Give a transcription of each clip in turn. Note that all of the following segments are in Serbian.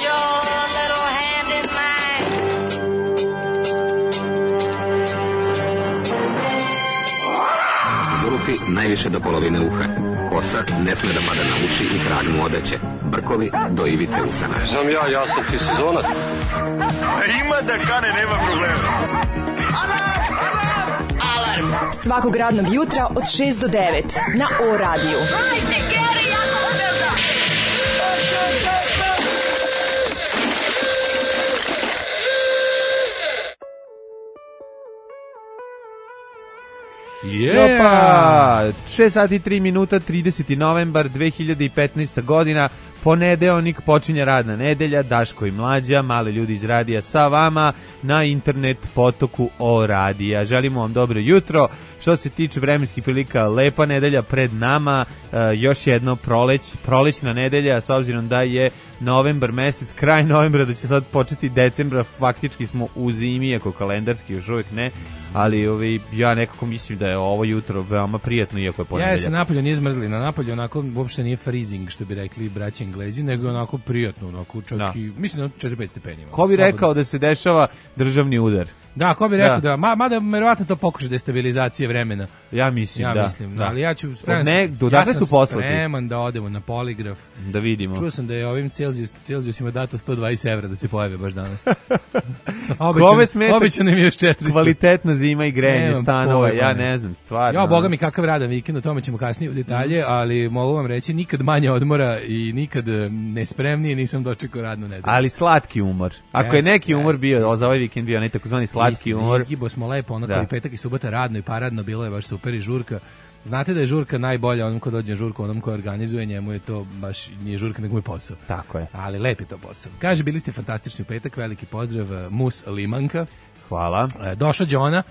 your little hand in mine. Zulufi najviše do polovine uha. Kosa ne sme da pada na uši i krag mu odeće. Brkovi do ivice usana. Znam ja sam ti sezonac. Ima da kane, nema problema. Alarm! Svakog radnog jutra od 6 do 9 na O-radiju. Hajde, Geri, jako se velda! Opa, 6 sati 3 minuta, 30. novembar 2015. godina, ponedeljnik, počinje radna nedelja, Daško i Mlađa, mali ljudi iz radija sa vama na internet potoku O-radija. Želimo vam dobro jutro. Što se tiče vremenskih prilika, lepa nedelja pred nama, još jedno prolećna nedelja, s obzirom da je novembar mesec, kraj novembra, da će sad početi decembra, faktički smo u zimi, iako kalendarski još uvijek ne, ali ja nekako mislim da je ovo jutro veoma prijatno, iako je ponedeljak. Jeste, napolju nije zmrzli, na napolju onako uopšte nije freezing, što bi rekli braći Englezi, nego onako prijatno, onako čak da. I, mislim da 4-5 stepeni. Ko bi rekao da se dešava državni udar? Da, ko bi rekao da, mada verovatno to pokuša destabilizacije vremena. Ja mislim, da. Ali ja ću spreman da odemo na poligraf. Da vidimo. Čuo sam da je ovim Celzijusima dato 120 evra da se pojave baš danas. Obećano mi je još 400. Kvalitetna zima i grejanje stanova, ja ne znam, stvarno. Ja, boga mi kakav radan vikend, o tome ćemo kasnije u detalje, ali mogu vam reći, nikad manje odmora i nikad nespremnije nisam dočekao radnu nedelju. Ali slatki umor. Ako je neki umor bio, za ovaj vikend bio takozvani slatki umor. Izgibo smo lepo, ono koji petak i subota radno i paradno, bilo je baš super i žurka. Znate da je žurka najbolja onom ko dođe na žurku, onom ko organizuje, njemu je to baš nije žurka, nego mu je posao. Tako je. Ali lep je to posao. Kaže, bili ste fantastični u petak, veliki pozdrav, Mus Limanka. Hvala. Došao Đona.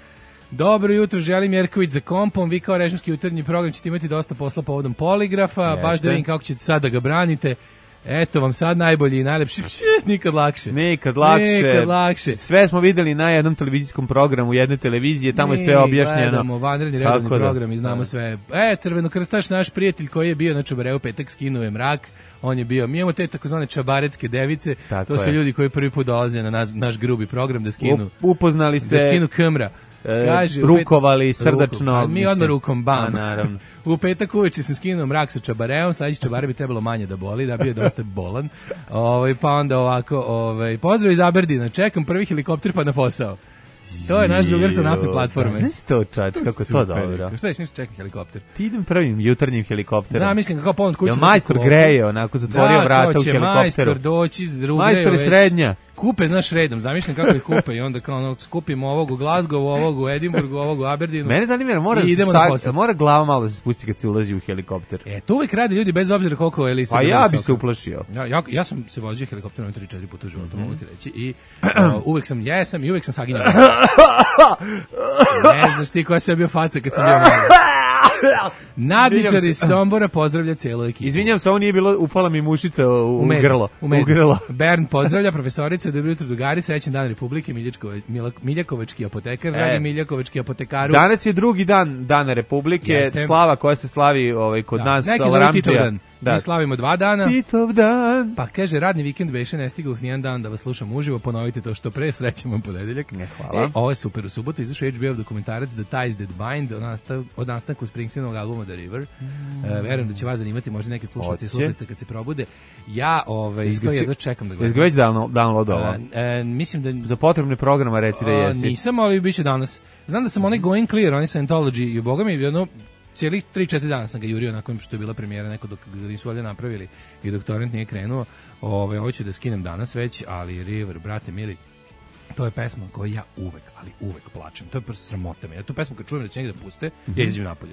Dobro jutro, želim Jerković za kompom. Vi kao režimski jutarnji program ćete imati dosta posla povodom poligrafa. Jeste. Baš da vidim kako ćete sad da ga branite. Eto vam sad najbolji i najlepši, nikad lakše. Sve smo videli na jednom televizijskom programu, jedne televizije, tamo je sve objašnjeno. Gledamo vanredni redovni program i znamo sve. Crvenokrstaš, naš prijatelj koji je bio na Čabareu petak, skinuo je mrak, on je bio, mi imamo te takozvane čabarecke device, to su ljudi koji prvi put dolaze na naš grubi program da skinu. Upoznali se. Da skinu kamera. Kaže, rukovali srdačno. Mi odmah rukom, bam. Naravno. U petak uveče sam skinuo mrak sa Čabareom, sledeći Čabare bi trebalo manje da boli, da bio je dosta bolan. Pa onda ovako, pozdrav iz Aberdina, čekam prvi helikopter pa na posao. To je naš drugar sa naftne platforme. Znaš to, čač, kako to dobro. Šta ješ, čekam helikopter? Ti idem prvim jutarnjim helikopterom. Da, mislim kako pomod kuće. Jel majstor greje, onako zatvorio vrata u helikopteru. Majstor doći, majstor je srednja. Kupe, znaš, redom, zamišljam kako ih kupe i onda kao ono, skupimo ovog u Glasgow, ovog u Edinburgu, ovog u Aberdinu. Mene zanima, mora glava malo da se spusti kad se ulazi u helikopter. To uvijek rade ljudi bez obzira koliko je Elisa. Pa ja bi se uplašio. Ja sam se vozio helikopterom 3-4 puta u životu, mogu ti reći, i uvijek sam jesam i uvijek sam saginjao. Ne znaš ti koja sam bio faca kad sam bio malo. Nadničar iz Sombora pozdravlja celu ekipu. Izvinjam se, ovo nije bilo, upala mi mušica u grlo. Bern pozdravlja profesorica, dobro jutro drugari, srećan dan Republike, Miljakovački apotekar, dragi Miljakovački apotekaru. Danas je drugi dan Dana Republike, jeste. Slava koja se slavi kod nas. Neki zove Titov dan. Mi slavimo 2 dana. Titov dan. Pa kaže, radni vikend beše, ne stigao nijedan dan da vas slušam uživo, ponovite to što pre, srećan vam ponedeljak. Hvala. Ovo je super, u subotu izašao HBO dokumentarac The Ties That Bind od nastanku Springsteenovog albuma The River. Verujem da će vas zanimati, možda neki slušalci i slušalice kad se probude. Ja to jedva čekam da gledam. Jesi ga već downloadovao? Mislim da... Za potrebne programa reci da jesi. Nisam, ali biće danas. Znam da sam onaj Going Clear, onaj Scientology, i boga mi jedno... Cijelih 3-4 dana sam ga jurio nakon što je bila premijera, neko dok nisu valjda napravili i doktorant nije krenuo. Ovo ću da skinem danas već, ali River, brate mili, to je pesma koju ja uvek plačem. To je prosto sramota me. Ja tu pesmu kad čujem da će negdje da puste, ja izađem napolje,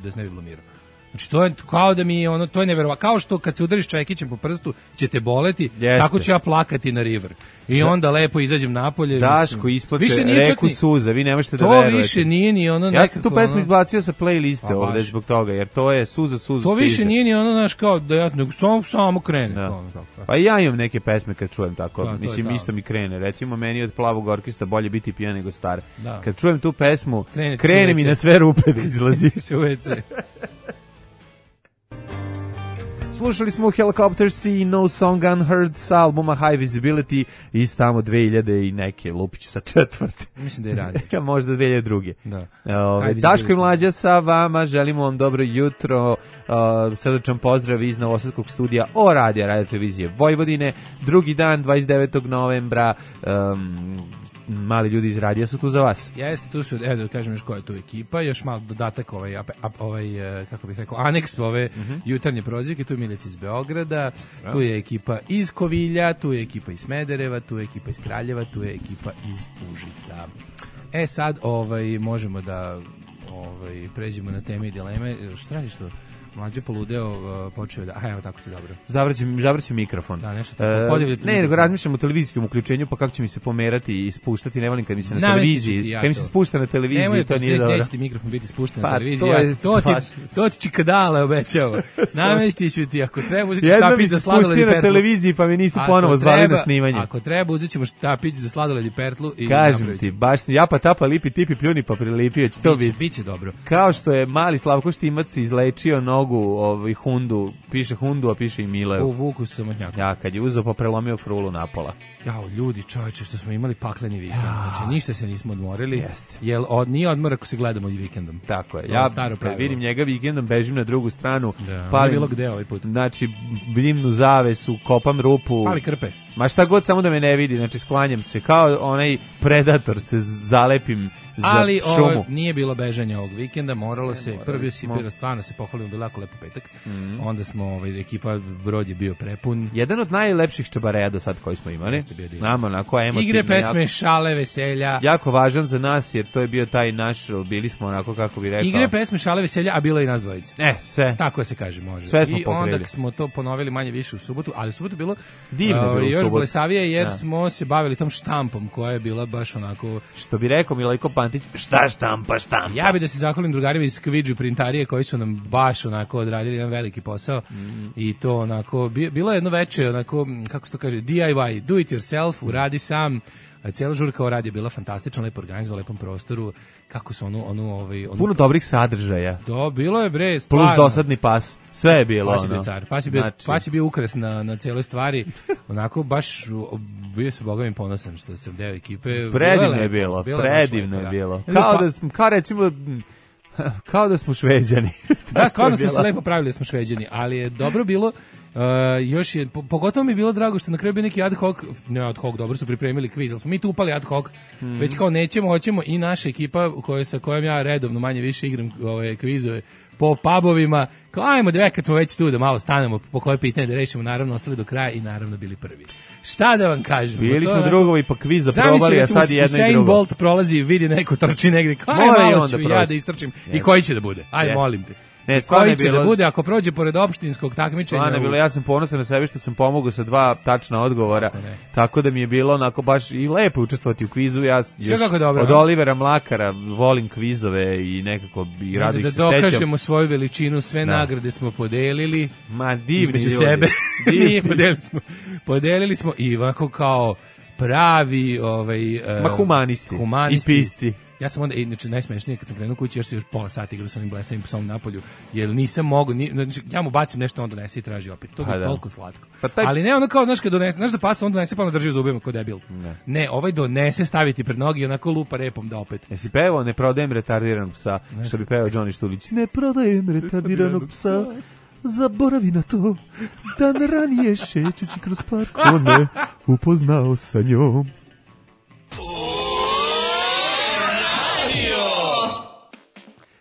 da se ne bi blamirao. Znači to je kao da mi to je neverovatno, kao što kad se udariš čekićem po prstu će te boleti, tako ću ja plakati na River. I onda lepo izađem napolje. Daško isplače reku suza, vi ne možete da verujete. To više nije ni ono. Ja sam tu pesmu izbacio sa playliste ovde zbog toga, jer to je suza. To više nije ni ono, znaš, kao da ja samo krene. Pa ja imam neke pesme kad čujem tako, mislim isto mi krene. Recimo meni od Plavog orkestra bolje biti pijan nego star. Kad čujem tu pesmu, krene mi na sve rupe da izlazi. Se u WC. Slušali smo Helicopters i No Song Unheard sa albuma High Visibility iz tamo 2000 i neke, lupiću sa četvrte. Mislim da je ranije. Možda 2002. Da. Daško i Mlađa sa vama, želimo vam dobro jutro, srdačan pozdrav iz Novosadskog studija o radio televizije Vojvodine, drugi dan, 29. novembra, mali ljudi iz radija su tu za vas. Jeste, tu su, evo da kažem još koja je tu ekipa, još malo dodatak kako bih rekao, aneks ove jutarnje prozivke, tu je Milica iz Beograda, tu je ekipa iz Kovilja, tu je ekipa iz Smedereva, tu je ekipa iz Kraljeva, tu je ekipa iz Užica. Sad možemo da pređemo na teme i dileme. Šta radiš to? Mlađe poludeo, počeo da... evo tako ti dobro. Zavrći mikrofon. Da, nešto tako. Ne, nego razmišljam o televizijskom uključenju, pa kako će mi se pomerati i spuštati, ne volim kad mi se na televiziji... Kad mi se spušta na televiziji, to nije dobro. Neće ti mikrofon biti spušten na televiziji. To ti čikadale obećao. Namestit ću ti, ako treba, uzet ću štapić za sladoled i pertlu. Jedno mi se spustio na televiziji, pa mi nisu ponovo zvali na snimanje. Ako treba, uzet ćemo štapić za sladoled i pertlu. Kažem ti, baš japa tapa, lipi tipi, pljuni pa prilipio, će to biti. Biće dobro. Kao što je mali Slavko Štimac izlečio nogu Hundu, piše Hundu, a piše i Milev. U Vuku samotnjaka. Ja, kad je uzeo pa prelomio frulu napola. Jao, ljudi, čovječe, što smo imali pakleni vikend. Znači, ništa se nismo odmorili. Jeste. Jel nije odmor ako se gledamo i vikendom. Tako je. Ja kad vidim njega vikendom, bežim na drugu stranu. Da, palim, bilo gde ovaj put. Znači, dimnu zavesu, kopam rupu. Pali krpe. Ma šta god, samo da me ne vidi, znači sklanjam se, kao onaj predator se zalepim za šumu. Ali nije bilo bežanja ovog vikenda, moralo se, prvi si bilo stvarno se pohvalimo, bilo jako lepo petak, onda smo, ekipa, brod je bio prepun. Jedan od najlepših čabareja do sad koji smo imali. Nama, onako, emotivno. Igre, pesme, šale, veselja. Jako važan za nas, jer to je bio taj naš, bili smo onako, kako bi rekao. Igre, pesme, šale, veselja, a bilo i nas dvojice. Sve. Tako se kaže, može. Sve smo pokrili. I onda smo to ponovili manje više u subotu, ali u subotu bilo divno još blesavije, jer smo se bavili tom štampom koja je bila baš onako... Što bi rekao Milajko Pantić, šta štampa. Ja bi da se zahvalim drugarima iz Kvidžu printarije koji su nam baš onako odradili jedan veliki posao i to onako, bilo je jedno veče onako, kako se to kaže, DIY, do it yourself, uradi sam. Cijela žurka o radi je bila fantastična, lepo organizovana, lepom prostoru, kako su puno dobrih sadržaja. Bilo je bre, stvarno. Plus dosadni pas, sve je bilo. Pas je bio car, pas je bio ukras na cijeloj stvari, onako baš bio se Boga mi ponosan što sam deo ekipe. Predivno je bilo. Kao da smo Šveđani. Da, stvarno smo se lepo pravili da smo Šveđani, ali je dobro bilo. Još je, pogotovo mi je bilo drago što na kraju bio neki ad hoc, dobro su pripremili kviz, ali smo mi tu upali ad hoc, već kao nećemo, hoćemo i naša ekipa sa kojom ja redovno manje više igram kvizove po pubovima, kao ajmo kad smo već tu da malo stanemo po koje pitanje da rešimo, naravno ostali do kraja i naravno bili prvi. Šta da vam kažem? Bili smo drugovi pa kviza probali, a sad jedno i drugo. Usain Bolt prolazi, vidi neko trči negdje, kao malo ću ja da istrčim. I koji će da bude? Aj, molim te. Koji će da bude ako prođe pored opštinskog takmičenja? Ja sam ponosan na sebe što sam pomogao sa 2 tačna odgovora, tako da mi je bilo onako baš i lepo učestvovati u kvizu. Ja od Olivera Mlakara volim kvizove i nekako i rado ih se sećam. Da dokažemo svoju veličinu, sve nagrade smo podelili. Ma divni između sebe. Nije, podelili smo i ovako kao pravi humanisti i pisci. Ja sam onda, znači najsmešnije kad sam krenuo kući, još se još pola sata igrao sa onim blesavim psom napolju, jer nisam mogao, znači ja mu bacim nešto, on donese i traži opet. To je toliko slatko. Ali ne ono kao, znaš kad donese, znaš da pas on donese pa ono drži u zubima kao debil. Ne, ovaj donese staviti pred nogi i onako lupa repom da opet. Jesi pevao Ne prodajem retardiranog psa, što bi pevao Johnny Štulić. Ne prodajem retardiranog psa, zaboravi na to, dan ranije šećući kroz park, on me upoznao sa njom.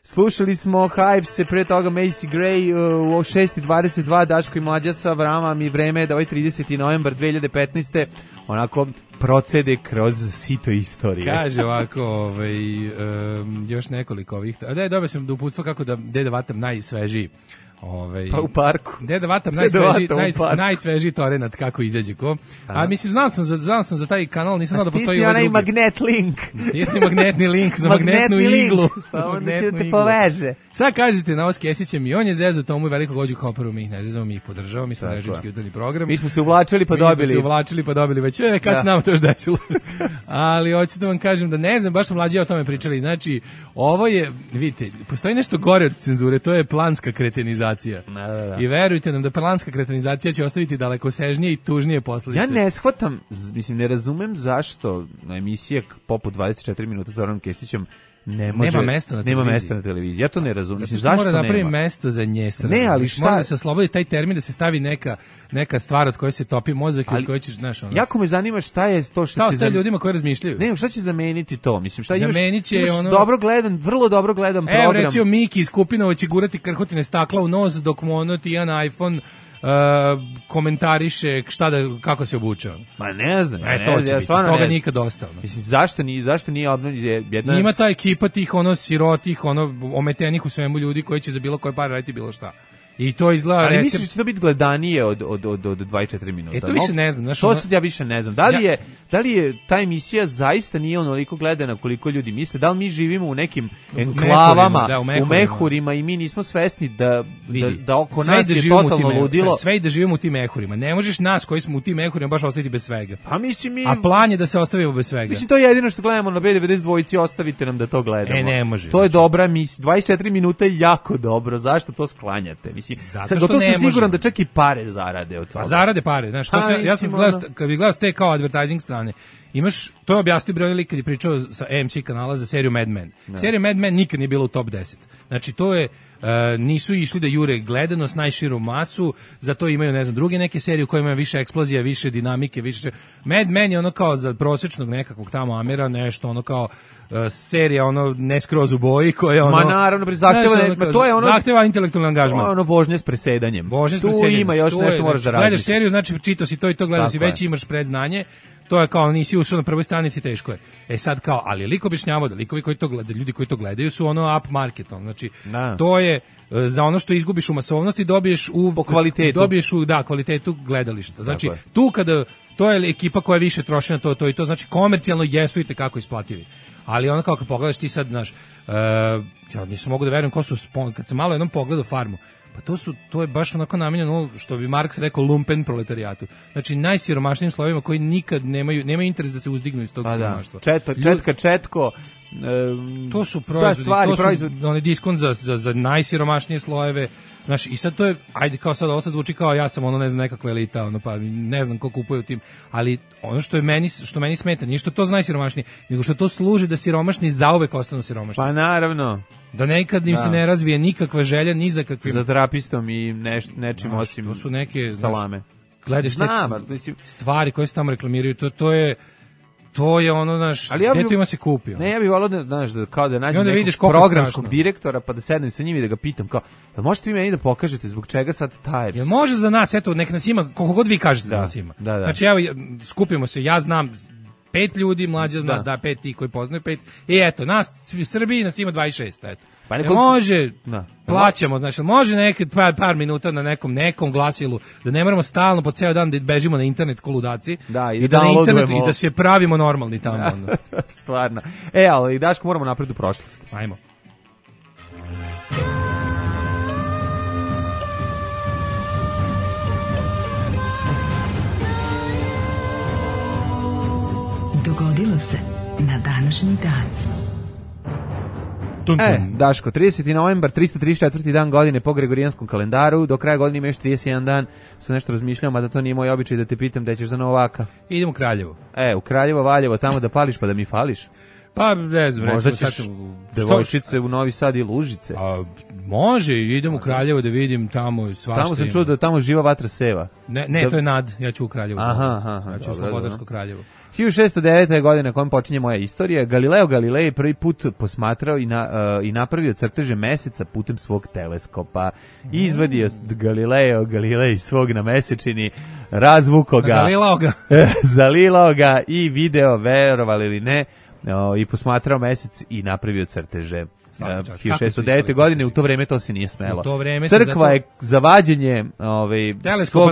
Slušali smo Hives, pre toga Macy Gray u 6:22, Daško i Mlađa sa vama, mi vreme je da ovaj 30. novembar 2015. onako procede kroz sito istorije. Kaže ovako, još nekoliko ovih, da je dobio sam da uputstvo kako da Deda Vatam najsvežiji. Pa u parku. Deda Vatam najsvežiji torenat kako izađe ko. A mislim, znao sam za taj kanal, nisam znao da postoji ovaj drugi. Stisni onaj magnet link. Stisni magnetni link za magnetnu iglu. Pa onda će te poveže. Šta kažete na ovo s Kesićem? I on je zezao tomu i veliko gođu koperu, mi ih ne zezamo, mi ih podržavamo, mi smo režimski jutarnji program. Mi smo se uvlačili pa dobili. Već kad se nama to još desilo. Ali hoću da vam kažem da ne znam, baš smo Mlađi o tome pričali. Znači, ovo je, vidite, postoji nešto gore od cenzure, to je planska kretenizacija. kretenizacija. Da. I verujte nam da planska kretenizacija će ostaviti dalekosežnije i tužnije posljedice. Ja ne shvatam, mislim, ne razumem zašto na emisije poput 24 minuta sa Zoranom Kesićem nema mesta na televiziji. Ja to ne razumem. Zato što zašto mora da napravi nema mesto za njesra. Ne, ali šta? Mora da se oslobodi taj termin, da se stavi neka stvar od koje se topi mozak i od koje ćeš, znaš, ono. Jako me zanima šta je to šta ostaje ljudima koji razmišljaju. Ne, šta će zameniti to? Mislim, šta zamenit će imaš vrlo dobro gledam program. Evo, recimo, Miki iz Kupinova će gurati krhotine stakla u nos dok mu ono Tijan iPhone komentariše kako se obuče. Ma ne znam. To će biti, toga nikad ostalo. Mislim, zašto nije obnovljena jedna... Ima ta ekipa tih sirotih, ometenih u svemu ljudi koji će za bilo koje pare raditi bilo šta. I to izgleda... Ali misliš da će to biti gledanije od 24 minuta? To više ne znam. To sad ja više ne znam. Da li je ta emisija zaista nije onoliko gledana koliko ljudi misle? Da li mi živimo u nekim enklavama, u mehurima i mi nismo svesni da oko nas je totalno ludilo? Sve i da živimo u tim mehurima. Ne možeš nas koji smo u tim mehurima baš ostaviti bez svega. Pa mislim A plan je da se ostavimo bez svega. Mislim, to je jedino što gledamo na B92, ostavite nam da to gledamo. Ne može. To je dobra emisija. 24 minuta je jako dobro. Zašto to sklanjate? Mislim, zato što sam siguran da čak i pare zarade od toga. Pa zarade pare, znaš, ja sam kad bi gledao te kao advertising strane, imaš, to je objasnio Broj lik kad je pričao sa AMC kanala za seriju Mad Men. Serija Mad Men nikad nije bila u top 10. Znači, to je, nisu išli da jure gledanost, najširu masu, zato imaju, ne znam, druge neke serije u kojima ima više eksplozija, više dinamike, više... Mad Men je ono kao za prosječnog nekakvog tamo Amera, nešto ono kao serija ne skroz u boji koja ono... Ma naravno, zahteva intelektualni angažman. To je ono vožnje s presedanjem. Tu ima još nešto moraš da radiš. Gledaš seriju, znači čitao si to i to, gledao si, već imaš predznanje. To je kao nisi ušao na prvoj stranici, teško je. Sad kao, ali lik objašnjavao da likovi koji to gledaju, ljudi koji to gledaju su up market, znači to je za ono što izgubiš u masovnosti dobiješ u kvalitetu. Dobiješ u kvalitetu gledališta. Znači tu kada to je ekipa koja više troši na to i to, znači komercijalno jesu i tekako isplativi. Ali ono kao kad pogledaš ti sad, znaš, ja nisam mogu da verujem ko su, kad sam malo jednom pogledao Farmu, pa to je baš onako namijenjeno, što bi Marks rekao, lumpen proletarijatu. Znači najsiromašnijim slovima koji nikad nemaju interes da se uzdignu iz tog siromaštva. Četko. To su proizvodi, onaj diskont za najsiromašnije slojeve. Znaš, i sad to je, ajde kao sad, ovo sad zvuči kao ja sam ne znam, nekakva elita, pa ne znam ko kupuje u tim, ali ono što meni smeta, nije što to zna najsiromašnije, nego što to služi da siromašni zauvek ostanu siromašni. Pa naravno. Da nekad im se ne razvije nikakva želja, ni za kakvim... Za terapistom i nečim osim to su neke, salame. Gledaš stvari koje se tamo reklamiraju, to je ono, znaš, gdje to ima se kupio. Ne, ja bih volio da nađem nekog programskog direktora, pa da sednem sa njim i da ga pitam, kao, možete vi meni da pokažete zbog čega sad taj... Jel može za nas, eto, nek nas ima, koliko god vi kažete da nas ima. Znači, evo, skupimo se, ja znam 5 ljudi, Mlađa zna, 5 ti koji poznaju 5, i eto, nas, u Srbiji nas ima 26, eto. Pa može, plaćamo, znači, može nekad par minuta na nekom glasilu, da ne moramo stalno po ceo dan da bežimo na internet ko ludaci, i da na internetu i da se pravimo normalni tamo. Stvarno. Ali Daško, moramo napred u prošlost. Ajmo. Dogodilo se na današnji dan. Daško, 30. novembar, 334. dan godine po Gregorijanskom kalendaru, do kraja godine ima još 31 dan, sam nešto razmišljao, mada to nije moj običaj da te pitam da ćeš za Novaka. Idem u Kraljevo. U Kraljevo, Valjevo, tamo da pališ pa da mi fališ. Pa, ne znam, možda ćeš devojčice u Novi Sad i Lužice. Može, idem u Kraljevo da vidim tamo svašta. Tamo sam čuo da tamo živa vatra seva. Ne, to je Nad, ja ću u Kraljevo. Ja ću u Slobodarsko Kraljevo. 1609. godine na kojem počinje moja istorija, Galileo Galilei prvi put posmatrao i napravio crteže meseca putem svog teleskopa. Izvadio Galileo Galilei svog na mesečini, razvukao ga, zalilao ga i video, verovali ili ne, i posmatrao mesec i napravio crteže. 1609. godine, u to vreme to se nije smelo. Crkva je za vađenje teleskopa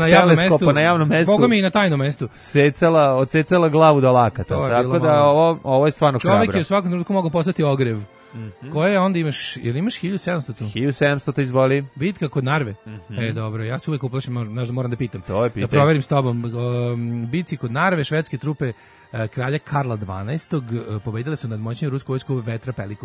na javnom mestu. Boga mi i na tajnom mestu. Odsecala glavu do lakata. Tako da ovo je stvarno hrabro. Čovjek je u svakom trenutku mogao postati ogrev. Koje onda imaš, jer imaš 1700 tu? 1700 to izvoli. Bitka kod Narve. Dobro, ja se uvek uplašim, možda moram da pitam. To je pitanje. Da proverim s tobom. Bici kod Narve, švedske trupe kralja Karla XII pobedile su nad moćnim rusku vojsku Petra I.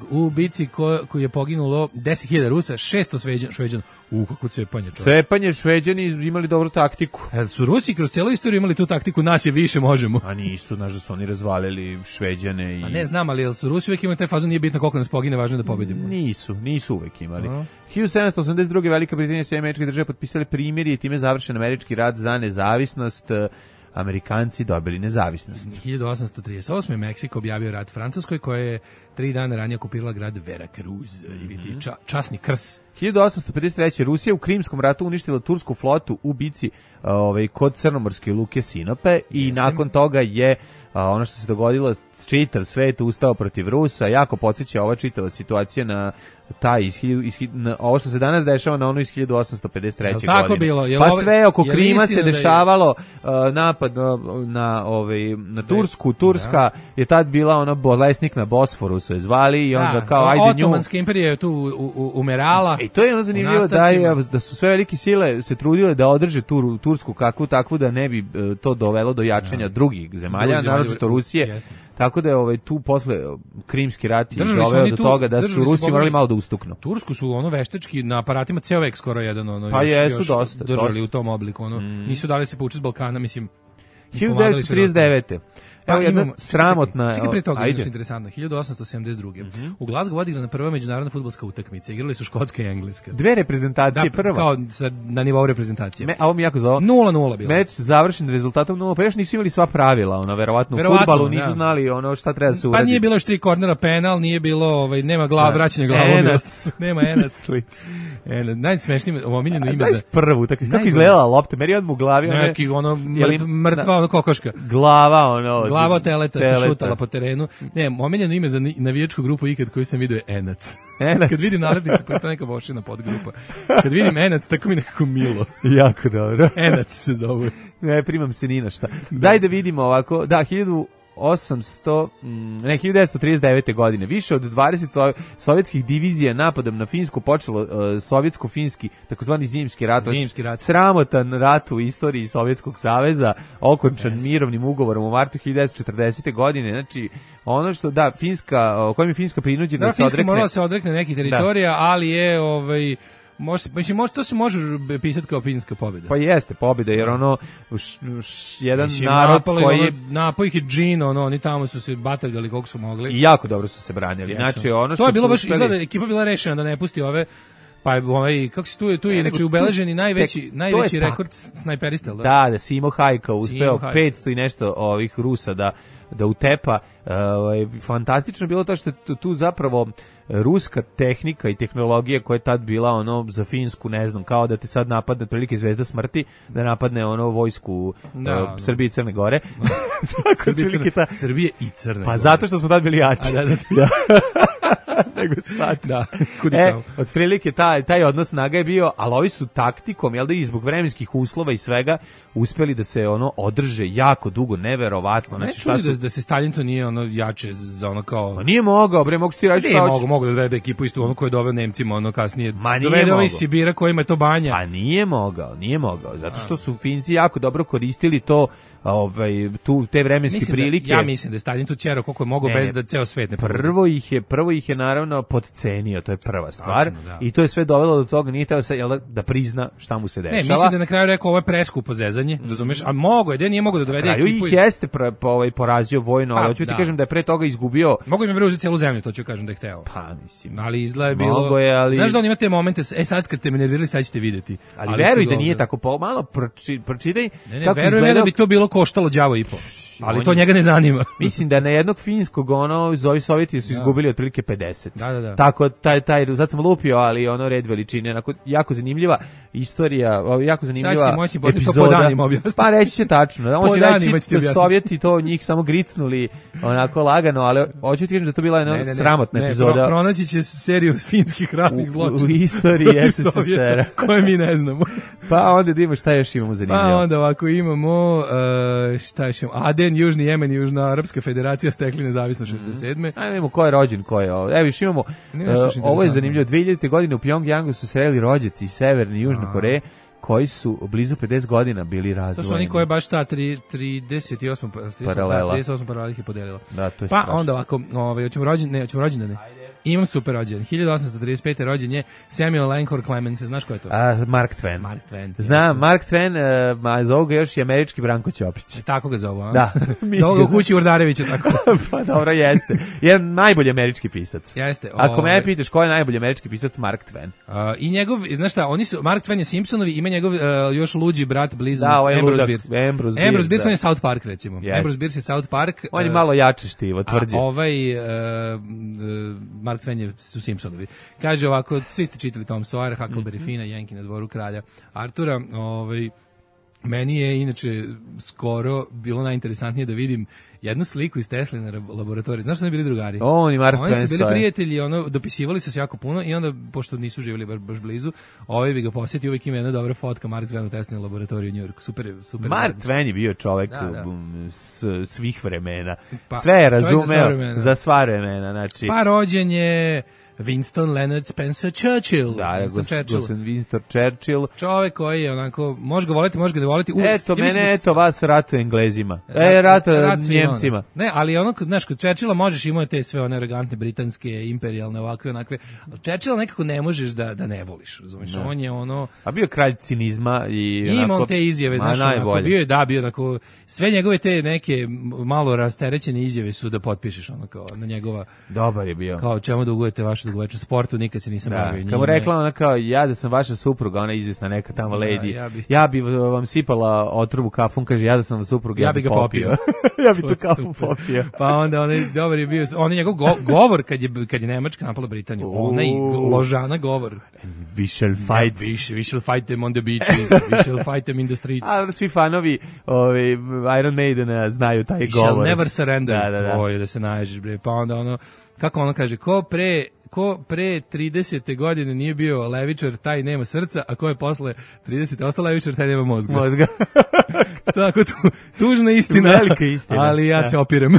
U bici koji je poginulo 10.000 Rusa, 600 Šveđana. Kako cepanje, čovječ. Cepanje, Šveđani imali dobru taktiku. Su Rusi kroz celu istoriju imali tu taktiku, nas je više, možemo. A nisu, znaš da su oni razvalili Šveđane i... A ne znam, ali su Rusi uvijek imali taj fazon, nije bitno koliko nas pogine, važno je da pobedimo. Nisu uvijek imali. 1782. Velika Britanija i sve američke države potpisali primirje i time završen američki rat za nezavisnost. Amerikanci dobili nezavisnost. 1838. Meksiko objavio rat Francuskoj, koja je 3 dana ranije okupirala grad Veracruz, ili ti časni Krs. 1853. Rusija u Krimskom ratu uništila tursku flotu u bici kod crnomorske luke Sinope i nakon toga je ono što se dogodilo, čitav svet ustao protiv Rusa, jako podsjeća ova čitava situacija na taj ovo što se danas dešava na ono iz 1853. Tako godine. bilo? Pa sve oko Krima se dešavalo, napad na Tursku, Turska je tad bila ono bolesnik na Bosforu se zvali i onda kao ajde nju. Otomanska imperija je tu umerala. I to je ono zanimljivo da su sve velike sile se trudile da održe Tursku kakvu takvu da ne bi to dovelo do jačanja drugih zemalja, naročito Rusije. Jeste. Tako da je tu posle Krimski rat je doveo do toga da su Rusi morali malo da ustuknu. Tursku su ono veštački na aparatima ceo vek skoro jedan ono pa još dosta držali u tom obliku ono nisu dali se povući s Balkana, mislim. 1939. Evo jedna sramotna... Čekaj prije toga, je interesantno. 1872. U Glasgow odigrana prva međunarodna fudbalska utakmica. Igrali su Škotska i Engleska. Dve reprezentacije, prva. Kao na nivou reprezentacije. A ovo mi jako zove. 0-0 bilo. Meč završen rezultatom 0, pa još nisu imali sva pravila, verovatno u fudbalu nisu znali šta treba da se uradi. Pa nije bilo još 3 kornera, penal, nije bilo, nema vraćanja glavom. Nema enac. Najsmešnije, omiljeno ime za... Znaš prvu, kako izgledala lopta, meri odmah u glavi. Neki, mrtva, kokoška. Glava od teleta se šutala po terenu. Ne, omiljeno ime za navijačku grupu ikad koju sam vidio je Enac. Kad vidim nalepnicu, pa je to neka vošina podgrupa. Kad vidim Enac, tako mi nekako milo. Jako dobro. Enac se zove. Ne, primam se ni na šta. Daj da vidimo ovako. Da, 1939. godine. Više od 20 sovjetskih divizija napadom na Finsku počelo sovjetsko-finski, takozvani zimski rat. Sramotan rat u istoriji Sovjetskog saveza, okončan mirovnim ugovorom u martu 1940. godine. Znači, ono što, Finska, kojim je Finska prinuđena da se odrekne... Finska morala se odrekne nekih teritorija, ali je... to se može pisati kao finska pobjeda. Pa jeste pobjeda, jer jedan narod koji je... Napao ih je džin, oni tamo su se batalgali koliko su mogli. I jako dobro su se branili. Znači, to je bilo baš, izgleda, ekipa bila rešena da ne pusti ove... Pa kako se tu je znači ubeleženi najveći rekord snajperista, da? Da, Simo Hajka uspeo 500 i nešto ovih Rusa da utepa. Fantastično bilo to što tu zapravo ruska tehnika i tehnologija koja je tad bila za Finsku, ne znam, kao da te sad napadne otprilike Zvezda smrti, da napadne vojsku Srbije i Crne Gore. Srbije i Crne Gore. Pa zato što smo tad bili jači. Da. Nego sad. Da, otprilike taj odnos snaga je bio, ali ovi su taktikom, i zbog vremenskih uslova i svega, uspeli da se održe jako dugo, neverovatno. Znači, da se Stalin to nije jače za kao... Ma nije mogao, mogu ti raditi šta hoće. Mogu da dovede ekipu istu, koji je doveo Nemcima, kasnije. Dovede ovaj iz Sibira kojima je to banja. Pa nije mogao, zato što su Finci jako dobro koristili to, te vremenske prilike. Ja mislim da je Stalin tu ćerao koliko je mogao bez da ceo svet ne pogleda. Prvo ih je naravno podcenio, to je prva stvar. I to je sve dovelo do toga, nije teo da prizna šta mu se dešava. Ne, mislim da na kraju rekao ovo je preskupo zezanje, razumeš? A mogo je, nije mogao da dovede ekipu. Ih jeste porazio vojno, ali hoću ti kažem da je pre toga izgubio. Mogu im je preuzeti celu zemlju, to ću kažem da je hteo. Pa mislim. Ali izgleda je bilo. Znaš da on ima te momente, sad kad te me nervirali, sad ćete vidjeti. Ali veruj da nije tako, malo pročitaj kako izgleda. Da bi to bilo koštalo đavo i po. Ali to njega ne zanima. Mislim da na jednog finskog zovi Sovjeti su izgubili otprilike 50. Da. Tako sad sam lupio, ali red veličine, jako zanimljiva istorija, jako zanimljiva epizoda. Pa reći će tačno. On će reći da Sovjeti to njih samo gricnuli onako lagano, ali hoću ti kažem da to bila jedna sramotna epizoda. Pronaći će seriju finskih ratnih zločina u istoriji SSSR-a koje mi ne znamo. Pa onda da imamo šta još imamo zanimljivo. Pa onda ovako imamo šta još imamo. Bahrein, Južni Jemen i Južnoarapska federacija stekli nezavisno 67. Ajmo vidimo ko je rođen, ko je ovo. Evo više imamo, ovo je zanimljivo, 2000. godine u Pjongjangu su sreli rođaci iz Severne i Južne Koreje, koji su blizu 50 godina bili razdvojeni. To su oni koji baš ta 38 paralela ih je podelila. Da, to je pa strašno. onda ovako, hoćemo rođendane. Imam super rođendan. 1835. rođen je Samuel Langhorne Clemens. Znaš ko je to? Mark Twain. Mark Twain. Znam, Mark Twain, a zovu ga još i američki Branko Ćopić. Tako ga zovu, a? Da. Zovu ga u kući Urdarevića, tako. Pa dobro, jeste. Je najbolji američki pisac. Jeste. Ako me pitaš ko je najbolji američki pisac, Mark Twain. I njegov, znaš šta, Mark Twain je Simpsonovi, ima njegov još luđi brat blizanac, Ambrose Bierce. Ambrose Bierce on je South Park, recimo. Yes. Ambrose Bierce je South Park. On je malo jače štivo, tvrđe. A Mark Twain su Simpsonovi. Kaže ovako, svi ste čitali Tom Sawyer, Huckleberry Fina, Jenki na dvoru kralja Artura. Meni je inače skoro bilo najinteresantnije da vidim jednu sliku iz Tesline laboratorije. Znaš što su bili drugari? Oni Mark Oni su Twain bili stoje. prijatelji, dopisivali su se jako puno i onda, pošto nisu živjeli baš blizu, bi ga posjetio, uvijek ima jedna dobra fotka Mark Twain u Tesline laboratoriji u Njujorku. Super. Mark Twain je bio čovek Da. svih vremena. Pa, Sve je čovjek razumeo za sva vremena. Znači, pa rođen je Winston Leonard Spencer Churchill. da, Winston Winston Churchill. Čovek koji je onako, može ga voliti, može ga ne voliti. Eto vas rata Englezima. Rata Njemcima. Ne, ali ono, znaš, kod Churchilla možeš imati te sve one arogantne britanske, imperijalne, ovakve, onakve. Churchilla nekako ne možeš da ne voliš, razumiješ? On je ono... A bio kralj cinizma i... Ima on te izjave, znaš, onako, bio onako, sve njegove te neke malo rasterećene izjave su da potpišeš ono kao na njegova... Dobar je bio. Kao čemu da ugujete vašu dugovečnu sportu, nikad se nisam bavio njime. Kao rekla ona kao, ja da sam vaša supruga, ona je izvjesna neka tamo lady, ja bi vam sipala otrovu kafu, on kaže, ja da sam supruga, ja bi ga popio. Ja bi tu kafu popio. Pa onda onaj dobar je bio, on je njegov govor kad je Nemačka napala Britaniju, onaj ložana govor. We shall fight. We shall fight them on the beaches, we shall fight them in the streets. A svi fanovi Iron Maidena znaju taj we govor. We shall never surrender. Da. Da se naježiš, bre. Pa onda ono, kako ono kaže, ko pre 30. godine nije bio levičar, taj nema srca, a ko je posle 30. ostao levičar, taj nema mozga. Tako, tužna istina. Velika istina. Ali ja se opirem.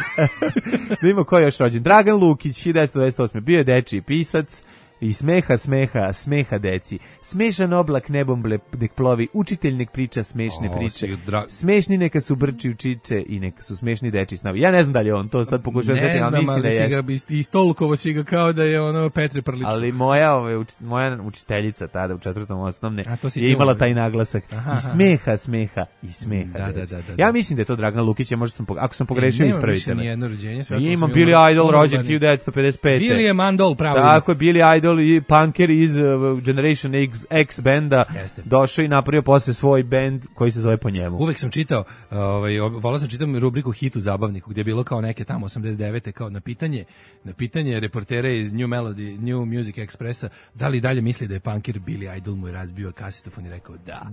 Da ima ko je još rođen. Dragan Lukić, 1928. Bio je dečiji pisac. I smeha deci. Smešan oblak nebom nek plovi, učitelj nek priča smešne priče. Smešni neka su brči učiće i neka su smešni deči snavi. Ja ne znam da li je on to sad pokušao da setim, ali mislim da je. I stolkovo si ga kao da je ono Petre Prličko. Ali moja učiteljica tada u 4. osnovne je imala taj naglasak. I smeha. Da. Ja mislim da je to Dragan Lukić, ako sam pogrešio ispravite me. Imam Billy Idol rođen 1955. William Andol pravo. Tako je, Billy Idol i punker iz Generation X benda došao i napravio posle svoj bend koji se zove po njemu. Uvek sam čitao, volao sam čitam rubriku Hit u zabavniku, gdje je bilo kao neke tamo 89. kao na pitanje reportera iz New Music Expressa, da li dalje misli da je punker, Billy Idol mu je razbio kasetofon i rekao da.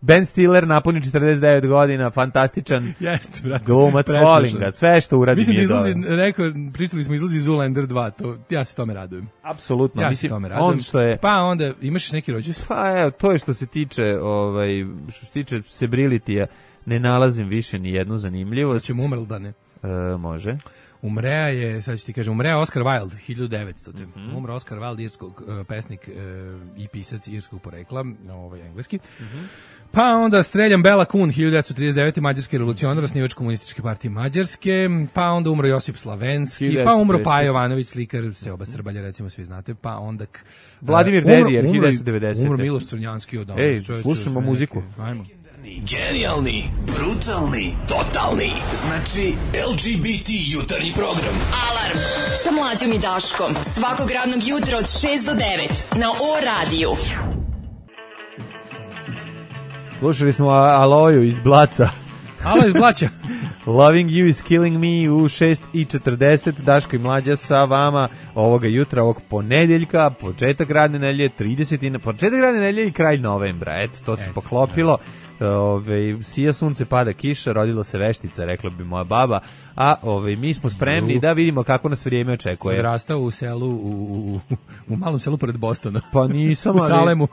Ben Stiller napuni 49 godina, fantastičan. Jeste, brate. Glumac, volim ga, sve što uradi mislim nije dobro. Mislim da pričali smo izlazi Zoolander 2, ja se tome radujem. Apsolutno. Ja se tome radujem. Pa onda, imaš neki rođus? Pa evo, to je što se tiče Sebrilitija, ne nalazim više ni jednu zanimljivost. Ćemo umrl da ne? Može. Umrea je, sad ću ti kažem, umrea Oscar Wilde, 1900. Umra Oscar Wilde, pesnik i pisac irskog porekla, engleski. Pa onda streljan Bela Kun, 1939. mađarski revolucionar, osnivač komunističke partije Mađarske. Pa onda umro Josip Slavenski. Pa umro Paja Jovanović, slikar, Seoba Srbalja, recimo svi znate. Pa onda... Vladimir Dedijer, 1990. Umro Miloš Crnjanski od slušamo muziku. Ajmo. Genijalni, brutalni, totalni. Znači LGBT jutarnji program. Alarm sa Mlađom i Daškom. Svakog radnog jutra od 6 do 9 na O-radiju. Slušali smo Aloju iz Blaca. Alo iz Blaća. Loving You is Killing Me u 6:40. Daško i Mlađa sa vama ovoga jutra, ovog ponedeljka, početak radne nedelje, 30. početak radne nedelje i kraj novembra. Eto, to se poklopilo. Sija sunce, pada kiša, rodilo se veštica, rekla bi moja baba, a mi smo spremni da vidimo kako nas vrijeme očekuje. Odrastao u selu, u malom selu pored Bostona. Pa nisam, u Salemu.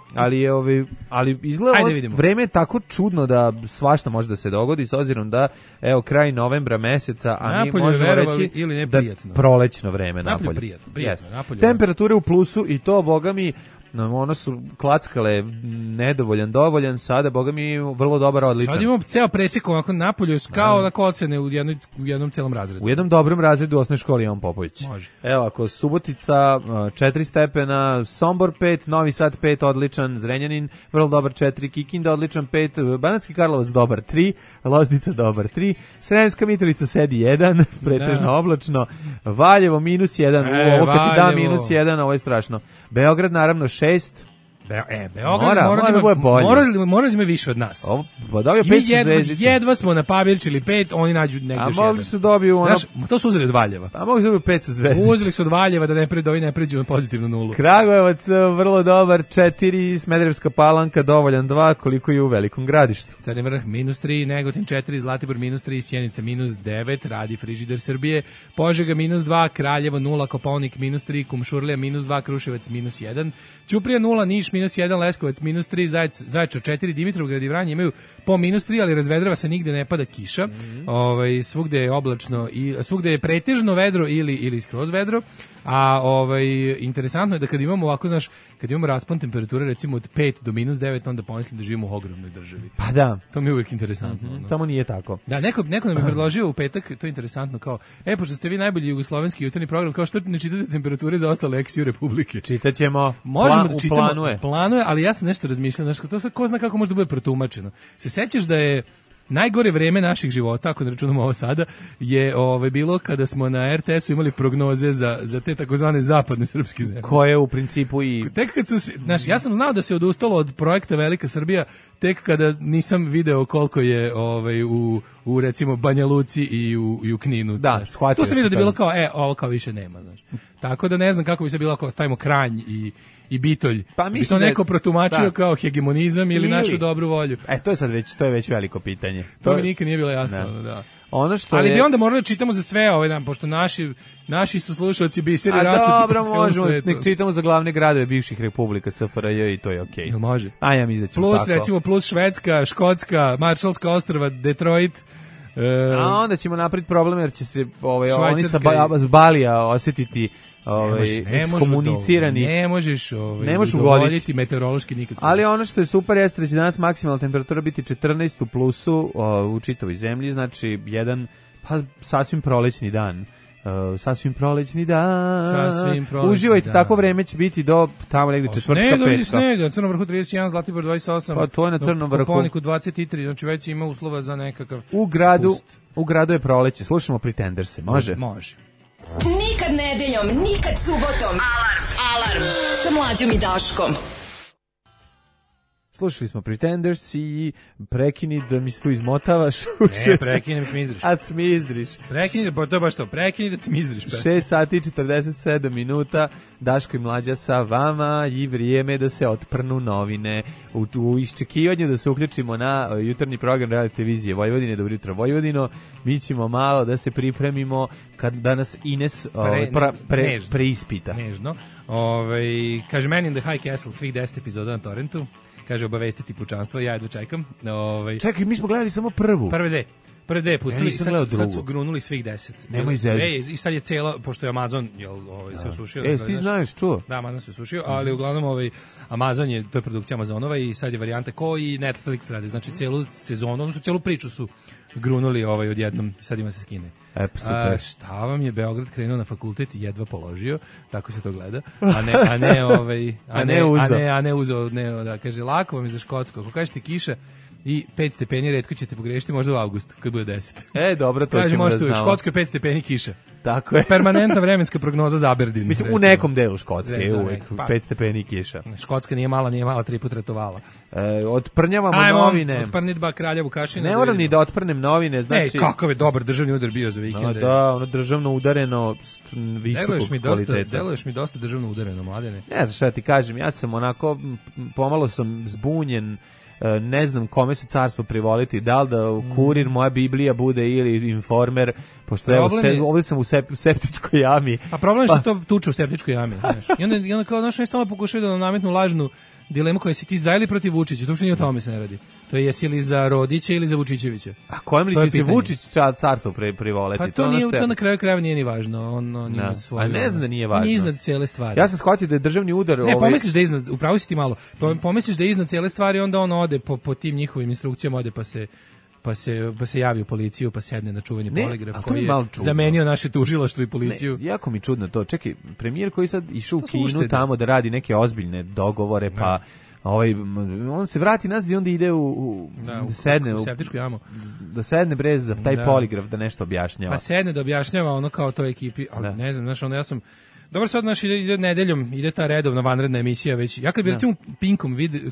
Ali izgleda vreme je tako čudno da svašta može da se dogodi, s obzirom da, evo, kraj novembra meseca, a napolje, mi možemo reći ili da prolećno vreme napolje. Prijatno, napolje. Temperature u plusu i to, boga mi, ono su klackale nedovoljan, dovoljan, sada, boga mi, vrlo dobar, odličan. Sad imamo ceo presjek ovako napolju, kao na ocene u jednom celom razredu. U jednom dobrom razredu u osnovnoj školi Jovan Popović. Može. Evo, ako Subotica 4 stepena, Sombor 5, Novi Sad 5, odličan, Zrenjanin vrlo dobar 4, Kikinda odličan 5, Banatski Karlovac dobar 3, Loznica dobar 3, Sremska Mitrovica sedi 1, pretežno oblačno, Valjevo minus 1, ovo kad ti da minus 1, ovo je strašno. Beograd naravno 6. Beograd mora ima više od nas. Jedva smo na Pavelićili 5, oni nađu negdje još jedan. A mogli su dobiju ono... Znaš, to su uzeli od Valjeva. A mogli su dobiju 5 zvezdica. Uzeli su od Valjeva da ovi ne pređu na pozitivnu nulu. Kragujevac vrlo dobar 4, Smederevska Palanka dovoljan 2, koliko je u Velikom Gradištu. Crni Vrh minus 3, Negotin 4, Zlatibor minus 3, Sjenica minus 9, radi frižider Srbije, Požega minus 2, Kraljevo 0, Kopaonik minus 3, Kumšurlija minus 2, Kruševac minus 1, Ćuprija 0, Niš minus 1, Leskovac minus 3, Zaječar 4, Dimitrovgrad i Vranje imaju po minus 3, ali razvedrava se, nigde ne pada kiša. Svugde je oblačno i svugde je pretežno vedro ili skroz vedro. A interesantno je da kad imamo ovako, znaš, kad imamo raspon temperature recimo od 5 do minus 9, onda pomislim da živimo u ogromnoj državi. Pa da. To mi je uvijek interesantno. Tamo nije tako. Da, neko nam je predložio u petak, to je interesantno, kao, pošto ste vi najbolji jugoslovenski jutarnji program, kao što ne čitate temperature za ostale ex-ju republike. Čitaćemo. Možemo da čitamo. Planuje, ali ja sam nešto razmišljao, znaš, to sad ko zna kako može da bude protumačeno. Se sećaš da je najgore vreme naših života, ako ne računamo ovo sada, je bilo kada smo na RTS-u imali prognoze za te takozvane zapadne srpske zemlje. Koje u principu i... Tek kad su, znaš, ja sam znao da se odustalo od projekta Velika Srbija, tek kada nisam video koliko je u recimo Banja Luci i u Kninu. Da, shvatio tu sam vidio da je bilo kao, ovo kao više nema, znaš. Tako da ne znam kako bi se bilo ako stavimo Kranj i Bitolj. Pa bi to neko protumačio kao hegemonizam ili našu dobru volju. To je već veliko pitanje. To mi nikad nije bilo jasno, da. Ali bi onda morali da čitamo za sve ovaj dan, pošto naši su slušalci biseri rasuti. Dobro, možemo, nek čitamo za glavne gradove bivših republika SFRJ i to je okej. Može. A ja mislim da ćemo tako. Recimo plus Švedska, Škotska, Maršalska ostrva, Detroit. A onda ćemo napraviti problem jer će se oni sa Balija osjetiti ekskomunicirani. Ne možeš udovoljiti meteorološki nikad. Ali ono što je super jeste da će danas maksimalna temperatura biti 14 u plusu u čitavoj zemlji, znači jedan sasvim prolećni dan. Sasvim prolećni dan. Uživajte, tako vreme će biti do tamo negdje četvrtka, petka. Snega, na Crnom Vrhu 31, Zlatibor 28. Pa to je na Crnom Vrhu. Koponiku 23, znači već ima uslova za nekakav U gradu je proleće. Slušamo Pretenderse, može? Može. Nikad nedeljom, nikad subotom. Alarm sa Mlađom i Daškom. Slušali smo Pretenders i prekini da mi se tu izmotavaš. Ne, prekini da cmizdriš. A cmizdriš. Prekini, to je baš to, prekini da cmizdriš. 6 sati i 47 minuta, Daško i Mlađa sa vama i vrijeme da se otprnu novine. U iščekivanju da se uključimo na jutarnji program Radio televizije Vojvodine, Dobro jutro Vojvodino, mi ćemo malo da se pripremimo kad danas Ines preispita. Nežno. Kaže, Man in the High Castle, svih 10 epizoda na torrentu. Kaže, obavestiti pučanstvo, ja jedva čekam. Čekaj, mi smo gledali samo prvu. Prve dve pustili, sad su grunuli svih 10. Nemoj zezati. I sad je cijela, pošto je Amazon se osušio. Ti znaš, čuo? Da, Amazon se osušio, ali uglavnom Amazon to je produkcija Amazonova i sad je varijanta ko i Netflix radi. Znači, cijelu sezonu, odnosno cijelu priču su grunuli odjednom, sad ima se skine. Super. Šta vam je Beograd krenuo na fakultet i jedva položio, tako se to gleda, a ne uzeo, da, kaže, lako vam je za Škotsko, ako kažete kiša, i 5 stepeni, retko ćete pogrešiti, možda u avgustu, kad bude 10. Dobro, to Kaže, ćemo da možete uvijek, znamo. Škotskoj 5 stepeni kiša. Tako je. Permanentna vremenska prognoza za Aberdeen. Mislim, u recimo. nekom delu Škotske je Za uvek pa. 5 stepeni kiša. Škotska nije mala, 3 puta ratovala. Otprnjavamo novine. Otprni 2 kralja Vukašina. Ne moram ni da otprnem novine, znači... kakav je dobar državni udar bio za vikende. Da, ono državno udareno, visokog kvaliteta. Deluješ mi dosta državno udareno, Mladene. Ne znam šta ti kažem, ja sam onako, pomalo sam zbunjen, ne znam kome se carstvo privoliti, da li da Kurir, moja Biblija bude ili Informer, pošto evo, ovdje sam u septičkoj jami. A problem je što to tuče u septičkoj jami, znaš. I onda kao, znaš, stalno pokušaju da nam nametnu lažnu dilemu koja si ti za ili protiv Vučića, to uopšte nije o tome se ne radi. To je jesi li za Rodića ili za Vučićevića. A kojem li će se Vučić carstvo privoleti? Pa to na kraju krajeva nije ni važno. On ima svoju... A ne znam da nije važno. On je iznad cijele stvari. Ja sam shvatio da je državni udar... Ne, pomisliš da je iznad, upravo si ti malo, pomisliš da je iznad cijele stvari, onda on ode po tim njihovim instrukcijama, ode pa se javi u policiju, pa sedne na čuveni poligraf koji je zamenio naše tužilaštvo i policiju. Ne, jako mi čudno to. Čekaj, premijer koji sad išao u Kinu tamo da radi neke ozbiljne dogovore, pa on se vrati nazad i onda ide da sedne u septičku jamu. Da sedne brez za taj poligraf da nešto objašnjava. Pa sedne da objašnjava ono kao toj ekipi, ali ne znam, znaš, ono ja sam dobro, sad naš ide nedeljom, ide ta redovna vanredna emisija već. Ja kad bi recimo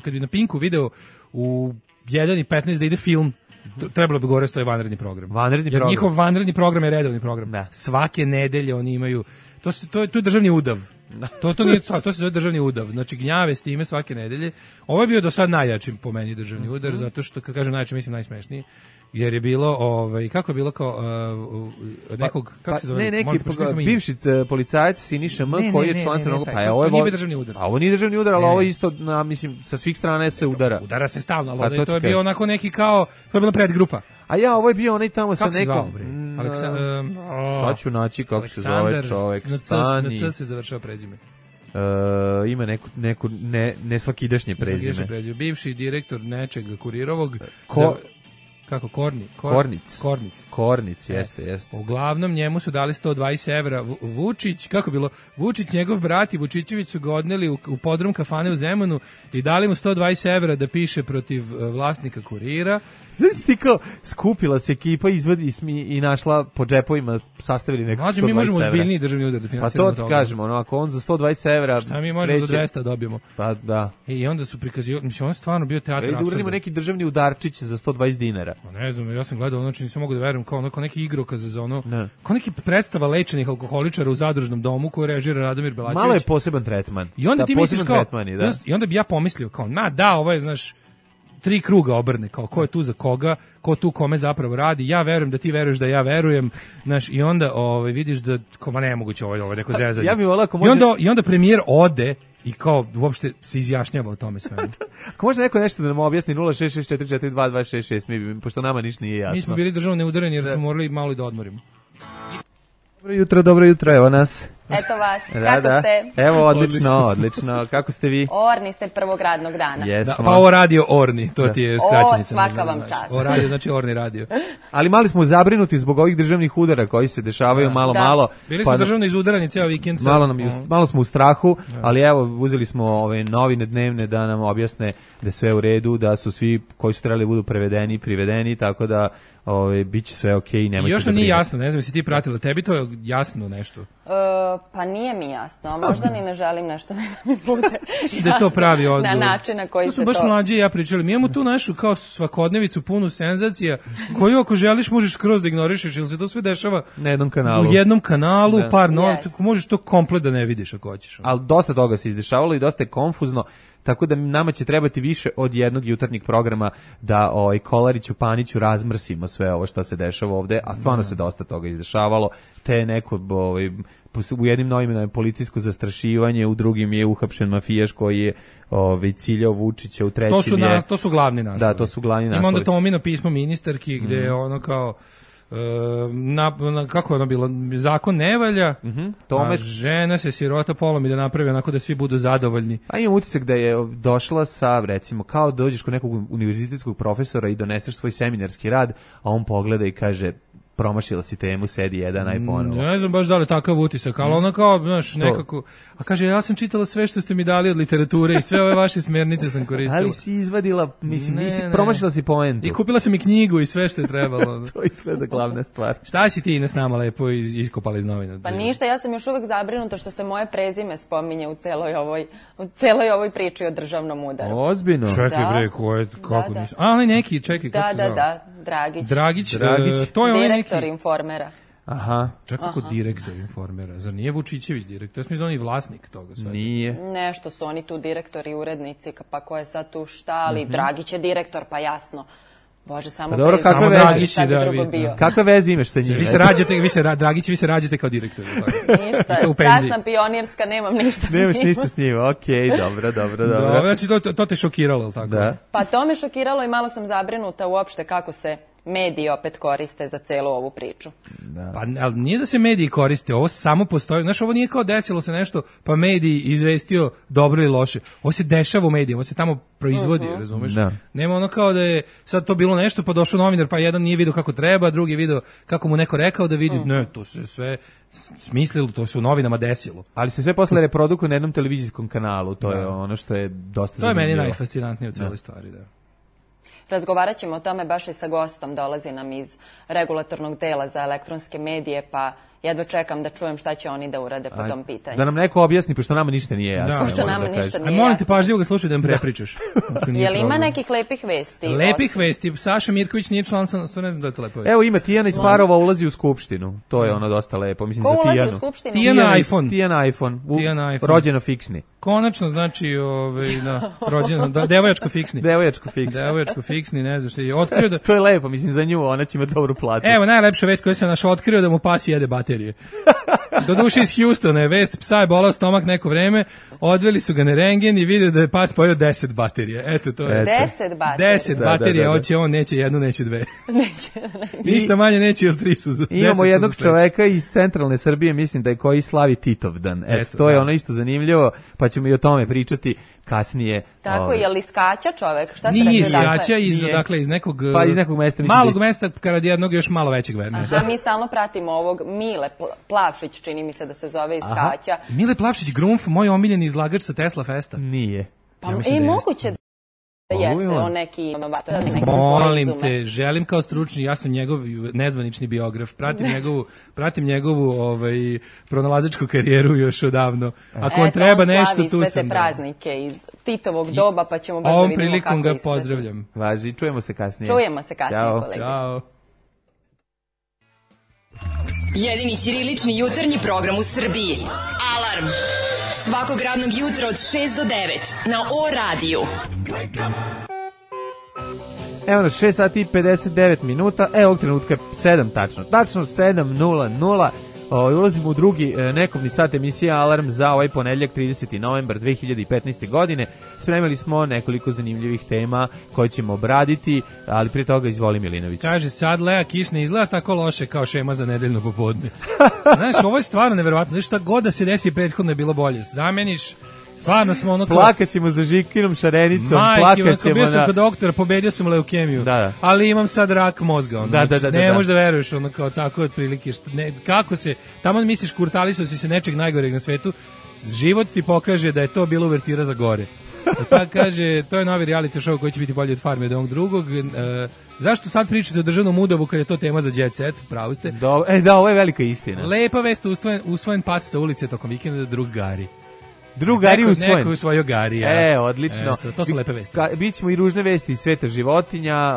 kad bi na Pinku video u 1:15 da ide film, trebalo bi gore stoji vanredni program. Jer njihov vanredni program je redovni program. Svake nedelje oni imaju, to je državni udav. To nije to se zove državni udav. Znači gnjave s time svake nedelje. Ovo je bio do sad najjači po meni državni udar, zato što kad kažem najjači mislim najsmešniji. Jer je bilo kako je bilo kao nekog kako se zove neki bivši policajac Siniša M koji je član Crnog pa ovo nije državni udar. A ovo nije državni udar, ali ovo isto mislim sa svih strana se udara. Udara se stalno, ali to je bio onako neki kao to je bila predgrupa. A ja, ovo je bio onaj tamo sa nekom... Sad ću naći kako se zove čovek. Na C se završava prezime. Ima neku nesvakidašnje prezime. Bivši direktor nečeg Kurirovog... Kako, Kornic, jeste. Uglavnom njemu su dali 120 evra. Vučić, kako bilo? Vučić, njegov brat i Vučićević su ga odneli u podrum kafane u Zemunu i dali mu 120 evra da piše protiv vlasnika Kurira. Znači ti kao skupila se ekipa i našla po džepovima, sastavili neko 120 evra. Mi možemo ozbiljniji državni udar da finansiramo toga. Pa to ti kažemo, ako on za 120 evra... Šta mi možemo za 200 dobijemo? Pa da. I onda su prikazivali, mislim, on stvarno bio teatr apsurda. Da uradimo neki državni udarčić za 120 dinara. Pa ne znam, ja sam gledao, znači nisam mogu da verujem, kao neki igrokaz za ono, kao neki predstava lečenih alkoholičara u zadružnom domu koju režira Radomir Belačević. Malo je poseban tretman. I onda ti misliš kao, i onda bi ja pomislio kao, ovo je, znaš, 3 kruga obrne, kao ko je tu za koga, ko tu kome zapravo radi, ja verujem da ti veruješ da ja verujem, znaš, i onda vidiš da, koma nemoguće ovo neko zezanje. Ja bih volao ako može... I onda premijer ode i kao uopšte se izjašnjava o tome sve. Ako može neko nešto da nam objasni 066442266, pošto nama ništa nije jasno. Mi smo bili državno neudareni jer smo morali malo i da odmorimo. Dobro jutro, evo nas. Eto vas, kako ste? Evo, odlično. Kako ste vi? Orni ste prvog radnog dana. Pa ovo radio Orni, to ti je skraćenica. Svaka vam čast. Ovo radio, znači Orni radio. Ali mali smo zabrinuti zbog ovih državnih udara koji se dešavaju malo. Bili smo državno izudarani ceo vikend. Malo smo u strahu, ali evo, uzeli smo ove novine dnevne da nam objasne da je sve u redu, da su svi koji su trebali budu privedeni, tako da bit će sve okej, nemojte da brinete. Još nam nije jasno, ne znam si ti pratila, tebi to je jasno nešto? Pa nije mi jasno, a možda ni ne želim nešto da mi bude jasno da je to pravi odgovor. Na način na koji se to... To su baš mlađi i ja pričali. Mi imamo tu našu kao svakodnevicu punu senzacija koju ako želiš možeš skroz da ignorišeš, jer se to sve dešava na jednom kanalu. U jednom kanalu, par novih, možeš to komplet da ne vidiš ako hoćeš. Ali dosta toga se izdešavalo i dosta je konfuzno. Tako da nama će trebati više od jednog jutarnjeg programa da Kolariću, Paniću razmrsimo sve ovo što se dešava ovde, a stvarno se dosta toga izdešavalo. Te neko u jednim novima je policijsko zastrašivanje, u drugim je uhapšen mafijaš koji je ciljao Vučića, u trećim je... To su glavni naslovi. Da, to su glavni naslovi. Ima onda Tomino pismo ministarki gde je ono kao... kako je ono bilo, zakon ne valja, a žena se sirota polomi da napravi onako da svi budu zadovoljni. A imam utisak da je došla sa, recimo, kao dođeš kod nekog univerzitetskog profesora i doneseš svoj seminarski rad, a on pogleda i kaže, promašila si temu, sedi jedan, aj ponovo. Ne znam baš da li takav utisak, ali ono kao, znaš, nekako... A kaže, ja sam čitala sve što ste mi dali od literature i sve ove vaše smjernice sam koristila. Ali si izvadila, mislim, promašila si poentu. I kupila sam i knjigu i sve što je trebalo. To izgleda glavna stvar. Šta si ti Ines nama lepo iskopala iz novina? Pa ništa, ja sam još uvek zabrinuta što se moje prezime spominje u celoj ovoj priči o državnom udaru. Ozbiljno. Čekaj bre, ko je, kako Da. nisam... A, ali neki, čekaj, kako se zove? Da, Dragić. Dragić, to je onaj neki... Direktor Informera. Aha. Čak kako direktor Informera, zar nije Vučićević direktor? Ja sam mislim da on je vlasnik toga sve. Nije. Nešto su oni tu direktori, urednici, pa ko je sad tu šta, ali Dragić je direktor, pa jasno. Bože, samo dobro, prezime, kakve Dragić šta bi da, drugo vi bio. Kakve veze imaš sa njim? Dragić, vi se rađate kao direktor. Ništa, u penziji. časna pionirska, nemam ništa s njim. Nemaš ništa s njim, okej, dobro. Znači, to te šokiralo, ili tako? Da. Pa to me šokiralo i malo sam zabrinuta uopšte kako se mediji opet koriste za celu ovu priču. Pa ali nije da se mediji koriste, ovo samo postoji. Znaš, ovo nije kao desilo se nešto, pa mediji izvestio dobro ili loše. Ovo se dešava u medijima, ovo se tamo proizvodi, razumeš? Da. Nema ono kao da je sad to bilo nešto, pa došao novinar, pa jedan nije vidio kako treba, drugi je vidio kako mu neko rekao da vidi. Ne, to se sve smislilo, to se u novinama desilo. Ali se sve posle reprodukuje na jednom televizijskom kanalu, to je ono što je dosta zanimljivo. To je meni najfascinantnije u celoj stvari, da. Razgovarat ćemo o tome baš i sa gostom, dolazi nam iz regulatornog tela za elektronske medije, pa jedva čekam da čujem šta će oni da urade po tom pitanju. Da nam neko objasni, pošto nama ništa nije jasno. Pošto nama ništa nije molim te, jasno. pažljivo ga slušaj da im prepričaš. Je li ima nekih lepih vesti? Lepih vesti, Saša Mirković nije član, to ne znam da je to lepo vesti. Evo ima Tijana iz Parova ulazi u skupštinu. To je ono dosta lepo. Mislim, Ko za ulazi Tijanu. u skupštinu? Tijana iPhone. Tijana iPhone. Tijana iPhone. Rođeno fiksni. Konačno, znači, rođeno, devojačko fiksni. Devojačko fiksni, ne znam što je. Otkrio da... To je lepo, mislim, za nju, ona će imati dobru platu. Evo, najlepša vest koja sam našao, otkrio da mu pas jede baterije. Doduše iz Houstona je vest, psa je bolao stomak neko vreme, odveli su ga na rengen i vidio da je pas pojeo 10 baterija. Eto, to je. 10 baterija? 10 baterija, hoće on, neće jednu, neće dve. Ništa manje neće, ili 3 su za 10. Imamo jednog čoveka iz centralne Srbije, mislim da je koji slavi Titovdan. Eto, to je ono isto zanimljivo, pa ćemo i o tome pričati kasnije. Tako, je li skaća čovek? Šta nije skaća, iz nekog, pa iz nekog mesta. Malog mesta, kad jednog još malo većeg mesta. Mi stalno pratimo ovog Mile Plavšić, čini mi se da se zove iz Skaća. Mile Plavšić, Grumf, moj omiljeni izlagač sa Tesla Festa. Nije. Pa moguće da jeste on neki inovator. Molim te, želim kao stručni, ja sam njegov nezvanični biograf, pratim njegovu pronalazačku karijeru još odavno. Ako on treba nešto, tu sam. On slavi sve te praznike iz Titovog doba, pa ćemo baš da vidimo kako prilikom izgleda. ga pozdravljam. Važi, čujemo se kasnije. Kolege. Ćao. Jedini ćirilični jutarnji program u Srbiji. Alarm. Svakog radnog jutra od 6 do 9 na O radiju. Evo nas, 6 sati i 59 minuta, ovog trenutka 7 tačno. Tačno 7:00. Ulazimo u drugi nekomni sat emisije Alarm za ovaj ponedjeljak 30. novembar 2015. godine. Spremili smo nekoliko zanimljivih tema koje ćemo obraditi, ali prije toga izvoli Milinović. Kaže, sad Lea Kiš ne izgleda tako loše kao šema za nedeljno popodne. Znaš, ovo je stvarno neverovatno. Znaš, šta god da se desi prethodno je bilo bolje. Zameniš, stvarno smo ono... Plakaćemo za Žikinom Šarenicom, plakaćemo bio sam kod doktora, pobedio sam leukemiju, ali imam sad rak mozga. Ne možeš da veruješ, ono kao tako otprilike. Kako se, tamo misliš kurtalisao si se nečeg najgoreg na svetu, život ti pokaže da je to bilo uvertira za gore. Pa kaže, to je novi reality show koji će biti bolji od Farme od ovog drugog. Zašto sad pričate o državnom udavu kad je to tema za Jet Set? Pravo ste. Da, ovo je velika istina. Lepa vest, usvojen pas sa ulice tokom vikenda, drug Gari. Drugari usvojen. Neko usvojio Gari. Odlično. To su lepe vesti. Bićemo i ružne vesti iz sveta životinja.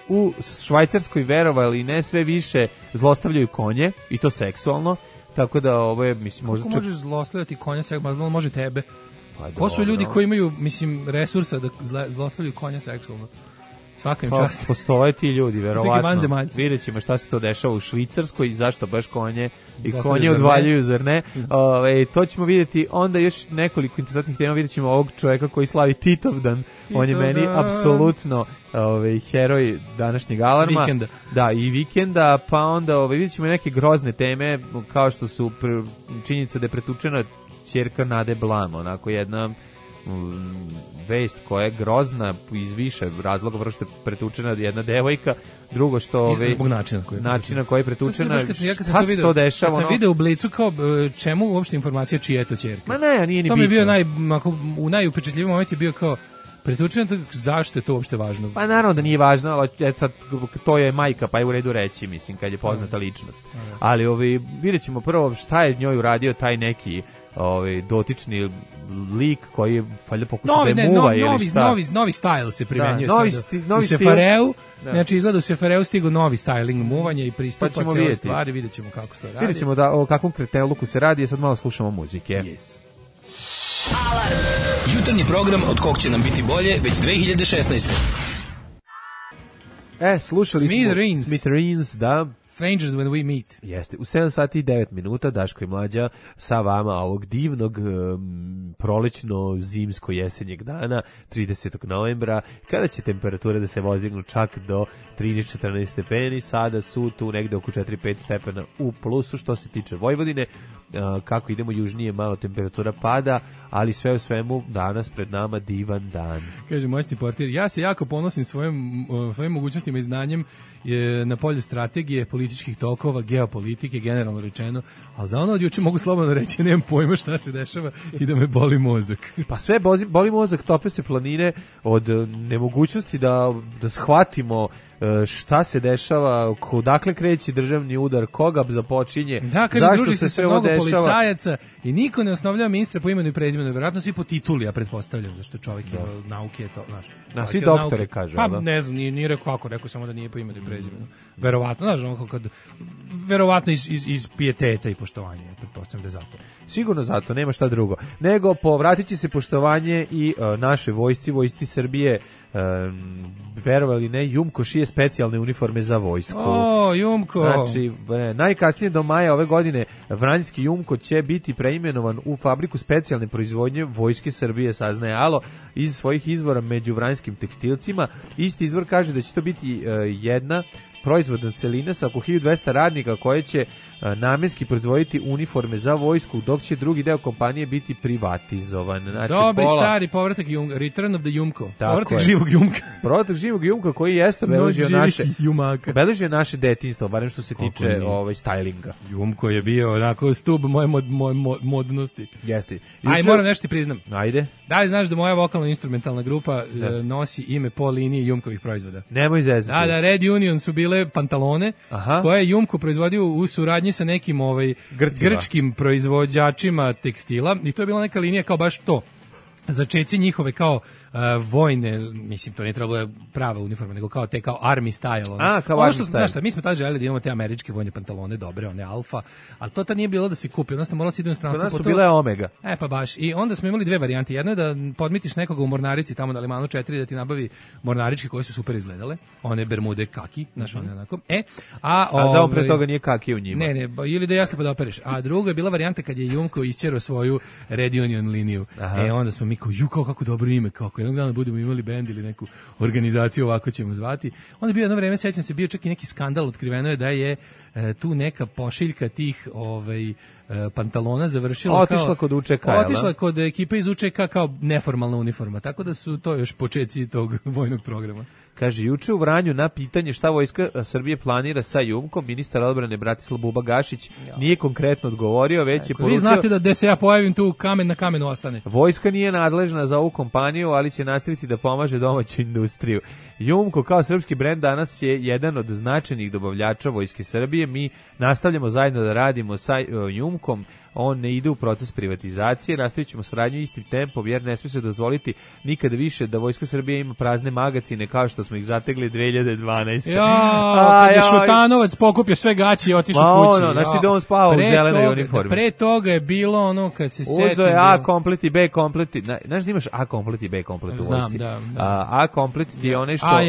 U Švajcarskoj, verovali ne, sve više zlostavljaju konje, i to seksualno. Tako da ovo je, mislim, možda... Kako možeš zlostavljati konja seksualno? Može tebe. Ko su ljudi koji imaju, mislim, resursa da zlostavljaju konja seksualno? Svaka im čast. Postoje ti ljudi, verovatno. Vidjet ćemo šta se to dešava u Švicarskoj i zašto baš konje i konje odvaljuju, zar ne? To ćemo vidjeti. Onda još nekoliko interesantnih tema. Vidjet ćemo ovog čovjeka koji slavi Titovdan. On je meni apsolutno heroj današnjeg Alarma. Vikenda. Da, i vikenda. Pa onda vidjet ćemo neke grozne teme, kao što su činjenica da je pretučena ćerka Nade Blam, onako jedna vest koja je grozna iz više razloga, prvo što je pretučena jedna devojka, drugo što zbog načina koji je pretučena. Šta se to dešava? Kad sam video u Blicu kao čemu uopšte informacija čija je to ćerka. Ma ne, nije ni bitno. To mi je bio najupečatljiviji moment je bio kao pretučena, zašto je to uopšte važno? Pa naravno da nije važno, ali sad, to je majka, pa je u redu reći, mislim, kad je poznata ličnost. Ali vidjet ćemo prvo šta je njoj uradio taj neki dotični lik koji je valjda pokušao da je muva ili šta. Novi style se primenjuje novi u Sefareu. Znači izgleda u Sefareu stigo novi styling muvanja i pristupa cijeloj stvari, vidjet ćemo kako se to radi. Vidjet ćemo o kakvom kreteluku se radi, sad malo slušamo muzike. Yes. Alarm! Jutarnji program od kog će nam biti bolje već 2016. Slušali smo Smithereens, da. Strangers when we meet. Jeste, u 7 sati i 9 minuta Daško i Mlađa sa vama ovog divnog prolećno-zimsko-jesenjeg dana, 30. novembra, kada će temperature da se vozdignu čak do 13-14 stepeni, sada su tu negde oko 4-5 stepena u plusu. Što se tiče Vojvodine, kako idemo južnije, malo temperatura pada, ali sve u svemu danas pred nama divan dan. Kaže moćni portir, ja se jako ponosim svojim mogućnostima i znanjem na polju strategije, političkih tokova, geopolitike, generalno rečeno, ali za ono od juče mogu slobodno reći, nemam pojma šta se dešava i da me boli mozak. Pa sve boli mozak, tope se planine od nemogućnosti da shvatimo šta se dešava, odakle kreće državni udar, koga započinje, da, kaže, zašto se sve ovo dešava. Policajaca i niko ne osnovljava ministra po imenu i prezimenu, verovatno svi po tituli, ja pretpostavljam, da što čovjek ima nauke je to, znaš. Svi doktore kažu. Pa ne znam, nije rekao kako, rekao samo da nije po imenu i prezimenu. Verovatno, znaš, verovatno iz pijeteta i poštovanja, pretpostavljam da je zato. Sigurno zato, nema šta drugo. Nego povratit će se poštovanje i našoj vojsci Srbije. Verovali ne, Jumko šije specijalne uniforme za vojsku. Jumko! Znači, najkasnije do maja ove godine Vranjski Jumko će biti preimenovan u fabriku specijalne proizvodnje Vojske Srbije, saznaje Alo iz svojih izvora među vranjskim tekstilcima. Isti izvor kaže da će to biti jedna proizvodna celina sa oko 1200 radnika koje će namenski proizvoditi uniforme za vojsku, dok će drugi deo kompanije biti privatizovan. Znači, dobri stari povratak Return of the Jumko. Povratak živog Jumka. Povratak živog Jumka koji jeste obeležio naše detinjstvo, barem što se tiče stylinga. Jumko je bio onako stub moje modnosti. Jeste. Aj, moram nešto ti priznam. Ajde. Da li znaš da moja vokalno-instrumentalna grupa nosi ime po liniji Jumkovih proizvoda? Nemoj zezati. Da, Red Union su bile pantalone koje je Jumko proizvodio u suradnji sa nekim grčkim proizvođačima tekstila i to je bila neka linija kao baš to. Začeci njihove kao vojne, mislim to nije trebalo prava uniforma, nego kao te kao army style. Kao army style. Znaš šta, mi smo tada želeli da imamo te američke vojne pantalone, dobre, one alfa, ali to tad nije bilo da se kupi, odnosno moralo se ide u inostranstvo. Kod nas su bile omega. Pa baš, i onda smo imali dve varijante. Jedno je da podmitiš nekoga u mornarici tamo na Limanu 4 da ti nabavi mornaričke koje su super izgledale, one bermude kaki, znaš, one onako. A da on pre toga nije kaki u njima. Ne, ili da jeste pa da opereš. A druga je bila varijanta kad je Jumko isćerao svoju Red Union liniju. Onda smo mi kao kako dobro ime, kako jednog dana budemo imali bend ili neku organizaciju, ovako ćemo zvati. Onda je bio jedno vreme, sećam se, bio čak i neki skandal, otkriveno je da je tu neka pošiljka tih pantalona završila otišla kod UČK. Otišla kod ekipe iz UČK kao neformalna uniforma, tako da su to još počeci tog vojnog programa. Kaže, juče u Vranju na pitanje šta Vojska Srbije planira sa Jumkom, ministar odbrane Bratislav Buba Gašić nije konkretno odgovorio, već je poručio... Vi znate da se ja pojavim tu, kamen na kamenu ostane. Vojska nije nadležna za ovu kompaniju, ali će nastaviti da pomaže domaću industriju. Jumko kao srpski brend danas je jedan od značajnih dobavljača Vojske Srbije. Mi nastavljamo zajedno da radimo sa Jumkom. On ne ide u proces privatizacije, nastavit ćemo saradnju istim tempom, jer ne smije se dozvoliti nikada više da Vojska Srbije ima prazne magacine kao što smo ih zategli 2012. Kad je Šutanovac pokupio sve gaće i otišao kući. Znači da on spava u zelenoj uniformi. Pre toga je bilo ono kad se setim... Uzo je A komplet i B komplet. Znaš da imaš A komplet i B komplet u vojsci? Znam, da. A komplet ti je onaj što...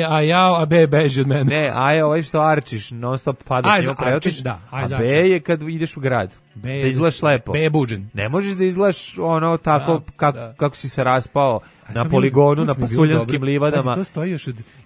A B beži od mene. Ne, A je ovaj što arčiš, non stop padaš njima preotiš. A B je kad ideš u grad. da izgledaš lepo. Bebuđen. Ne možeš da izgledaš ono tako kako si se raspao na to poligonu, na uvijek mi je bilo pasuljanskim dobro. livadama. Pazi, to stoji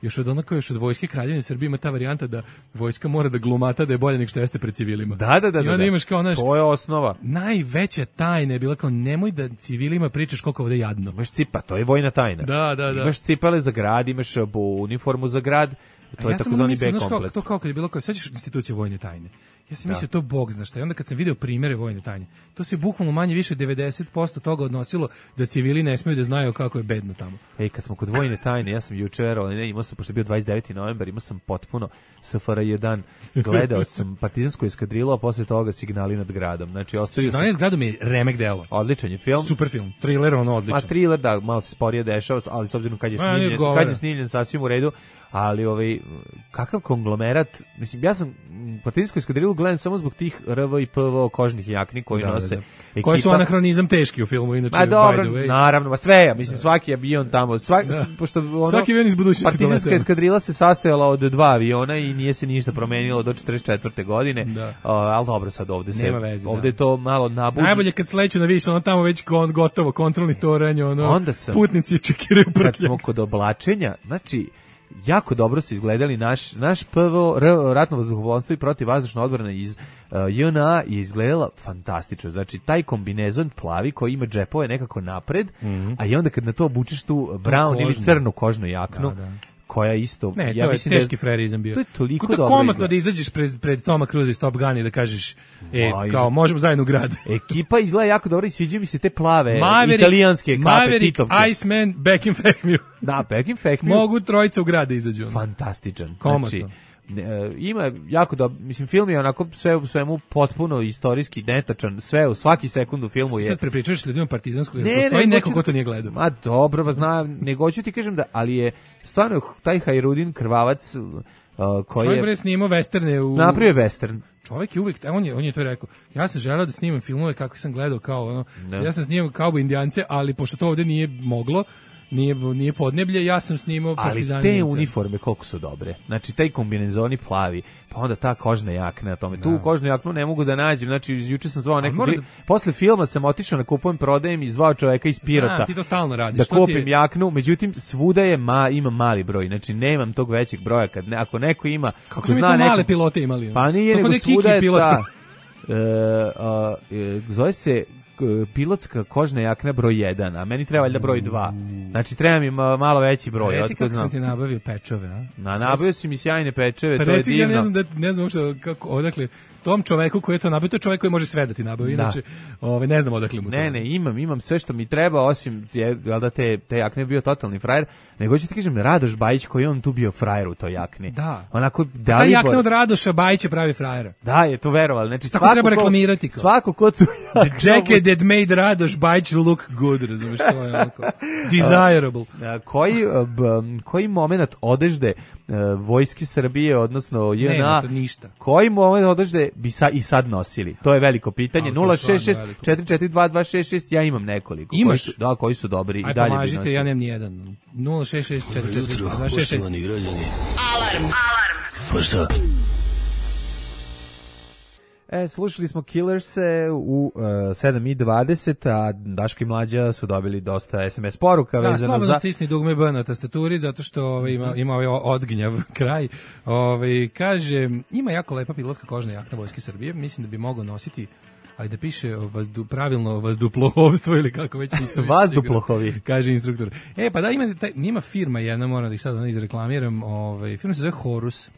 još od onako još od Vojske Kraljevine Srbije, ima ta varijanta da vojska mora da glumata da je bolje nego što jeste pred civilima. Da. I onda imaš kao naš, to je osnova. najveća tajna je bila kao nemoj da civilima pričaš koliko ovde jadno. Imaš cipa, to je vojna tajna. Da. Imaš cipele za grad, imaš uniformu za grad, to je takozvani B komplet. To kao kad je bilo kao, sećaš institucije vojne tajne. Ja sam mislio to bog zna šta. I onda kad sam video primere vojne tajne, to se bukvalno manje više 90% toga odnosilo da civili ne smeju da znaju kako je bedno tamo. Ej, kad smo kod vojne tajne, ja sam jučer, imao sam, pošto je bio 29. novembar, imao sam potpuno SFRJ dan, gledao sam partizansku eskadrilu, a posle toga Signali nad gradom. Znači, ostavio Signali nad gradom je remek delo. Odličan je film. Super film. Thriller, ono odličan. A thriller, da, malo se sporije dešava, ali s obzirom kad je snimljen sasvim u redu, ali kakav konglomerat, mislim, ja sam partizansku eskadrilu gledam samo zbog tih RV i PV kožnih jakni koji nose. Ekipa, koji su anahronizam teški u filmu, inače. A dobro, naravno, sve, mislim, svaki avion tamo, pošto svaki avion iz budućnosti partizanska eskadrila se sastojala od 2 aviona i nije se ništa promenilo do 44. godine, ali dobro, sad ovde se, ovde je to malo nabuđeno. Najbolje kad sleću na vis, ono tamo već gotovo, kontrolni toranj, putnici čekiraju prtljak. Kad smo kod oblačenja, znači, jako dobro su izgledali naš PVO ratno vazduhoplovstvo i protivvazdušna odbrana iz JNA je izgledala fantastično. Znači taj kombinezon plavi koji ima džepove nekako napred, a i onda kad na to obučeš tu brown ili crnu kožnu jaknu, koja isto, ne, ja to mislim je teški frerizam bio. To je toliko dobro. Komotno da izađeš pred Toma Cruise iz Top Gun i da kažeš, kao možemo zajedno u grad. Ekipa izgleda jako dobro i sviđaju mi se te plave italijanske kape, Titovke. Iceman, Back in Fehmiu. Da, Back in Fehmiu. Mogu trojica u grad da izađu. Fantastičan. Komotno. Znači, ima jako dobro, mislim, film je onako sve u svemu potpuno istorijski netačan, sve u svaki sekund u filmu je. Sad prepričaš ljudima partizanskog, jer postoji neko ko to nije gledao. Ma dobro, ba znam, nego ću ti kažem da, ali je stvarno taj Hajrudin Krvavac koji čovjek je snimao westerne napravio western. Čovjek je uvijek, on je to rekao. Ja sam želeo da snimam filmove kako sam gledao kao ja sam snimao Kauboj Indijance, ali pošto to ovde nije moglo, nije podneblje, ja sam snimao partizani. Ali te uniforme koliko su dobre. Znači taj kombinezoni plavi, pa onda ta kožna jakna na tome. Tu kožnu jaknu ne mogu da nađem. Znači juče sam zvao nekog posle filma sam otišao na kupujem, prodajem i zvao čoveka iz Pirota. Ti to stalno radiš. Da kupim jaknu, međutim svuda je ima mali broj. Znači nemam tog većeg broja ako neko ima, kako su mi to male pilote imali. Pa nije nego svuda je ta. Zove se pilotska kožna jakna broj 1, a meni treba valjda broj 2. Znači treba mi malo veći broj. Reci kako sam ti nabavio pečove, a? Nabavio si mi sjajne pečeve, pa to je divno. Ja ne znam uopšte kako, odakle, tom čoveku koji je to nabavio, to je čovek koji može sve da ti nabavi, inače ne znam odakle mu to. Ne, imam sve što mi treba, osim da te jakne bio totalni frajer, nego ću ti kažem Radoš Bajić koji on tu bio frajer u toj jakni. Da. Onako, ta jakna od Radoša Bajića pravi frajera. Da, je to verovali. Znači, tako treba reklamirati. Svako ko tu the jacket that made Radoš Bajić look good, razumiješ, to je onako desirable. Koji moment odežde vojske Srbije, odnosno JNA, nema to ništa. Koji moment odežde bi i sad nosili? To je veliko pitanje. 066 442 ja imam nekoliko. Imaš? Koji su dobri i dalje bi nosili. Pomažite, ja nemam nijedan. 066 442 266. Alarm. Pa šta? Slušali smo Killerse u 7:20, a Daško i Mlađa su dobili dosta SMS poruka vezano za... slobodno stisni dugme B na tastaturi, zato što ima ovaj odgnjav kraj. Kaže, ima jako lepa pilotska kožna jakna Vojske Srbije, mislim da bi mogao nositi, ali da piše pravilno vazduplohovstvo ili kako već nisam vazduplohovi, kaže instruktor. Pa da, ima firma jedna, moram da ih sad izreklamiram, firma se zove Horus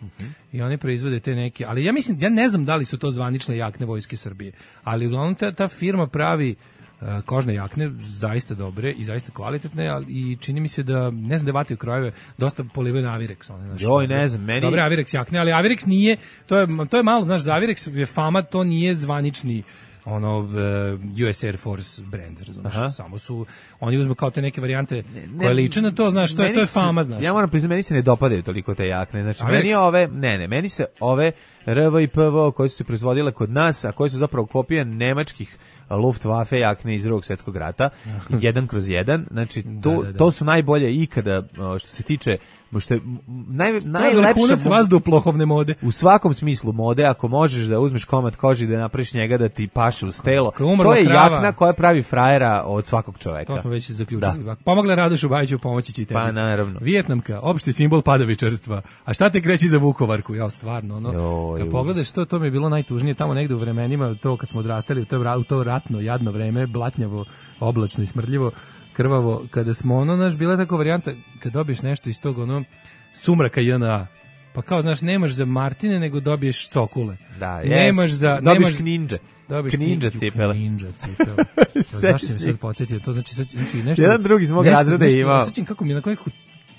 i oni proizvode te neke, ali ja ne znam da li su to zvanične jakne Vojske Srbije, ali uglavnom ta firma pravi kožne jakne, zaista dobre i zaista kvalitetne, i čini mi se da, ne znam da vataju krojeve, dosta polivaju na Avirex. Ne znam, meni... Dobre Avirex jakne, ali Avirex nije, to je malo, znaš, za Avirex je fama, to nije zvanični US Air Force brand, razumiješ, samo su, oni uzmu kao te neke varijante koje liče na to, znaš, to je fama, znaš. Ja moram priznati, meni se ne dopadaju toliko te jakne, znači, meni se ove RV i PVO koje su se proizvodile kod nas, a koje su zapravo kopije nemačkih Luftwaffe jakne iz Drugog svjetskog rata, 1/1, znači, to su najbolje ikada, što se tiče što je najlepše Najlepše vazduhoplovne mode. u svakom smislu mode, ako možeš da uzmeš komad kože i da napraviš njega da ti paše uz telo, to je jakna koja pravi frajera od svakog čoveka. To smo već zaključili. Pomogla Radošu Bajiću, pomoći će i tebi. Pa naravno. Vijetnamka, opšti simbol padavičarstva. A šta te kreći za Vukovarku? Ja, stvarno, ono. Kad pogledaš to mi je bilo najtužnije tamo negde u vremenima, to kad smo odrastali u to ratno, jadno vreme, blatnjavo, oblačno i smrdljivo, krvavo, kada smo bila tako varijanta, kad dobiješ nešto iz tog sumraka JNA, pa kao, znaš, nemaš za Martine, nego dobiješ cokule. Da, nemaš dobiš kninđe. Kninđa cipele. Zašto mi sad podsjetio? To znači nešto... Jedan drugi iz mog razreda imao. Osjećam kako mi je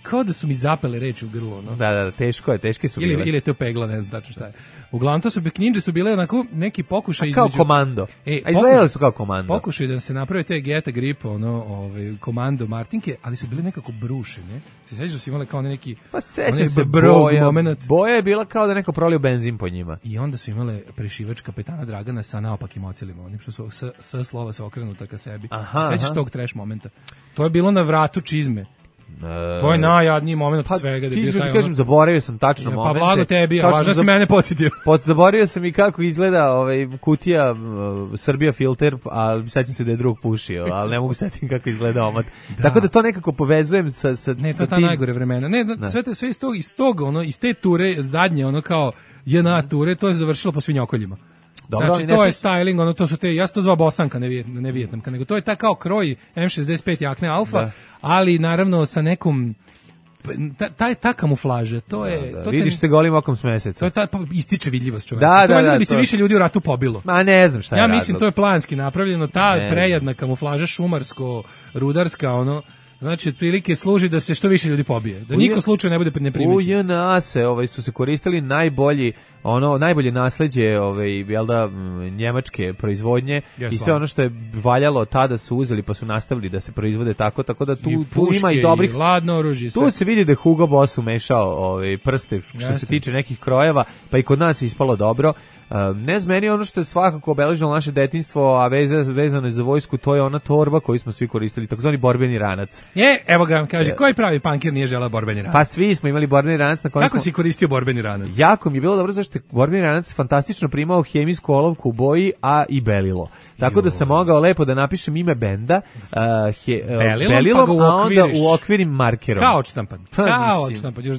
kao da su mi zapele reči u grlu, no. Da, teške su bile. Ili je to pegla, ne znam tačno šta je. Uglavnom to kninđe su bile onako neki pokušaj kao komando. A izgledali su kao komando. Pokušaj da se naprave te Geta Grip, komando Martinke, ali su bile nekako brušene. Se sećaš da su imale kao neki... Pa sećam se boja je bila kao da neko prolio benzin po njima. I onda su imale prešivač kapetana Dragana sa naopakim ocilima, onim što su s slova se okrenuta ka sebi. Sećaš tog trash momenta? To je bilo na vratu čizme. To je najjadniji moment od svega. Ti kažem, zaboravio sam tačno momente. Pa blago tebi, a važno si mene podsjetio. Zaboravio sam i kako izgleda kutija Srbija filter, ali sećam se da je drug pušio, ali ne mogu setim kako izgleda omot. Tako da to nekako povezujem sa ne, to je ta najgore vremena. Sve iz te ture, zadnje, kao JNA ture, to je završilo po svinjokoljima. Dobro, znači, to je styling, to su te, ja sam to zvao bosanka, ne vijetnamka, nego to je ta kao kroj M65 jakne Alfa, ali naravno sa nekom, ta kamuflaža, to je... Da, vidiš se golim okom s meseca. To je ističe vidljivost čoveka. Da bi se više ljudi u ratu pobilo. Ma ne znam šta je razlog. Ja mislim, to je planski napravljeno, ta prejadna kamuflaža šumarsko-rudarska, znači, otprilike služi da se što više ljudi pobije. Da niko slučaj ne bude neprimećen. U JNA su se koristili najbolje nasleđe, jel da, njemačke proizvodnje i sve ono što je valjalo tada su uzeli pa su nastavili da se proizvode tako da tu ima i dobrih... Ladno oružje. Tu se vidi da je Hugo Boss umešao prste što se tiče nekih krojeva, pa i kod nas je ispalo dobro. Ne znam, meni ono što je svakako obeležilo naše detinjstvo, a vezano je za vojsku, to je ona torba koju smo svi koristili, takozvani borbeni ranac. Evo ga, kaže, koji pravi pankir nije želeo borbeni ranac? Pa svi smo imali borbeni ranac. Kako si koristio borbeni ranac? Jako mi je bilo dobro, zašto je borbeni ranac fantastično primao hemijsku olovku u boji, a i belilo. Tako da sam mogao lepo da napišem ime benda belilom, a onda uokvirim markerom. Kao odštampan. Još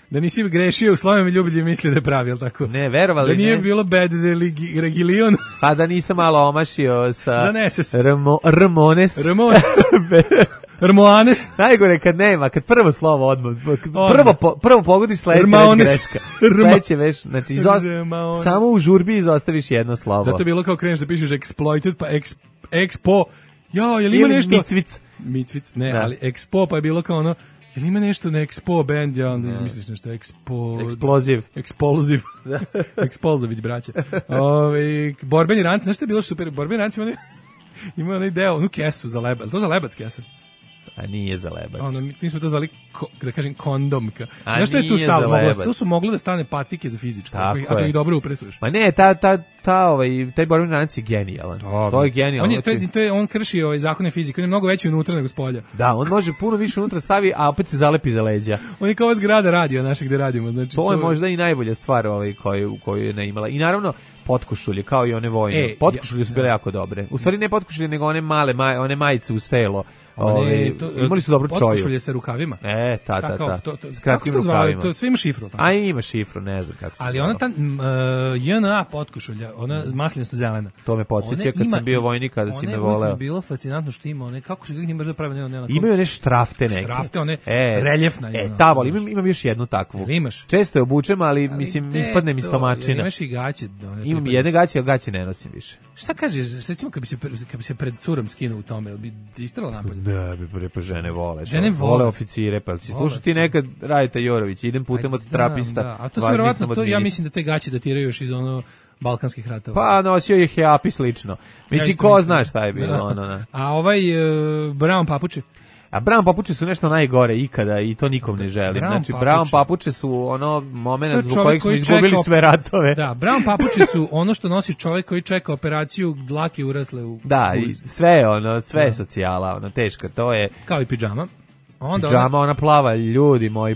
da nisi grešio u slovima ljublje misli da je pravi, jel tako? Ne, verovali ne. Da nije bilo bad regilion. Pa da nisam malo omašio sa Zaneses. Ramones. Ramoanes. Najgore kad nema, kad prvo slovo odmah, prvo pogodiš sledeće već greška. Sledeće već, znači samo u žurbi izostaviš jedno slovo. Zato je bilo kao kreneš da pišeš exploited, pa expo. Je li ima nešto? Micvic, ne, da. Ali expo, pa je bilo kao je li ima nešto na Expo band, ja onda izmisliš nešto Explosive. Explosivić, braće. Borbeni ranci, znaš što je bilo super? Borbeni ranci ima onaj deo, onu kesu za lebac. To za lebac kesa? A nije za lebac. Mi smo to zvali, da kažem, kondomka. Znaš što je tu stalo? Tu su mogle da stane patike za fizičko, ako ih dobro upresuješ. Ma ne, taj borbeni ranac je genijalan. To je genijalan. On krši zakone fizike, on je mnogo veći unutra nego spolja. Da, on može puno više unutra stavi, a opet se zalepi za leđa. On je kao zgrada radio naše gde radimo. Znači, to je možda i najbolja stvar koju je ne imala. I naravno, potkošulje, kao i one vojne. Potkošulje su bile jako dobre. U stvari ne potkošulje, nego one male, one majice uz telo. Imali su dobro čoju. Potkošulje sa rukavima. S kratkim rukavima. To sve ima šifru. A ima šifru, ne znam kako se ali ona ta JNA potkošulja, ona zmasljenost zelena. To me podsjeća kad sam bio vojnik, kada si me voleo. Ona je bilo fascinantno što ima one, kako su ga njima zapravo imaju one štrafte neke. Štrafte, one reljefna. Ta volim, imam još jednu takvu. Imaš? Često je obučem, ali mislim, ispadne mi stomačina. Imaš i gaće. Imam jedne gaće, ali gaće ne nosim više. Šta kažeš, recimo kad bi se pred curom skinuo u tome, bi istrala napolje? Ne, pa žene vole. Žene vole oficire, pa si slušao ti nekad Radita Jorović, idem putem od trapista. A to su verovatno, ja mislim da te gaće datiraju još iz balkanskih ratova. Pa nosio je Heapi slično. Mislim, ko zna šta je bilo. A Brown papuče? A Brown papuče su nešto najgore ikada i to nikom ne želim. Znači, Brown papuče su moment zbog kojeg smo izgubili sve ratove. Da, Brown papuče su ono što nosi čovjek koji čeka operaciju dlake urasle u Da, i sve je socijala, teška, to je... Kao i pidžama. Onda Pidžama, ona plava, ljudi moji,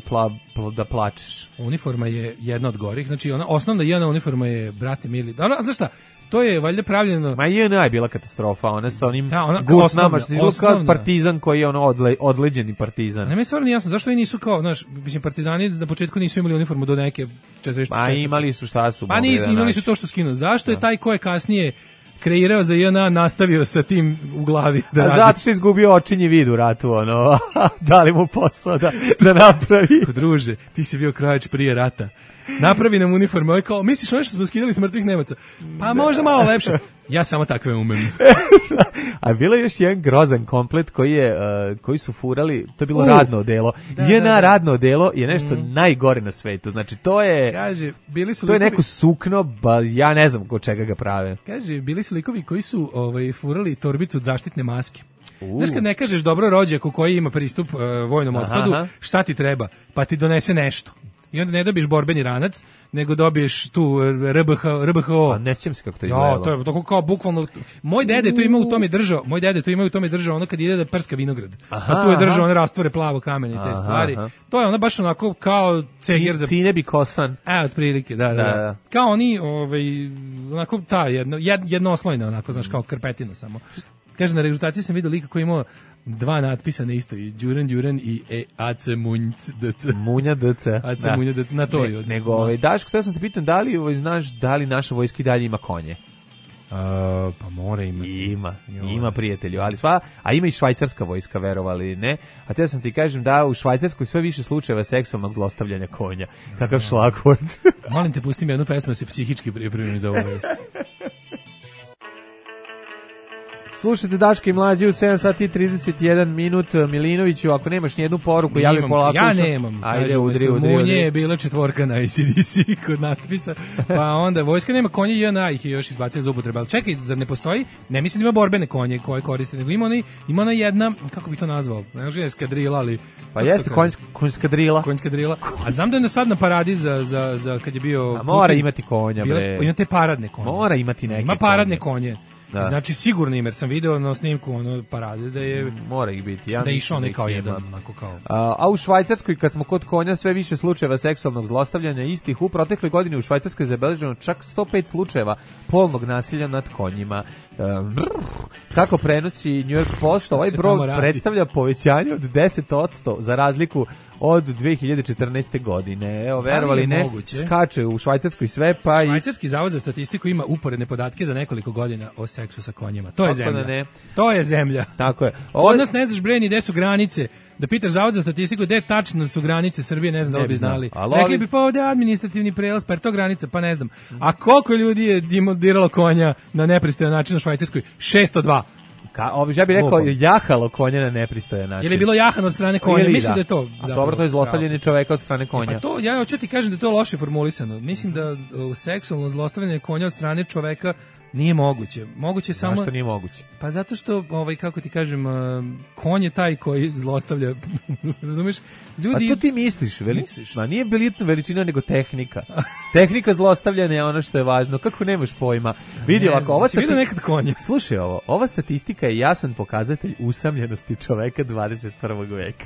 da plačeš. Uniforma je jedna od gorih, znači ona osnovna jedna uniforma je, brate mili, znaš šta, to je valjda pravljeno... Ma JNA je bila katastrofa, ona sa onim gutnama, što izgleda kao partizan koji je ono odleđeni partizan. Ne mi stvarno nije jasno, zašto oni nisu kao, znaš, mislim, partizani na početku nisu imali uniformu do neke 44. Pa imali su, šta su? Pa nisu, imali su to što skinu. Zašto je taj ko je kasnije kreirao za JNA nastavio sa tim u glavi da radi? Zato što je izgubio očinji vid u ratu, ono, dali mu posao da napravi. Druže, ti si bio krajač prije rata. Napravi nam uniforme, ovaj kao, misliš ono što smo skidali s mrtvih Nemaca? Pa možda malo lepše. Ja samo takve umem. A bilo je još jedan grozan komplet koji su furali, to je bilo radno odelo. JNA radno odelo je nešto najgore na svetu. Znači to je to je neko sukno, ja ne znam od čega ga prave. Kaže, bili su likovi koji su furali torbicu od zaštitne maske. Znaš kad ne kažeš dobro rođaku koji ima pristup vojnom otpadu, šta ti treba? Pa ti donese nešto. I onda ne dobiješ borbeni ranac, nego dobiješ tu RBHO. A ne sjećam se kako to izgledalo. Ja, to je tako kao bukvalno. Moj dede to ima u tome držao, ono kad ide da prska vinograd. Pa tu je držao one rastvore plavo kamene i te stvari. To je ona baš onako kao ceger za Cinebi kosan. Otprilike, da. Kao oni, onako ta jednoslojna onako, znaš, kao krpetina samo. Kaže, na regrutaciji sam vidio lika koji imao dva natpisa na isto, i Đuren i AC DC. Munja DC. AC Munja DC, na to je. Nego, Daško, htio sam te pitan, da li znaš da li naša vojska i dalje ima konje? Pa mora imati. Ima prijatelju, ali a ima i švajcarska vojska, verovali, ne? A te sam ti kažem da u Švajcarskoj sve više slučajeva seksualnog zlostavljanja konja. Kakav šlagvort. Molim te, pustim jednu pesmu da se psihički pripremim za ovu vest. Slušajte Daška i Mlađe u 7 sati i 31 minut. Milinoviću, ako nemaš nijednu poruku, javi polako. Ja nemam. Ajde, udri. Munje je bila 4 na ACDC kod natpisa, pa onda vojska nema konje, JNA ih je još izbacio za upotrebe. Ali čekaj, zar ne postoji? Ne mislim da ima borbene konje koje koriste, nego ima ona jedna, kako bi to nazvao? Ne može eskadrila, ali... Pa jeste konjska drila. A znam da je sad na paradi za kad je bio... A mora imati konja, bre. Ima te paradne konje. Mora imati neke ima paradne konje. Da. Znači sigurno jer sam video na snimku ono parade da je mora ih biti. Ja da je išao ne kao jedan onako kao. A u Švajcarskoj kad smo kod konja sve više slučajeva seksualnog zlostavljanja istih u protekloj godini u Švajcarskoj je zabeleženo čak 105 slučajeva polnog nasilja nad konjima. Kako prenosi New York Post, ovaj broj predstavlja povećanje od 10% za razliku od 2014. godine. Evo, verovali ne, skače u Švajcarskoj sve, pa Švajcarski zavod za statistiku ima uporedne podatke za nekoliko godina o seksu sa konjima. To je zemlja. To je zemlja. Tako je. Kod nas ne znaš bre ni gde su granice. Da pitaš zavod za statistiku gde tačno su granice Srbije, ne znam da li bi znali. Rekli bi pa ovde administrativni prelaz, pa je to granica, pa ne znam. A koliko ljudi je diralo konja na nepristojan način u Švajcarskoj? 602. Ja bih rekao jahalo konja na nepristojan način. Ili je bilo jahano od strane konja? Mislim da je to. A dobro, to je zlostavljanje čoveka od strane konja. Pa to, ja hoću ti kažem da je to loše formulisano. Mislim da seksualno zlostavljanje konja od strane čoveka nije moguće. Moguće samo... Zašto nije moguće? Pa zato što, kako ti kažem, konj je taj koji zlostavlja. Razumiješ? Ljudi... A to ti misliš? Ma nije veličina, nego tehnika. Tehnika zlostavljanja je ono što je važno. Kako nemaš pojma? Vidi ovako, vidio nekad konja. Slušaj ovo, ova statistika je jasan pokazatelj usamljenosti čoveka 21. veka.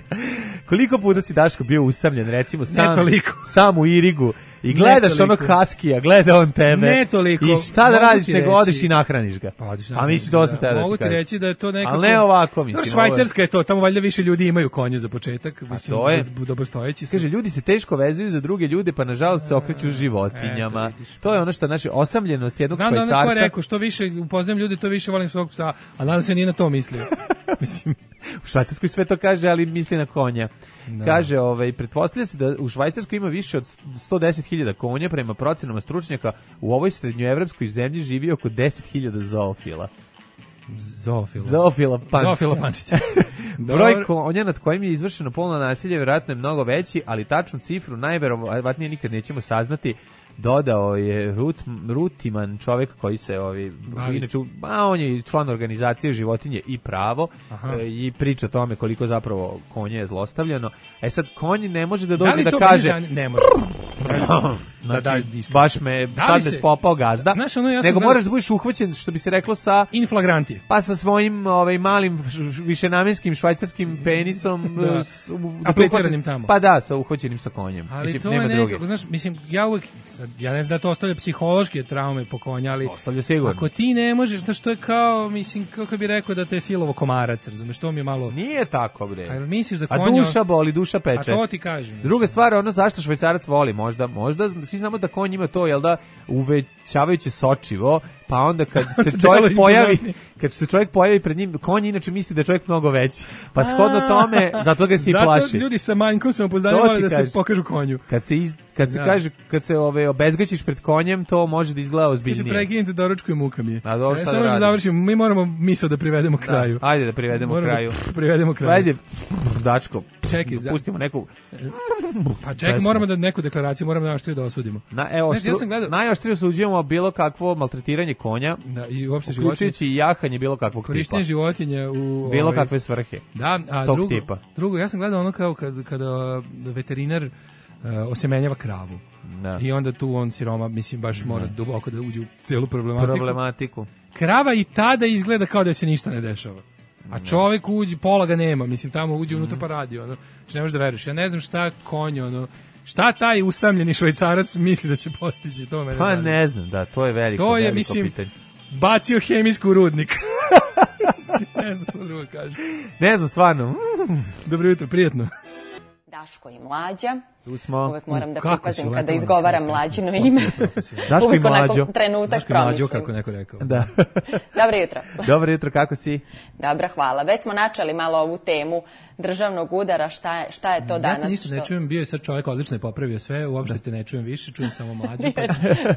Koliko puta si, Daško, bio usamljen, recimo sam u Irigu, i gledaš onog haskija, gleda on tebe. Ne toliko. I šta da radiš nego odeš i nahraniš ga. A misli to sam tada mogu ti reći da je to nekako... Ali ne ovako, mislim. Švajcarska je to, tamo valjda više ljudi imaju konje za početak. Mislim, to je. Dobrostojeći su. Kaže, ljudi se teško vezuju za druge ljude, pa nažalost se okreću životinjama. To je ono što naše osamljenost jednog Švajcarca. Znam da je rekao, što više upoznam ljude, to više volim svog psa, a nadam se nije na to mislio. Mislim... U Švajcarskoj sve to kaže, ali misli na konja. Da. Kaže, pretpostavlja se da u Švajcarskoj ima više od 110.000 konja, prema procenama stručnjaka u ovoj srednjoevropskoj zemlji živi oko 10.000 zoofila. Zoofila Pančića. Broj konja nad kojim je izvršeno polno nasilje vjerojatno je mnogo veći, ali tačnu cifru najverovatnije nikad nećemo saznati. Dodao je Rutiman, čovjek koji se inače, on je član organizacije Životinje i pravo. I priča o tome koliko zapravo konje je zlostavljano. Sad konj ne može da dođe da kaže ne može. Znači, daš diskret. baš me, Da li sad me se- spopao gazda, Znaš, ono, ja sam nego gledao- moraš da budeš uhvaćen, što bi se reklo, sa In flagranti. pa sa svojim malim višenamenskim švajcarskim penisom Da. da Apliciranim tamo. Pa da, sa uhvaćenim sa konjem. Ali Mislim, to nema je druge. nekako, znaš, mislim, ja ne znam da to ostavlja psihološke traume po konja, ali Ostavlja sigurno. ako ti ne možeš, znaš, to je kao, mislim, kako bi rekao da te je silovo komarac, razumeš, to mi je malo... Nije tako, bre. A misliš da A konja... duša boli, duša peče. A to ti kažem. Druga stvar, ono zašto švajcarac voli, možda svi znamo da konj ima to, jel da, uvećavajuće sočivo, pa onda kad se Delo čovjek pojavi, impozantnije. kad se čovjek pojavi pred njim, konj inače misli da je čovjek mnogo veći. Pa shodno tome, zato ga se i plaši. Zato ljudi sa manjkom samopouzdanja To vole ti da se kažem. pokažu konju. Kad se Da. kaže, kad se obezgaćiš pred konjem, to može da izgleda Kaže, ozbiljnije. prekinite doručku i muka mi je. A dobro, šta da samo da radim? završimo, mi moramo misao da privedemo kraju. Ajde da privedemo Moramo kraju. privedemo kraju. Ajde, dačko. Čekaj, pustimo neku. Pa čekaj, pesmu. moramo da neku deklaraciju, moramo najoštrije da osudimo. Evo, Znaš, ja sam gledao- najoštrije osuđujemo bilo kakvo maltretiranje konja, Da, i uopšte životinje. uključujući i jahanje bilo kakvog tipa. Korištenje životinja u... Bilo kakve svrhe. Da, a tog drugo, tipa. drugo, ja sam gledao ono kao kada veterinar osemenjava kravu. Da. I onda tu on siroma, mislim, baš mora duboko da uđe u celu problematiku. Krava i tada izgleda kao da se ništa ne dešava. A čovjek uđe, pola ga nema, mislim, tamo uđe unutra pa radi, ono, što ne možeš da veruješ. Ja ne znam šta konj, ono, šta taj usamljeni švajcarac misli da će postići, to mene Pa zanima. ne znam, da, to je veliko, To je, veliko mislim, pitanje. bacio hemijsku u rudnik. Ne znam što drugo kaže. Ne znam, stvarno. Dobro jutro, prijetno. Daško i Mlađa. Tu smo. Uvek moram da Kako pripazim si kada letovana, izgovaram kako Mlađino ime. Daško i Uvijek Mlađo. onako trenutak Daško i Mlađo, promislim. kako neko rekao. Da. Dobro jutro. Dobro jutro, kako si? Dobro, hvala. Već smo načeli malo ovu temu državnog udara, šta je to danas? Ja te ništa ne čujem, bio je sad čovjek odlično je popravio sve, uopšte te ne čujem više, čujem samo Mlađu. Pa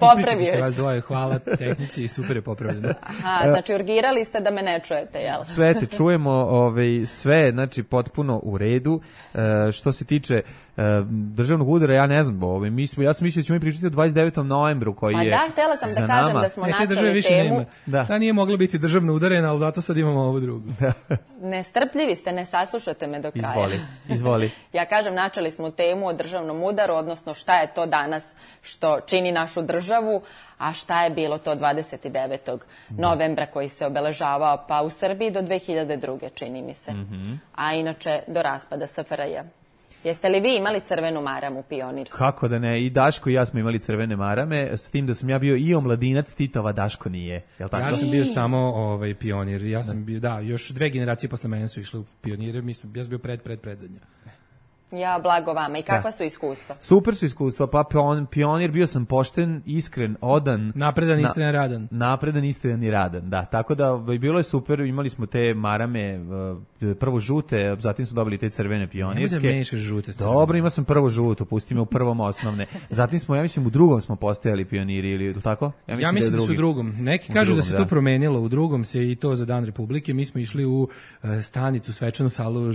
Popravio ispričajte se je vas se. dvoje, hvala tehnici i super je popravljeno. Aha, znači urgirali ste da me ne čujete, jel? Sve te čujemo, sve, znači, potpuno u redu. Što se tiče državnog udara, ja ne znam, ja sam mislio da ćemo mi pričati o 29. novembru koji Pa je da, htjela sam za da kažem nama. da smo Ne, te države načeli više temu. nema. Da. Ta nije mogla biti državno udarena, ali zato sad imamo ovu drugu. Nestrpljivi ste, ne saslušate me do kraja. Izvoli. Ja kažem, načeli smo temu o državnom udaru, odnosno šta je to danas što čini našu državu, a šta je bilo to 29. novembra koji se obeležavao pa u Srbiji do 2002. čini mi se. A inače do raspada SFRJ. Jeste li vi imali crvenu maramu pionirstvu? Kako da ne, i Daško i ja smo imali crvene marame, s tim da sam ja bio i omladinac, Titova Daško nije. Jel tako? Ja sam bio samo pionir, ja sam bio, da, još 2 generacije posle mene su išle u pionire, ja sam bio predzadnja. Ja, blago vama. I kakva su iskustva? Super su iskustva, pa pionir, bio sam pošten, iskren, odan. Napredan, iskren, radan. Napredan, iskren i radan, da. Tako da bilo je super, imali smo te marame, prvo žute, zatim smo dobili te crvene pionirske. Nemoj da mešaš žute s crvenim. Dobro, imao sam prvo žuto, pusti me u prvom osnovne. Zatim smo, ja mislim, u drugom smo postajali pioniri, ili tako? Ja mislim da su u drugom. Neki kažu da se to promenilo, u drugom se i to za Dan Republike. Mi smo išli u stanicu, svečanu salu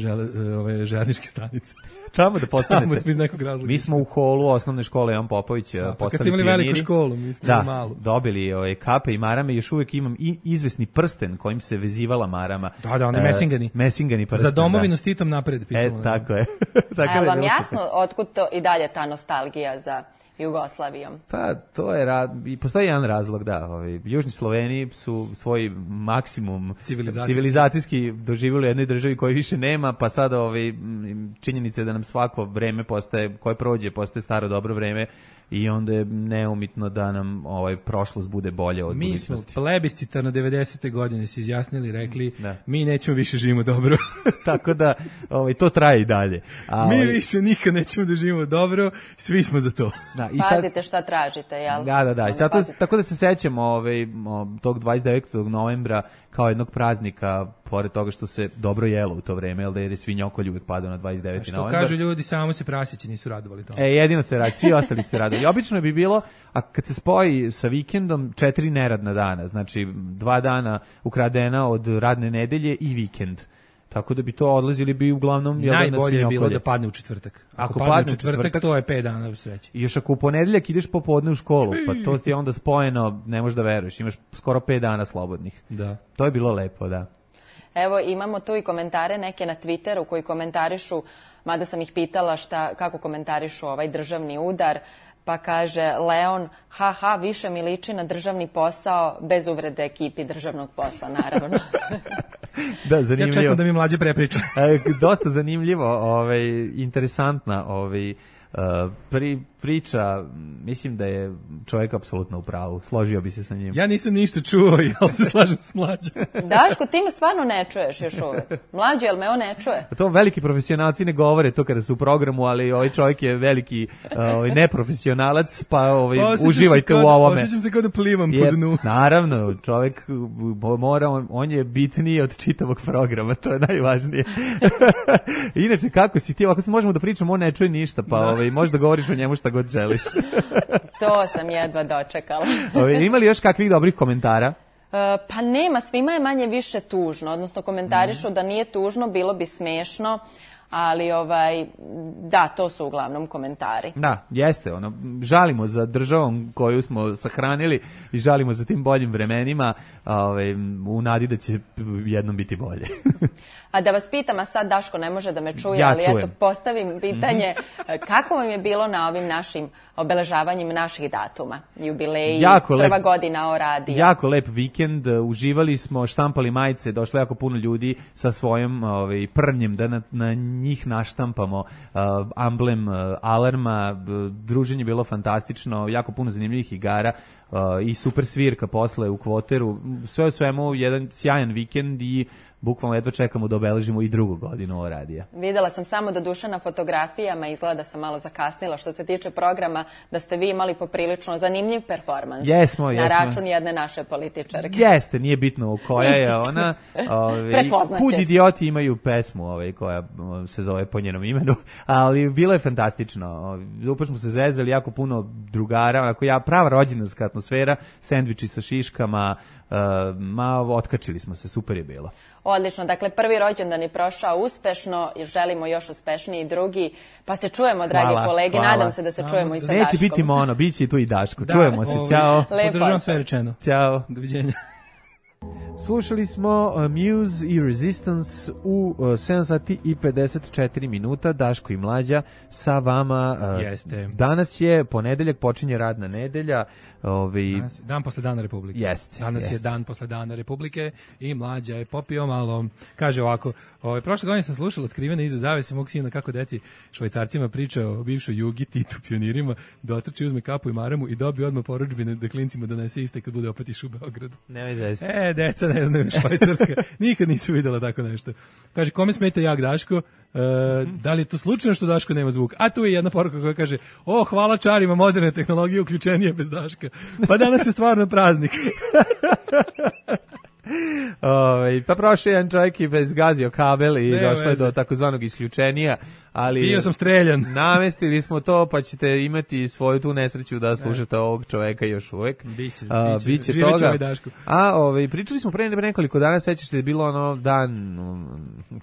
željezničke stanice. Tamo da postanete. Tamo smo iz nekog razloga. Mi smo u holu osnovne škole Jan Popović postali kad ste imali pioniri. veliku školu, mi smo imali malu. Dobili kape i marame, još uvijek imam i izvesni prsten kojim se vezivala marama. Da, oni mesingani. Mesingani prsten, za domovinu s Titom napred pisalo. Tako je. A je vam jasno otkud to i dalje ta nostalgija za Jugoslavijom? Pa, to je, i postoji jedan razlog, da. Južni Sloveni su svoj maksimum civilizacijski doživjeli u jednoj državi koji više nema, pa sada činjenice da nam svako vreme postaje, koje prođe, postaje staro dobro vreme i onda je neumitno da nam prošlost bude bolje od budućnosti. Mi smo plebiscitarno 90. godine se izjasnili, rekli mi nećemo više živimo dobro. Tako da to traje i dalje. Mi više nikad nećemo da živimo dobro, svi smo za to. Da, i pazite šta tražite, jel? Da. I sad tako da se sećam tog 29. novembra kao jednog praznika, pored toga što se dobro jelo u to vreme, jer je svinjokolj uvijek padao na 29. novembar. Što kažu ljudi, samo se prasići nisu radovali tome. Jedino se radi, svi ostali se radovali. I obično bi bilo, a kad se spoji sa vikendom, 4 neradna dana, znači 2 dana ukradena od radne nedelje i vikend. Tako da bi to odlazili bi uglavnom na svinjokolje. Najbolje je bilo da padne u četvrtak. Ako padne u četvrtak, to je 5 dana sreće. I još ako u ponedeljak ideš popodne u školu, pa to ti je onda spojeno, ne možeš da veruješ, imaš skoro 5 dana slobodnih. Da. To je bilo lepo, da. Evo, imamo tu i komentare neke na Twitteru koji komentarišu, mada sam ih pitala kako komentarišu ovaj državni udar. Pa kaže Leon, haha, više mi liči na državni posao, bez uvrede ekipi državnog posla, naravno. Da, zanimljivo. Ja čekam da mi mlađe prepriča. Dosta zanimljivo, interesantna priča, mislim da je čovjek apsolutno u pravu, složio bi se sa njim. Ja nisam ništa čuo, ja se slažem s mlađom. Daško, ti me stvarno ne čuješ još uvek. Mlađe, jel me on ne čuje? To veliki profesionalci ne govore to kada su u programu, ali ovaj čovjek je veliki neprofesionalac, pa uživajte u ovome. Osjećam se kao da plivam po dnu. Naravno, čovjek mora, on je bitniji od čitavog programa, to je najvažnije. Inače, kako si ti, ako se možemo da pričamo, on ne čuje ništa, pa možeš da govoriš o njemu šta god želiš. To sam jedva dočekala. Ima li još kakvih dobrih komentara? Pa nema, svima je manje više tužno, odnosno komentarišu da nije tužno, bilo bi smešno, ali da, to su uglavnom komentari. Da, jeste, žalimo za državom koju smo sahranili i žalimo za tim boljim vremenima, u nadi da će jednom biti bolje. A da vas pitam, a sad Daško ne može da me čuje, ja ali čujem. Eto postavim pitanje, kako vam je bilo na ovim našim obeležavanjima naših datuma, jubileji, prva godina o radiju? Jako lep vikend, uživali smo, štampali majice, došlo jako puno ljudi sa svojim prnjem da na njih naštampamo amblem Alarma, druženje je bilo fantastično, jako puno zanimljivih igara i super svirka posle u Kvoteru, sve u svemu jedan sjajan vikend i bukvalno jedva čekamo da obeležimo i drugu godinu o radija. Videla sam samo do duše na fotografijama, izgleda da sam malo zakasnila što se tiče programa, da ste vi imali poprilično zanimljiv performans. Jesmo. Na račun jedne naše političarke. Jeste, nije bitno koja je ona. Prepoznaće Kud idioti imaju pesmu koja se zove po njenom imenu, ali bilo je fantastično. Upravo smo se zezali, jako puno drugara, prava rođendanska atmosfera, sendviči sa šiškama, otkačili smo se, super je bilo. Odlično, dakle prvi rođendan je prošao uspešno i želimo još uspešniji drugi, pa se čujemo, dragi kolege, nadam se da se čujemo i sa Daškom. Neće biti mono, bit će i tu i Daško, čujemo se, ćao. Podržavam sve rečeno. Ćao. Doviđenja. Slušali smo Muse i Resistance u 7 sati i 54 minuta, Daško i Mlađa sa vama. Jeste. Danas je ponedeljak, počinje radna nedelja. Dan posle Dana Republike. Danas je dan posle Dana Republike i Mlađa je popio malo. Kaže ovako, prošle godine sam slušala Skrivene iza zavese mog sina kako deci Švajcarcima priča o bivšoj Jugi, Titu, pionirima, da otrči, uzme kapu i maramu i dobije odmah porudžbine da klincima donese iste kad bude opet išao u Beogradu. Nemoj zaista. Deca ne znaju Švajcarska. Nikad nisu videla tako nešto. Kaže, kome smeta jak Daško? Da li je to slučajno što Daško nema zvuk? A tu je jedna poruka koja kaže, hvala čarima moderne tehnologije, uključenije bez Daška. Pa danas je stvarno praznik. Pa prošao jedan čovjek i bezgazio kabel i došlo je do takozvanog isključenja, ali bio sam streljan. Namestili smo to, pa ćete imati svoju tu nesreću da slušate ovog čovjeka još uvek. Biće toga. Pričali smo pre nekoliko dana, sećaš se da je bilo dan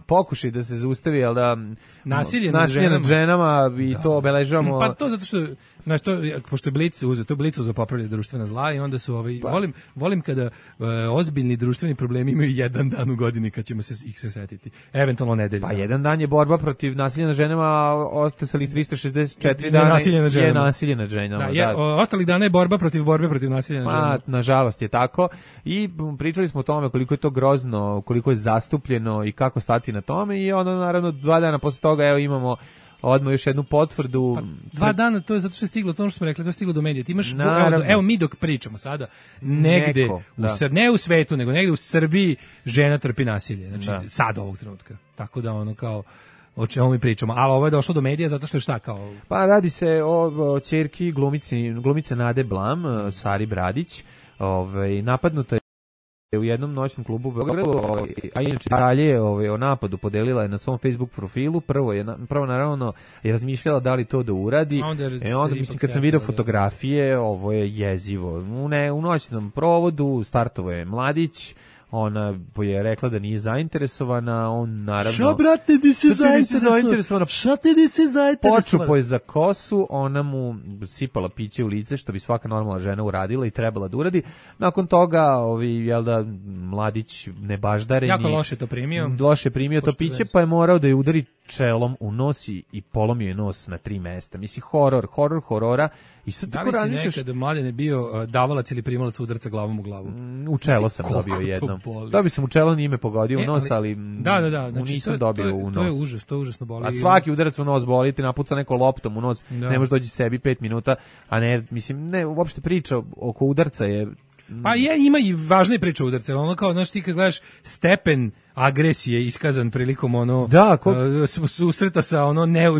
pokušaj da se zaustavi, ali da nasilje nad ženama i to obeležavamo. Pa to zato što pošto je Blic uzeo, Blicu za popravljanje društvena zla i onda su volim kada ozbiljni društveni problemi imaju jedan dan u godini kad ćemo ih se setiti. Eventualno nedelju. Pa jedan dan je borba protiv nasilja nad ženama, a ostalih 364 dana je nasilje nad ženama. Ostalih dana je borba protiv nasilja nad ženama. Nažalost je tako i pričali smo o tome koliko je to grozno, koliko je zastupljeno i kako stati na tome i onda naravno 2 dana posle toga imamo odmah još jednu potvrdu. 2 dana, to je zato što je stiglo, to što smo rekli, to je stiglo do medija. Ti imaš, evo mi dok pričamo sada, negde, ne u svetu, nego negde u Srbiji žena trpi nasilje. Znači, sad ovog trenutka. Tako da kao o čemu mi pričamo. Ali ovo je došlo do medija zato što je šta kao... Pa radi se o ćerki glumice Nade Blam, Sari Bradić, napadnuta je u jednom noćnom klubu u Beogradu, a inače dalje o napadu podelila je na svom Facebook profilu. Prvo naravno je razmišljala da li to da uradi. Onda mislim kad sam vidio fotografije, ovo je jezivo. U noćnom provodu startovao je mladić, ona je rekla da nije zainteresovana, on naravno... Šta, brate, nisi zainteresovana? Šta ti nisi zainteresovana? Počupo je za kosu, ona mu sipala piće u lice, što bi svaka normalna žena uradila i trebala da uradi. Nakon toga, jel da, mladić nebaždareni... Jako loše to primio. Loše primio to piće, pa je morao da je udari čelom u nos i polomio je nos na 3 mesta. Mislim, horor horora. I sad da li si nekada mladen bio davalac ili primalac udarca glavom u glavu? U čelo sam dobio jednom. Dobio sam u čelo, nije me pogodio u nos, ali znači, nisam dobio u nos. To je užasno boli. A svaki udarac u nos boli, ti napuca neko loptom u nos, ne možeš doći sebi 5 minuta, a ne, mislim, ne, uopšte priča oko udarca je... Pa ima i važne priče udarca, ono kao, znaš, ti kad gledaš stepen agresije iskazan prilikom susreta sa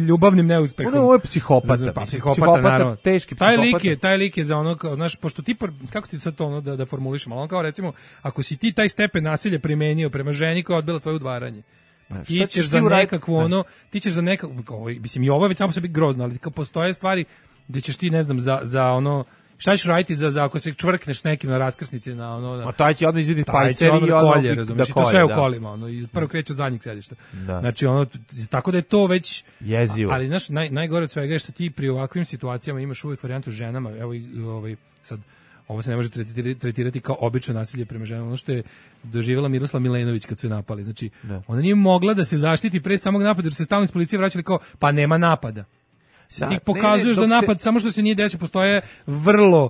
ljubavnim neuspehom. Ovo je psihopata. Pa, psihopata, naravno. Teški psihopata. Taj lik je za ono, znaš, pošto ti, kako ti sad to da formulišemo, ali on kao recimo, ako si ti taj stepen nasilja primenio prema ženi koja je odbila tvoje udvaranje, ti ćeš za nekakvu mislim, i ovo je već samo sebi grozno, ali kao postoje stvari gde ćeš ti, ne znam, za ono, šta ćeš raditi za ako se čvrkneš s nekim na raskrsnici na ono... Ma taj će odmah izviditi pajser i ono... Kolje, razumiješ, i to sve u kolima, ono, i prvo kreće od zadnjeg sedišta. Znači, ono, tako da je to već... Jezivo. Ali, znaš, najgore od svega je što ti pri ovakvim situacijama imaš uvijek varijantu ženama, evo sad, ovo se ne može tretirati kao obično nasilje prema ženama, ono što je doživjela Miroslav Milenović kad su je napali. Znači, ona nije mogla da se zaštiti pre samog napada, jer se stalno iz policije vraćali kao, pa nema napada. Ti pokazuješ da napad samo što se nije desio, postoje vrlo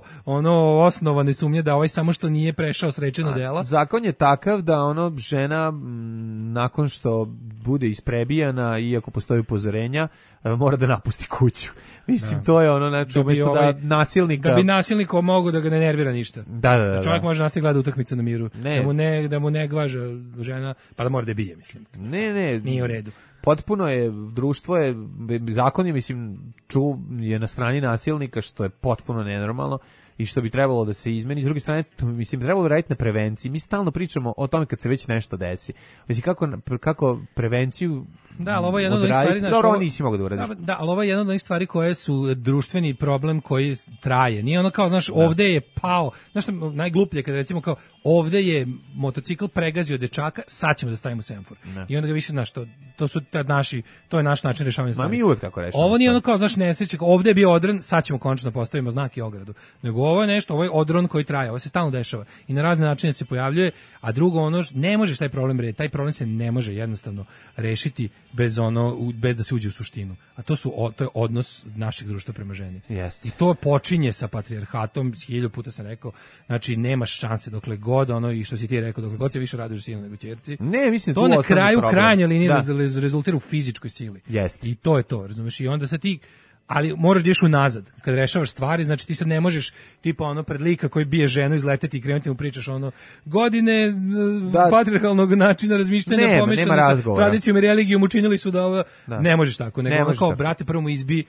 osnovane sumnje da ovaj samo što nije prešao srećena dela. Zakon je takav da žena nakon što bude isprebijana, iako postoji upozorenja, mora da napusti kuću. Mislim, to je znači umjesto da nasilnika... Da bi nasilnik mogao da ga ne nervira ništa. Da. Čovjek može nastaviti gleda utakmicu na miru. Da mu ne gvaža žena, pa da mora da bije, mislim. Ne. Nije u redu. Potpuno je, društvo je, zakon je, mislim, je na strani nasilnika, što je potpuno nenormalno i što bi trebalo da se izmeni. S druge strane, mislim, trebalo bi raditi na prevenciji. Mi stalno pričamo o tome kad se već nešto desi. Mislim, kako prevenciju... Da, ali ovo je jedna od onih stvari... Dobro, ovo nisi mogu da uradiš. Da, ali ovo je jedna od onih stvari koje su društveni problem koji traje. Nije ono kao, znaš, ovde je pao... Znaš što najgluplje kada recimo kao ovde je motocikl pregazio dečaka, sad ćemo da stavimo semafor. I onda ga više, znaš, to je naš način rešavanja stvari. Ma mi uvek tako rešavamo. Ovo nije ono kao, znaš, nesreće, ovde je bio odron, sad ćemo konačno postavimo znak i ogradu. Nego ovo je nešto, ovo je odron koji traje, ovo se stalno dešava i na razne načine se pojavljuje, a drugo ne možeš taj problem taj problem se ne može jednostavno rešiti bez da se uđe u suštinu. A to je odnos našeg društva prema ženi. Yes. I to počinje sa patrijarhatom, 1000 puta sam rekao, znači nemaš šanse dokle god i što si ti rekao, dokle god se više raduješ sinu nego ćerci. Ne, mislim to na kraju krajnje linije rezultira u fizičkoj sili. Yes. I to je to, razumeš? I onda sad ti ali moraš da ideš unazad. Kad rešavaš stvari, znači ti sad ne možeš tipa pred lika koji bije ženu izleteti i krenuti mu pričaš godine patrijarhalnog načina razmišljanja pomešane sa tradicijom i religijom učinili su da ovo... Ne možeš tako, nego kao, brate, prvo mu izbi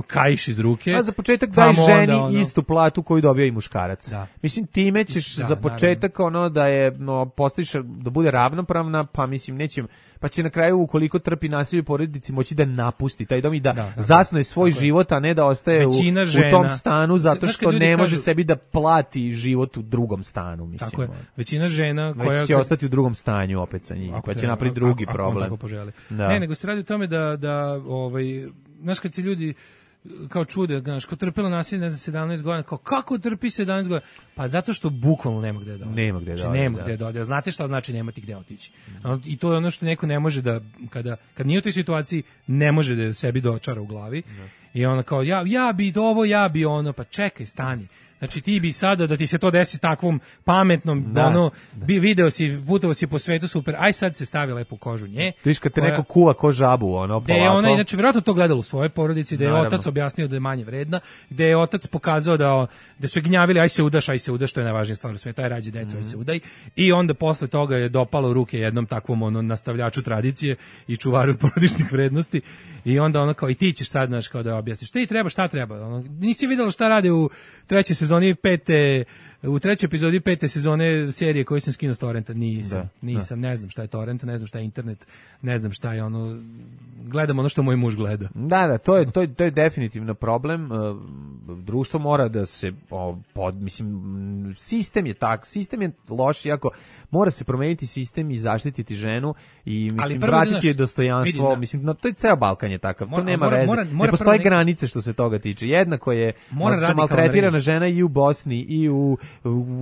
kaiš iz ruke. A za početak daj ženi istu platu koju dobio i muškarac. Mislim, time ćeš za početak da je postaviš da bude ravnopravna, pa mislim nećem, pa će na kraju ukoliko trpi nasilje u porodici moći da napusti taj dom i da zasnuje svoj život, a ne da ostaje u tom stanu zato što ne može sebi da plati život u drugom stanu, mislim. Tako je. Većina žena koja će ostati u drugom stanju opet sa njim, pa će napraviti drugi problem. Ne, nego se radi o tome da znaš, kad se ljudi kao čude, znaš, ko trpela nasilje, ne znam, 17 godina, kao kako trpi 17 godina? Pa zato što bukvalno nema gde da ode. Nema gde da ode. Znate šta znači nemati gde otići? I to je ono što neko ne može da, kad nije u toj situaciji, ne može da sebi dočara u glavi. I ona kao, ja bi ovo, ja bi ono, pa čekaj, stani. Znači ti bi sada da ti se to desi takvom pametnom, video si, putovao si po svetu, super, aj sad se stavi lepo kožu nje. Viš kad te neko kuva ko žabu, polako. Gde je ona, inače, vjerojatno to gledala u svojoj porodici, gde je otac objasnio da je manje vredna, gde je otac pokazao da su gnjavili, aj se udaš, to je najvažnija stvar u svijetu, aj rađi decu, aj se udaj. I onda posle toga je dopalo u ruke jednom takvom nastavljaču tradicije i čuvaru porodičnih vrednosti. I onda ona kao, i ti ćeš sad, znaš, kao da objasniš, šta treba. Nisi videla šta rade u trećoj sezoni 5. u trećoj epizodi 5. sezone serije koju sam skinuo s torrenta. Nisam, ne znam šta je torrent, ne znam šta je internet, ne znam šta je ono, gledam ono što moj muž gleda. Da, to je definitivno problem. Društvo mora da se mislim, sistem je loš, iako mora se promeniti sistem i zaštititi ženu i mislim vratiti je dostojanstvo, mislim, no, to je ceo Balkan je takav, to nema veze. Ne postoje granice što se toga tiče. Jednako je maltretirana žena i u Bosni i u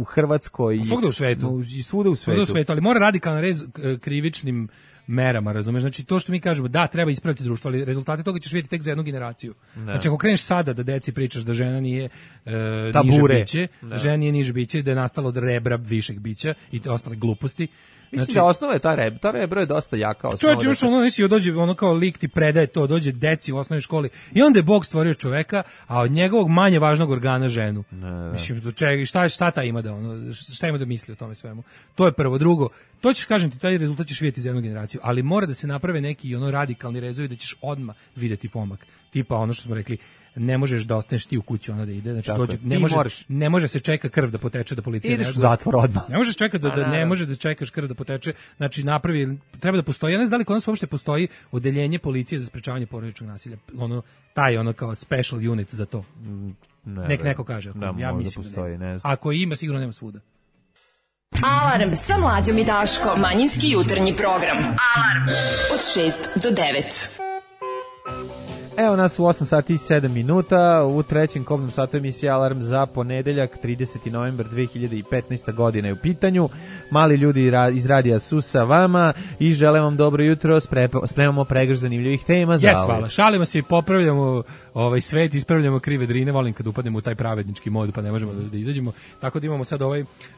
Hrvatskoj i svugde u svetu. I svuda u svetu. Ali mora radikalan rez krivičnim merama, razumeš? Znači to što mi kažemo, da, treba ispraviti društvo, ali rezultate toga ćeš vidjeti tek za jednu generaciju. Znači ako kreneš sada da deci pričaš da žena nije niže biće, da žena nije niže biće, da je nastalo od rebra višeg bića i te ostale gluposti. Mislim da osnova je ta rebro je dosta jaka osnova. Čovječe, još ono nisi dođe, ono kao lik ti predaje to, dođe deci u osnovnoj školi i onda je Bog stvorio čoveka, a od njegovog manje važnog organa ženu. Mislim, šta ta ima da ono, šta ima da misli o tome svemu? To je prvo. Drugo, to ćeš, kažem ti, taj rezultat ćeš vidjeti za jednu generaciju, ali mora da se naprave neki ono radikalni rezovi da ćeš odmah vidjeti pomak. Tipa ono što smo rekli, ne možeš da ostaneš ti u kući, ona da ide, znači dođe, ne može se čeka krv da poteče da policija ideš u zatvor odmah. Ne možeš čekati da ne može da čekaš krv da poteče, znači treba da postoji, ja ne znam da li kod nas uopšte postoji odeljenje policije za sprečavanje porodičnog nasilja, ono kao special unit za to. Neko kaže, ja mislim da postoji, ne znam. Ako ima, sigurno nema svuda. Alarm sa Mlađom i Daškom, manjinski jutarnji program. Alarm od 6 do 9. Evo nas u 8 sati i 7 minuta, u trećem kobnom satu emisije Alarm za ponedeljak, 30. novembar 2015. godine je u pitanju. Mali ljudi iz radija su sa vama i želim vam dobro jutro, spremamo pregršt zanimljivih tema za hvala. Šalimo se i popravljamo svet, ispravljamo krive drine, volim kad upadnemo u taj pravednički mod pa ne možemo da izađemo. Tako da imamo sad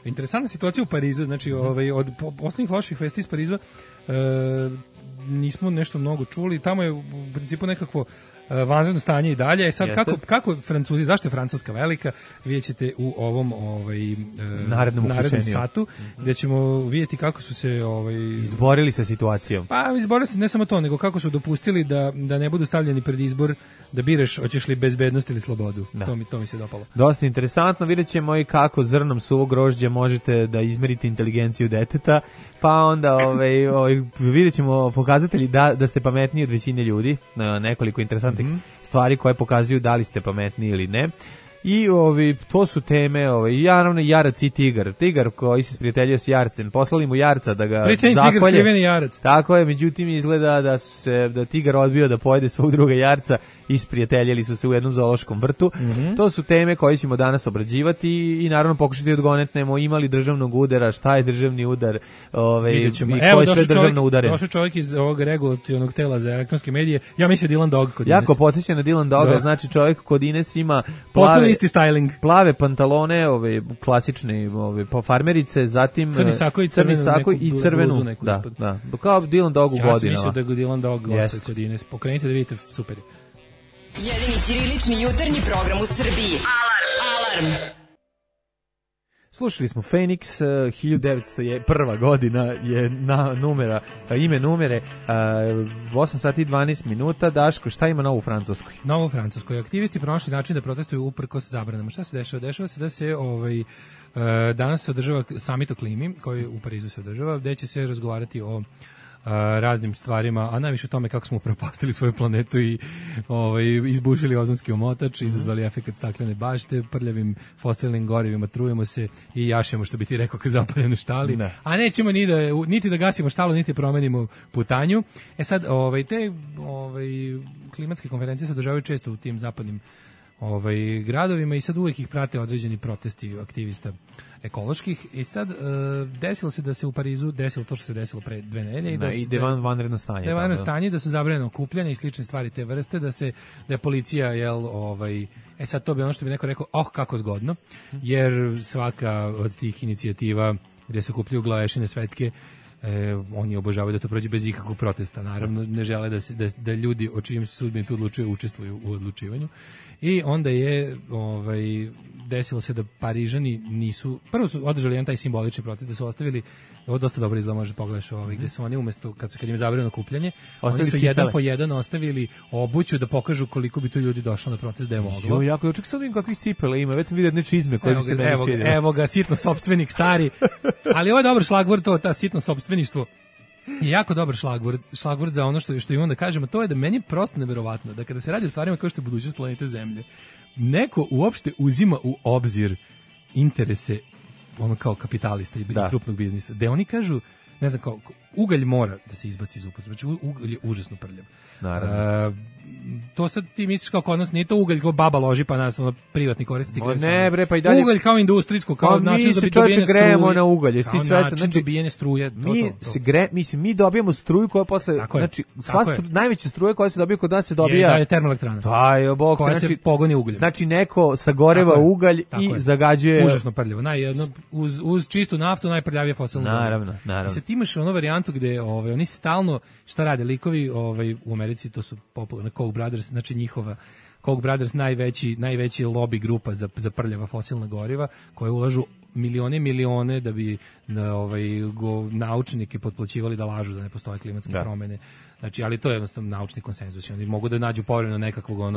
interesantna situacija u Parizu, znači od osnovnih loših vesti iz Pariza nismo nešto mnogo čuli, tamo je u principu nekakvo vanredno stanje i dalje. Sad kako Francuzi, zašto je Francuska velika, vidjet ćete u ovom narednom satu, gdje ćemo vidjeti kako su se izborili sa situacijom. Pa izborili se ne samo to, nego kako su dopustili da ne budu stavljeni pred izbor da biraš hoćeš li bezbednost ili slobodu. To mi se dopalo. Dosta interesantno, vidjet ćemo i kako zrnom suvog grožđa možete da izmerite inteligenciju deteta, pa onda vidjet ćemo pokazatelji da ste pametniji od većine ljudi, nekoliko interesantnih stvari koje pokazuju da li ste pametni ili ne. I to su teme, naravno Jarac i Tigar koji se sprijateljio s Jarcem, poslali mu Jarca da ga zakolje. Tako je, međutim izgleda da Tigar odbio da pojede svog druga Jarca i sprijateljili su se u jednom zoološkom vrtu. To su teme koje ćemo danas obrađivati i naravno pokušati odgonetnemo imali državnog udara, šta je državni udar, i koje sve državno udare. Došao čovjek iz ovog regulacionog tela za elektronske medije, ja mislim Dylan Dog kod Ines. Jako podsjeća na Dylan Doga, znači čovjek kod Ines ima isti styling. Plave pantalone, klasične farmerice, zatim crni sako i crvenu. Da. Kao Dylan Dog u godinama. Ja sam mislio da je Dylan Dog gostoje kod Ines. Pokrenite da vidite, super je. Jedini ćirilični jutarnji program u Srbiji. Alarm! Slušali smo Phoenix, 1901. godina je ime numere, 8 sati i 12 minuta. Daško, šta ima novo u Francuskoj? Novo u Francuskoj. Aktivisti pronašli način da protestuju uprkos zabranama. Šta se dešava? Dešava se da se danas se održava samit o klimi, koji u Parizu se održava, gde će se razgovarati o raznim stvarima, a najviše o tome kako smo upropastili svoju planetu i izbušili ozonski omotač, izazvali efekat staklene bašte, prljavim fosilnim gorivima trujemo se i jašemo, što bi ti rekao, kad zapaljene štali. Ne. A nećemo niti da gasimo štalu, niti promenimo putanju. Sad, te klimatske konferencije se održavaju često u tim zapadnim gradovima i sad uvijek ih prate određeni protesti aktivista ekoloških i sad desilo se da se u Parizu desilo to što se desilo pre 2 nedelje i da je vanredno stanje. Da je vanredno stanje, da su zabranjeno okupljanja i slične stvari te vrste, da je policija sad to bi ono što bi neko rekao, kako zgodno, jer svaka od tih inicijativa gdje se okupljaju glavešine svetske, oni obožavaju da to prođe bez ikakvog protesta. Naravno, ne žele da ljudi o čijim sudbini tu odlučuju učestvuju u odlučivanju. I onda je desilo se da Parižani nisu, prvo su održali jedan taj simbolični protest, da su ostavili, ovo dosta dobro izgleda, može pogledaš gde su oni umesto, kad im je zabranjeno kupljanje, oni su jedan po jedan ostavili obuću da pokažu koliko bi tu ljudi došlo na protest da je moglo. Jo, jako, ček sad vidim kakvih cipela ima, već sam vidio jedne čizme koje bi se meni svidjeli. Evo ga, sitno sopstvenik stari, ali ovo je dobar šlagvord, ta sitno sopstveništvo. Je jako dobar šlagvord za ono što imam da kažemo, to je da meni je prosto neverovatno da kada se radi o stvarima kao što je budućnost planete Zemlje, neko uopšte uzima u obzir interese ono kao kapitalista i krupnog biznisa, da oni kažu, ne znam, kao ugalj mora da se izbaci iz upotrebe, znači ugalj je užasno prljav. To sad ti misliš kao kod nas, nije to ugalj kao baba loži pa nas privatni korisnici. Ne bre, pa i dalje. Ugalj kao industrijsko, kao način za dobijanje struje. Grejemo na ugalj, jesi ti svestan? Znači dobijanje struje, mi dobijamo struju koja posle, znači najveća struja koja se dobija kod nas se dobija je termoelektrana. Taj bog, koja se pogoni ugljem. Znači neko sagoreva ugalj i zagađuje. Užasno prljavo. Uz čistu naftu najprljavije fosilno gorivo. Naravno. Sad imaš onu varijantu gde oni stalno šta rade likovi u Americi, to su popularni Koch Brothers, znači njihova Koch Brothers najveći lobby grupa za prljava fosilna goriva, koje ulažu milione da bi naučnike potplaćivali da lažu da ne postoje klimatske promene. Znači, ali to je jednostavno naučni konsenzus. Oni mogu da nađu povremeno nekakvog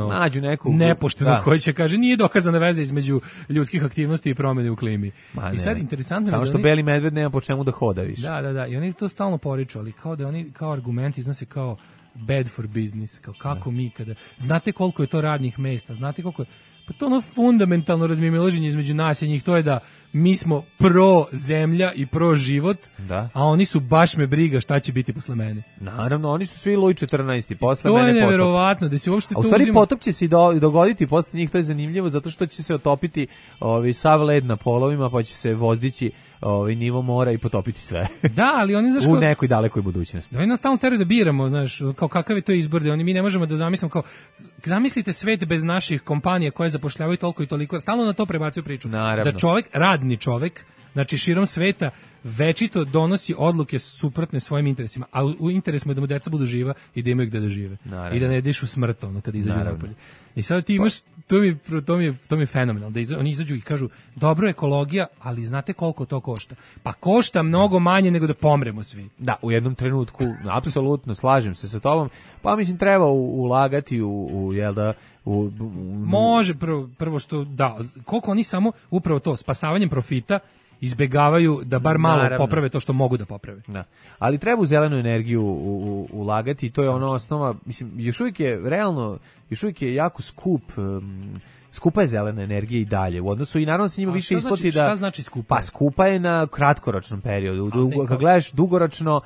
nepoštenog koji će kaže nije dokazana veza između ljudskih aktivnosti i promene u klimi. I sad interesantno samo što beli medved nema po čemu da hoda više. Da, i oni to stalno poriču, ali kao da oni kao argument iznose kao bad for business, kako mi kada... Znate koliko je to radnih mesta, znate koliko je... Pa to ono fundamentalno razmimoilaženje između nas i njih, to je da mi smo pro zemlja i pro život, a oni su baš me briga šta će biti posle mene. Naravno, oni su svi Luj 14. Posle to mene potop. To je neverovatno, da se uopšte tu uzima... A u stvari potop će se dogoditi posle njih, to je zanimljivo, zato što će se otopiti sav led na polovima, pa će se vozdići nivo mora i potopiti sve. Da, ali oni u nekoj dalekoj budućnosti. Oni nas stalno teraju da biramo, znaš, kao kakav je to izbor, da mi ne možemo da zamislimo kao zamislite svet bez naših kompanija koje zapošljavaju toliko i toliko, stalno na to prebacuju priču. Naravno. Da čovjek, radni čovjek, znači širom sveta večito donosi odluke suprotne svojim interesima, a u interesu je da mu deca budu živa i da imaju gde da žive. Naravno. I da ne dišu smrt kad izađu napolje. I sad ti imaš, to mi je fenomenalno, da oni izađu i kažu dobro ekologija, ali znate koliko to košta? Pa košta mnogo manje nego da pomremo svi. Da, u jednom trenutku, apsolutno, slažem se sa tobom, pa mislim treba ulagati može prvo što, da, koliko oni samo upravo to, spasavanjem profita, izbegavaju da bar malo poprave to što mogu da poprave. Da. Ali treba u zelenu energiju ulagati i to je ono osnova, mislim, još uvijek je jako skupa je zelena energija i dalje. U odnosu i naravno se njima više isplati da... Šta znači skupa? Pa skupa je na kratkoročnom periodu. Kad gledaš dugoročno,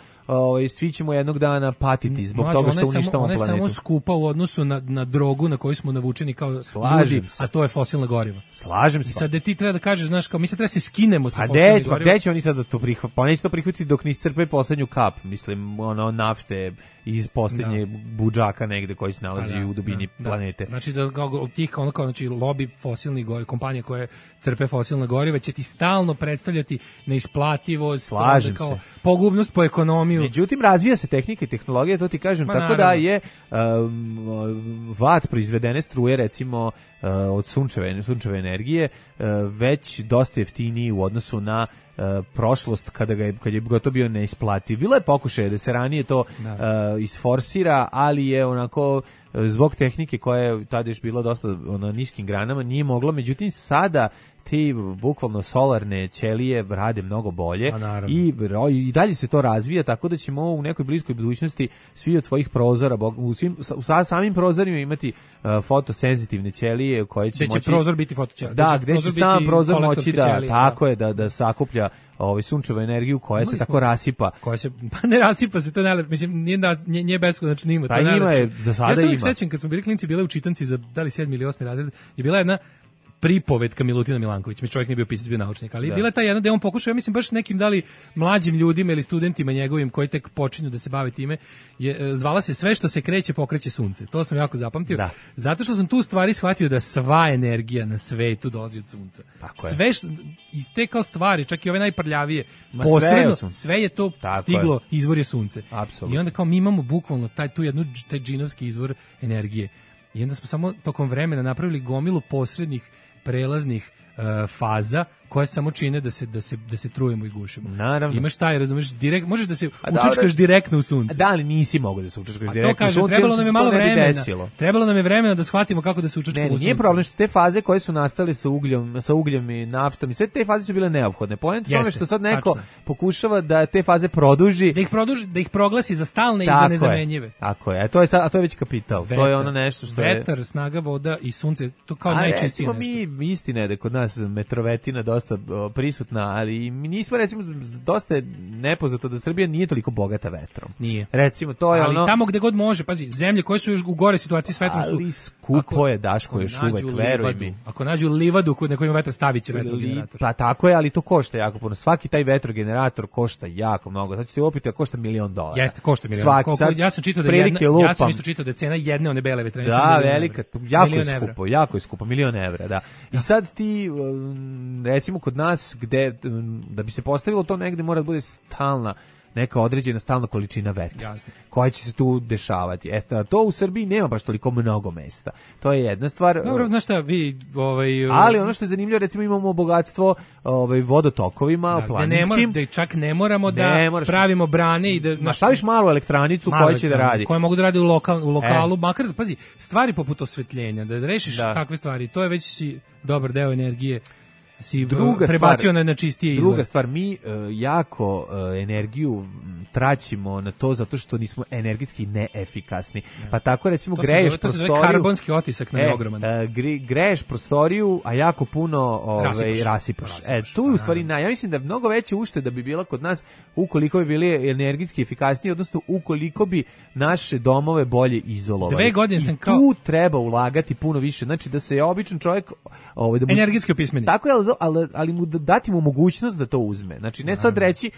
svi ćemo jednog dana patiti zbog toga što uništamo planetu. Ona je samo skupa u odnosu na drogu na koju smo navučeni kao ljudi, a to je fosilna goriva. Slažem se. I sad ti treba da kažeš, znaš, kao mi se treba se skinemo sa fosilnim gorivom. A gde će oni sad da to prihvati? Pa neće to prihvatiti dok ne iscrpe poslednju kap, mislim, nafte iz posljednje budžaka negde koji se nalazi u dubini planete. Znači da tih znači lobby fosilnih goriva, kompanije koje crpe fosilna goriva će ti stalno predstavljati neisplativost, kao pogubnost po ekonomiju. Međutim, razvija se tehnika i tehnologija, to ti kažem, tako da je vat proizvedene struje, recimo od sunčeve energije, već dosta jeftiniji u odnosu na prošlost kad je gotovo bio neisplativ. Bilo je pokušaj da se ranije to isforsira, ali je onako zbog tehnike koja je tada još bila dosta na niskim granama nije moglo, međutim sada ti bukvalno solarne ćelije rade mnogo bolje i dalje se to razvija, tako da ćemo u nekoj bliskoj budućnosti svi od svojih prozora, u samim prozorima imati fotosenzitivne ćelije koje će moći... Će prozor biti fotoćelija. Da, gde će sam prozor moći da sakuplja sunčevu energiju koja se tako rasipa. Koja se, pa ne rasipa se, to najlepše, mislim, nije beskonačno ima. Pa ima je, za sada ima. Ja sam sećam kad smo bili klinci, bila u čitanci za da li 7. ili 8. razred, je bila jedna pripovetka Milutina Milanković, mi čovjek nije bio pisac, bio naučnik, ali bila je ta jedna gde on pokušao, ja mislim baš nekim da li mlađim ljudima ili studentima njegovim koji tek počinju da se bave time, zvala se Sve što se kreće pokreće sunce. To sam jako zapamtio. Zato što sam tu stvari shvatio da sva energija na svetu dolazi od sunca. Sve iz te kao stvari, čak i ove najprljavije, posredno sve je to stiglo, izvor je sunce. Absolutno. I onda kao mi imamo bukvalno taj džinovski izvor energije. I onda smo samo tokom vremena napravili gomilu posrednih prelaznih faza koje samo čine da se trujemo i gušimo. Naravno. Imaš taj, razumeš, direkt, možeš da se učačkaš direktno u sunce. Da, ali nisi mogao da se učačkaš direktno u sunce. To kažem, trebalo nam je malo vremena. Trebalo nam je vremena da shvatimo kako da se učačkamo u sunce. Nije problem što te faze koje su nastale sa ugljem i naftom i sve te faze su bile neophodne. Poenta je tome što sad neko pokušava da te faze produži, da ih proglasi za stalne i za nezamenjive. Tako je. A to je već kapital. To je ono nešto što je vetar, snaga, voda i sunce, to kao najčistije nešto. Mi istina je da kod nas metrovetina dosta prisutna, ali mi nismo, recimo, dosta je nepoznato da Srbija nije toliko bogata vetrom. Nije. Recimo, to je ali tamo gde god može, pazi, zemlje koje su još u gore situaciji s vetrom su... Ali skupo je, Daško, još uvek, veruj mi. Ako nađu livadu na kojoj ima vetar, stavit će vetrogenerator. Pa tako je, ali to košta jako puno. Svaki taj vetrogenerator košta jako mnogo. Sad ću ti opiti, košta $1.000.000. Jeste, košta $1.000.000. Ja sam čitao da ja sam isto čitao da je cena jedne one bele vetrenice. Da, velika, jako je skupo, $1.000.000, da. I sad ti, recimo kod nas, gde, da bi se postavilo to negde, mora da bude stalna, neka određena stalna količina vetra. Jasno. Koja će se tu dešavati. To u Srbiji nema baš toliko mnogo mesta. To je jedna stvar. Dobro, znaš šta, ali ono što je zanimljivo, recimo imamo bogatstvo vodotokovima, planinskim. Da čak ne moramo da pravimo brane i da... Staviš malu elektranicu koja će da radi. Koja mogu da radi u lokalu, makar, pazi, stvari poput osvetljenja, da rešiš takve stvari, to je već dobar deo energije. Si prebacio na čistije izgled. Druga stvar, mi jako energiju traćimo na to zato što nismo energetski neefikasni. Pa tako recimo greješ prostoriju. To se zove karbonski otisak na ogroman. Greješ prostoriju, a jako puno rasipaš. Tu je u stvari, ja mislim da mnogo veća ušteda bi bila kod nas ukoliko bi bili energetski efikasniji, odnosno ukoliko bi naše domove bolje izolovali. 2 godine sam kao... tu treba ulagati puno više. Znači da se običan čovjek... energetski opismeni. Tako je, ali mu dati mu mogućnost da to uzme. Znači ne sad reći,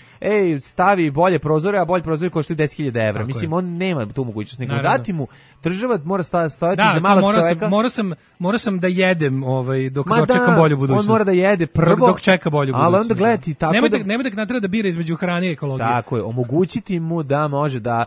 stavi bolje prozore, a bolje prozore koštaju 10.000 evra. Mislim, on nema tu mogućnost. Nego dati mu, država mora stojati za malog čovjeka. Morao sam da jedem dok čekam bolju budućnost. On mora da jede prvo. Dok čeka bolju budućnost. Ali onda gledati tako Nemoj da natreba da bira između hrane i ekologije. Tako je, omogućiti mu da može da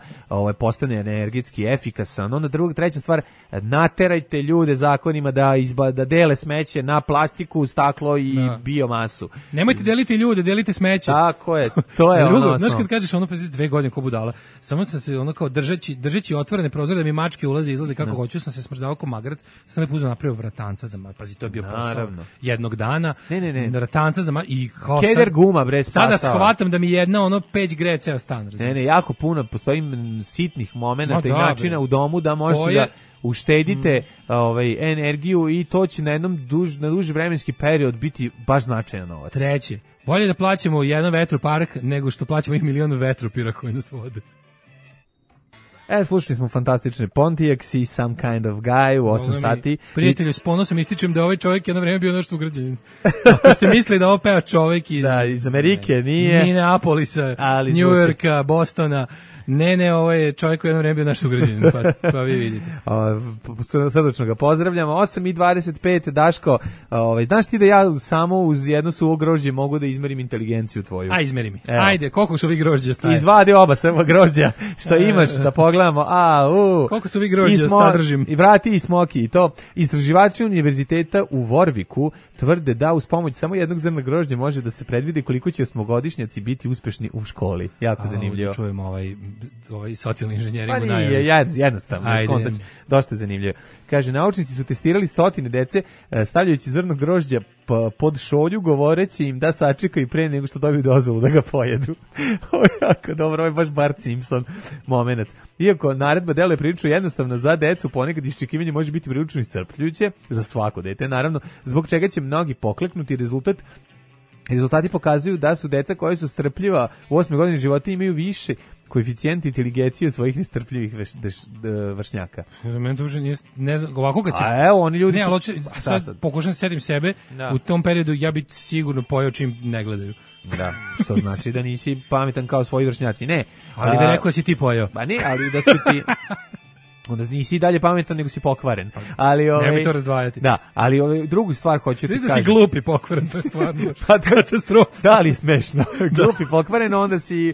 postane energetski efikasan. Onda treća stvar, naterajte ljude zakonima da dele smeće na plastiku, staklo i biomasu. Nemojte deliti ljude, delite smeće. Tako je, to je ono. Znaš kad kažeš pa 2 godine ko budala, samo sam se kao držeći otvorene prozore da mi mačke ulaze i izlaze kako hoću, sam se smrzavao ko magarac, sam lepo uzeo napravio vratanca za pazi, to je bio posao jednog dana. Ne. Vratanca za i kao keder guma bre sada shvatam da mi jedna peć greje ceo stan. Ne, jako puno postoji sitnih momenata i načina u domu da možete da uštedite energiju i to će na duži vremenski period biti baš značajan novac. Treće, bolje da plaćamo jedan vetropark nego što plaćamo ih milion vetropira koji nas vode. Slušali smo fantastične Pontiacs i Some Kind of Guy u 8 sati. Prijatelju, s ponosom ističem da ovaj čovjek jedno vreme bio naš sugrađanin. Ako ste mislili da ovo peva čovjek iz Amerike, nije. Minneapolisa, New Yorka, Bostona. Ne, ovo je čovjek koji jedno vreme bio naš sugrađanin, pa vi vidite. Srdačno ga pozdravljamo. 8:25, Daško, znaš ti da ja samo uz jedno suvo grožđe mogu da izmerim inteligenciju tvoju? Izmeri mi. Ajde, koliko su vi grožđa staje? Izvadi oba samo grožđa što imaš da pogledamo. Koliko su vi grožđa sadržim? I vrati i smoki i to. Istraživači univerziteta u Warwicku tvrde da uz pomoć samo jednog zrna grožđa može da se predvidi koliko će osmogodišnjaci biti uspešni u školi. Jako zanimljivo. Čujemo ovaj socijalni inženjering u najavi. Jednostavno, dosta zanimljivo. Kaže, naučnici su testirali 100 dece stavljajući zrno grožđa pod šolju, govoreći im da sačekaju pre nego što dobiju dozvolu da ga pojedu. Ovo je jako dobro, ovo je baš Bart Simpson moment. Iako naredba deluje prilično jednostavno za decu, ponekad iščekivanje može biti prilično iscrpljujuće za svako dete, naravno, zbog čega će mnogi pokleknuti. Rezultati pokazuju da su deca koja su strpljiva u 8. godini života imaju više koeficijent inteligencije od svojih nestrpljivih vršnjaka. Za mene to uopšte ne znam, ovako kad si... oni ljudi... Ne, ali sad pokušam se setim sebe, u tom periodu ja bi sigurno pojao čim ne gledaju. Da, što znači da nisi pametan kao svoji vršnjaci. Ne. Ali da rekao si ti pojao. Ba ne, ali da su ti... onda nisi i dalje pametan, nego si pokvaren. Ali Nemoj to razdvajati. Da, ali drugu stvar hoću ti kažem. kažem. Da si glup i pokvaren, to je stvarno katastrofa. Da li je smešno? Glup i pokvaren, onda si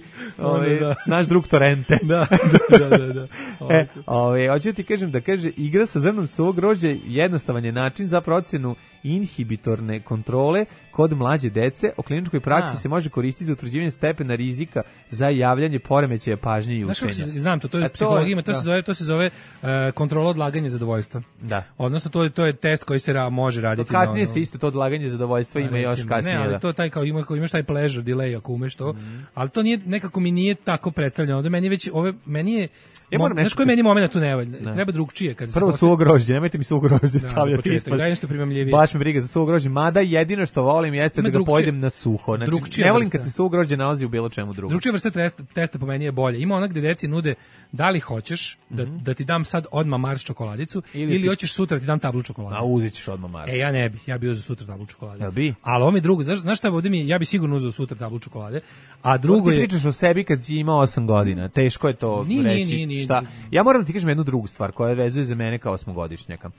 naš drug Torrente. Da. Hoću ti kažem da kaže, igra sa zrnom suvog grožđa jednostavan je način za procenu inhibitorne kontrole kod mlađe dece. O kliničkoj praksi se može koristiti za utvrđivanje stepena rizika za javljanje poremećaja pažnje i učenja. Znam to je psihologija, to se zove kontrola odlaganja zadovoljstva. Da. Odnosno to je test koji se može raditi. Kasnije se isto to odlaganje zadovoljstva ima još kasnije. Ne, ali to taj kao imaš taj pleasure delay ako umeš to, ali to nije, nekako mi nije tako predstavljeno. Ovde meni je znaš koji meni moment tu ne valja? Treba drugčije. Prvo suvo grožđe, nemojte mi suvo grožđe stavljati ispod. Daj nešto primamljivije. Baš me briga za suvo grožđe, mada jedino što volim jeste da ga pojedem na suho. Znači, ne volim kad se suvo grožđe nalazi u bilo čemu drugom. Drugčija vrsta testa po meni je bolje. Ima ona gde deci nude da li hoćeš da ti dam sad odmah Mars čokoladicu ili hoćeš sutra ti dam tablu čokolade. A uzet ćeš odmah Mars. Ja ne bih, ja bih uzeo sutra tablu čokolade. Jel bi? Ali ovo mi drugo, znaš šta ovdje ja bih sigurno uzeo sutra tablu čokolade, a drugo je... Ti pričaš o sebi kad si imao 8 godina, teško je to reći. Šta? Ja moram ti kažem jednu drugu stvar koja vezuje za mene kao 8-godišnjaka.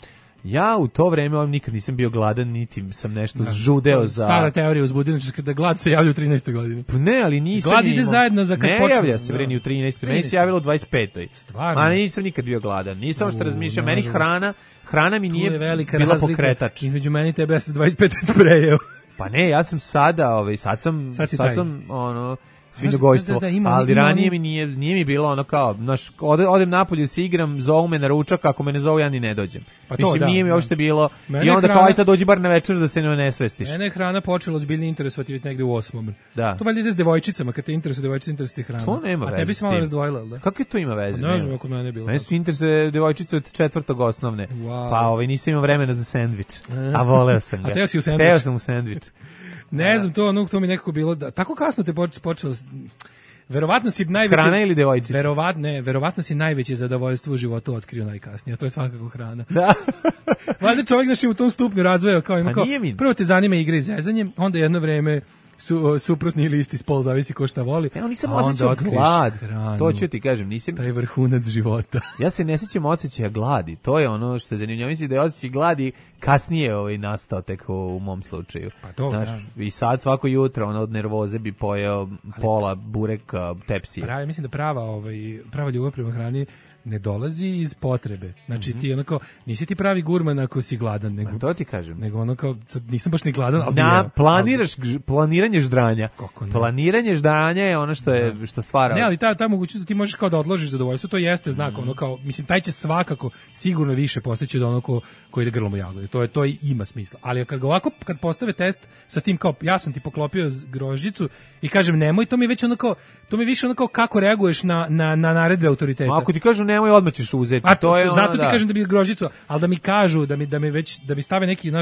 Ja u to vreme nikad nisam bio gladan, niti sam nešto žudeo za... Stara teorija uzbudilička da glad se javlja u 13. godini. Ne, ali nisam... Glad ide zajedno za kad počne. Ne javlja se, ni u 13. Meni se javilo u 25. Stvarno? Ma nisam nikad bio gladan. Nisam što razmišljam. Meni hrana mi nije bila pokretač. Između meni i tebe ja sam 25 sprejeo. Pa ne, ja sam sada, sad sam svinjogojstvo, ali ranije mi nije mi bilo ono kao, odem napolje se igram, zovu me na ručak, ako me ne zovu ja ni ne dođem. Mislim, nije mi uopšte bilo, i onda kao aj sad dođi bar na večer da se ne svestiš. Mene je hrana počela ozbiljno interesovati već negde u 8. Da. To valjda ide s devojčicama, kad te interesuje devojčica, interesuje hrana. To nema veze. A tebi se malo razdvojila, da? Kako je to ima veze? Ne znam ako mene bilo. Mene su interesuje devojčice od 4. osnovne. Pa nisam imao vremena za sendvič, a voleo sam ga. A teo si u sendvič? Teo sam u sendvič. Ne znam, to mi nekako bilo da tako kasno te počelo. Verovatno si najveće hrana ili devojčica. Verovatno si najveće zadovoljstvo u životu otkrio najkasnije, a to je svakako hrana. Da. Valjda čovjek u tom stupnju razvoja kao ima prvo te zanima igra i zezanje, onda jedno vreme suprotni listi spol, zavisi ko šta voli. Evo nisam osjećao glad. To ću ti kažem, nisam... Taj vrhunac života. Ja se ne sjećam osjećaja gladi. To je ono što je zanimljivo. Mislim da je osjećaj gladi kasnije nastao tek u mom slučaju. Pa to, i sad svako jutro od nervoze bi pojeo pola bureka tepsije. Mislim da prava ljubav prema hrani ne dolazi iz potrebe. Znači ti onako nisi ti pravi gurman ako si gladan, nego to ti kažem. Nego ono kao nisam baš ni gladan, ali planiranje ždranja. Planiranje ždranja je ono što stvara. Ne, ali ta mogućnost da ti možeš kao da odložiš zadovoljstvo, to jeste znak ono kao mislim taj će svakako sigurno više postići od onog ko ide grlom u jagode. To ima smisla. Ali kad postave test sa tim kao ja sam ti poklopio grožđicu i kažem nemoj, to mi više ono kao kako reaguješ na naredbe autoriteta. Ako ti kažu nemoj, odmah ćeš uzeti. Zato ti kažem da bi grožđicu, ali da mi kažu da mi stave neki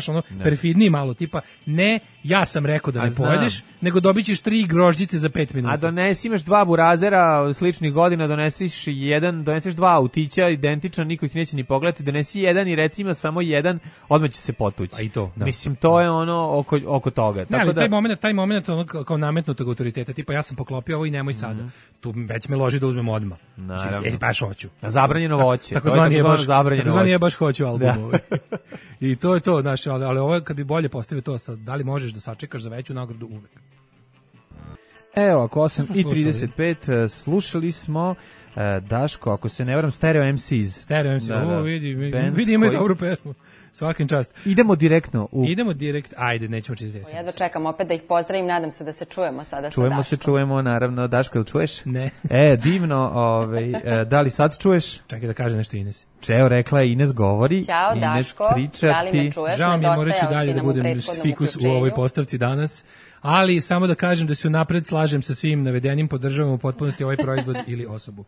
perfidniji malo tipa ne, ja sam rekao da ne pojedeš, nego dobićeš 3 grožđice za 5 minuta. A donesi imaš 2 burazera sličnih godina, doneseš 2 autića identičan, niko ih neće ni pogledati, donesi jedan i reci ima samo jedan, odmah će se potući. A i to, da. Mislim, to je ono oko toga. Ne, ali taj moment ono kao nametnutog autoriteta, tipa ja sam poklopio ovo i nemoj sada. Tu već me loži da uzmem odmah. Znači, baš hoću. Zabranjeno voće. Takozvani je baš hoću album. I to je to, znaš, ali ovo kad bi bolje postavio to sad, da li možeš da sačekaš za veću nagradu uvek. Evo, ako 8:35 slušali smo Daško, ako se ne varam, Stereo MCs. Stereo MCs, vidi imaju dobru pesmu. Svakim čast. Idemo direktno ajde, nećemo čitati. Ja dočekam opet da ih pozdravim, nadam se da se čujemo sada sa Daškom. Čujemo, naravno. Daško, jel čuješ? Ne. Divno, da li sad čuješ? Čekaj da kaže nešto Ines. Evo, rekla je Ines govori. Ćao, Daško, da li me čuješ? Žao mi je, morat ću dalje da budem fikus u ovoj postavci danas, ali samo da kažem da se unapred slažem sa svim navedenim, podržavam u potpunosti ovaj proizvod ili osobu.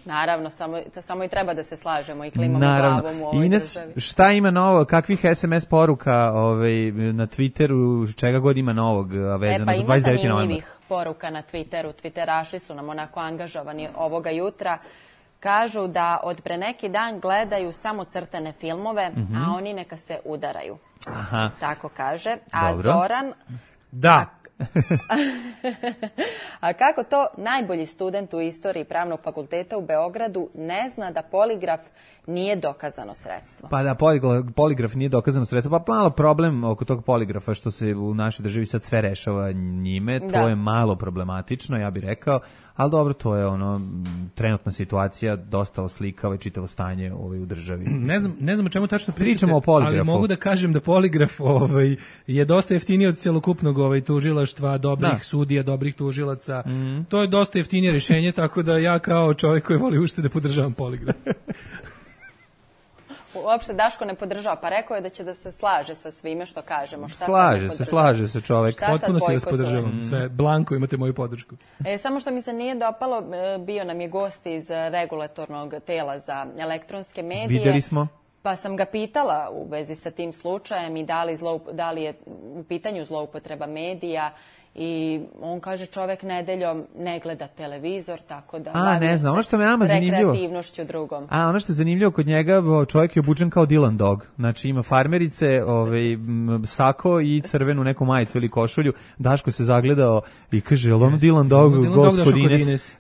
Naravno, samo i treba da se slažemo i klimamo glavom u ovoj Ines, državi. šta ima novo, kakvih SMS poruka na Twitteru, čega god ima novog vezano za 29. novembar? Ima zanimljivih poruka na Twitteru, Twitteraši su nam onako angažovani ovoga jutra. Kažu da od pre neki dan gledaju samo crtane filmove, a oni neka se udaraju. Aha. Tako kaže. A dobro. Zoran... Da. A kako to najbolji student u istoriji pravnog fakulteta u Beogradu ne zna da poligraf nije dokazano sredstvo? Pa da, poligraf nije dokazano sredstvo, pa malo problem oko tog poligrafa što se u našoj državi sad sve rešava njime, to je malo problematično, ja bih rekao, ali dobro, to je trenutna situacija, dosta oslikava i čitavo stanje u državi. Ne znam o čemu tačno pričamo o poligrafu. Ali mogu da kažem da poligraf je dosta jeftiniji od celokupnog tužilaštva, dobrih sudija, dobrih tužilaca. To je dosta jeftinije rješenje, tako da ja kao čovjek koji voli uštede podržavam poligraf. Uopšte Daško ne podržava, pa rekao je da će da se slaže sa svime što kažemo. Slaže se čovjek. Potpuno ste vas podržavam. Sve, blanko imate moju podršku. Samo što mi se nije dopalo, bio nam je gost iz regulatornog tela za elektronske medije. Vidjeli smo. Pa sam ga pitala u vezi sa tim slučajem i da li je u pitanju zloupotreba medija. I on kaže čovek nedeljom ne gleda televizor, tako da bavio se ono što me nama zanimljivo, rekreativnošću drugom. Ono što je zanimljivo kod njega, čovjek je obučen kao Dylan Dog. Znači ima farmerice, sako i crvenu neku majicu ili košulju. Daško se zagledao i kaže, jel ono Dylan Dog, gospodines?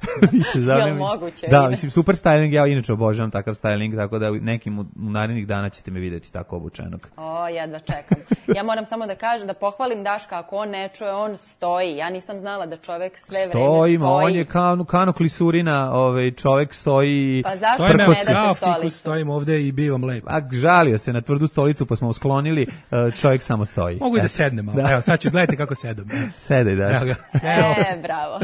Jel moguće? Da, mislim, super styling, ja inače obožavam takav styling, tako da nekim u narednih dana ćete me vidjeti tako obučenog. Jedva čekam. Ja moram samo da kažem, da pohvalim Daška, ako on ne čuje, on stoji. Ja nisam znala da čovek sve vreme stoji. On je kano klisurina, čovek stoji. Pa zašto ne date stolicu? Stojim ovde i bivam lepo. Žalio se na tvrdu stolicu, pa smo usklonili, čovjek samo stoji. Mogu i da sednem malo. Evo, sad ću, gledajte kako sedem. Sedaj, Daško. Bravo.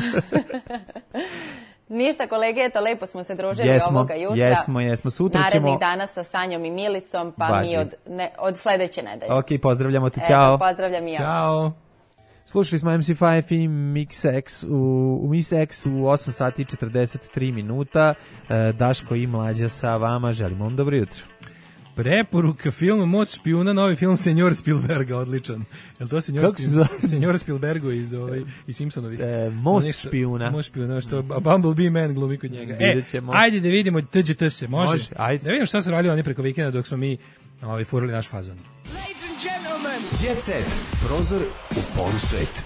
Ništa, kolege, eto, lepo smo se družili ovoga jutra. Jesmo. Sutra ćemo... Narednih dana sa Sanjom i Milicom, pa mi od sledeće nedelje. Ok, pozdravljamo te, ćao. Pozdravljam i ja. Ćao. Slušali smo MC5 i Mix X u Mix X u 8 sati i 43 minuta. Daško i Mlađa sa vama. Želimo vam dobro jutro. Preporuka filma Most špijuna, novi film Senjor Spielberga, odličan. Je li to Senjor Spielbergu iz Simpsonovi? Most špijuna. Most špijuna, što Bumblebee Man glumi kod njega. Ajde da vidimo TGT se, može? Ajde. Da vidimo šta su radili oni preko vikenda dok smo mi furali naš fazon. Jet Set, prozor u poru sveta.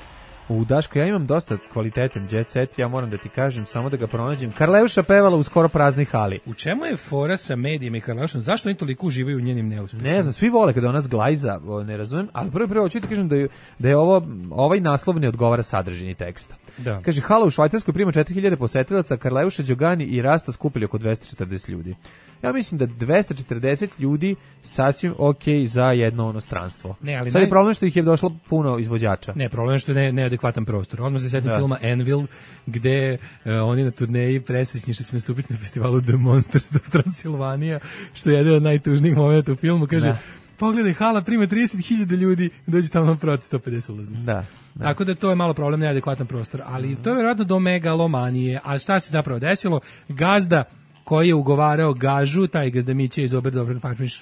Daško, ja imam dosta kvalitetan Jet Set, ja moram da ti kažem, samo da ga pronađem. Karleuša pevala u skoro praznoj hali. U čemu je fora sa medijima i Karleušom? Zašto oni toliko uživaju u njenim neuspjesima? Ne znam, svi vole kada ona zglajza, ne razumem, ali prvo hoću ti kažem da je ovaj naslov ne odgovara sadržini teksta. Da. Kaže, hala u Švajcarskoj prima 4000 posetilaca, Karleuša, Đogani i Rasta skupili oko 240 ljudi. Ja mislim da 240 ljudi sasvim okej za jedno stranstvo. Sad je problem što ih je došlo puno izvođača. Ne, problem je što je neadekvatan prostor. Odmah se setim filma Anvil, gde oni na turneji presrećni što će nastupiti na festivalu The Monsters of Transylvania, što je jedan od najtužnijih momenta u filmu. Kaže, pogledaj, hala prima 30.000 ljudi, dođe tamo na proti 150 ulaznica. Da. Tako da to je malo problem, neadekvatan prostor. Ali to je vjerojatno do megalomanije. A šta se zapravo desilo? Gazda koji je ugovarao gažu, taj gazdamiće iz Oberdorfer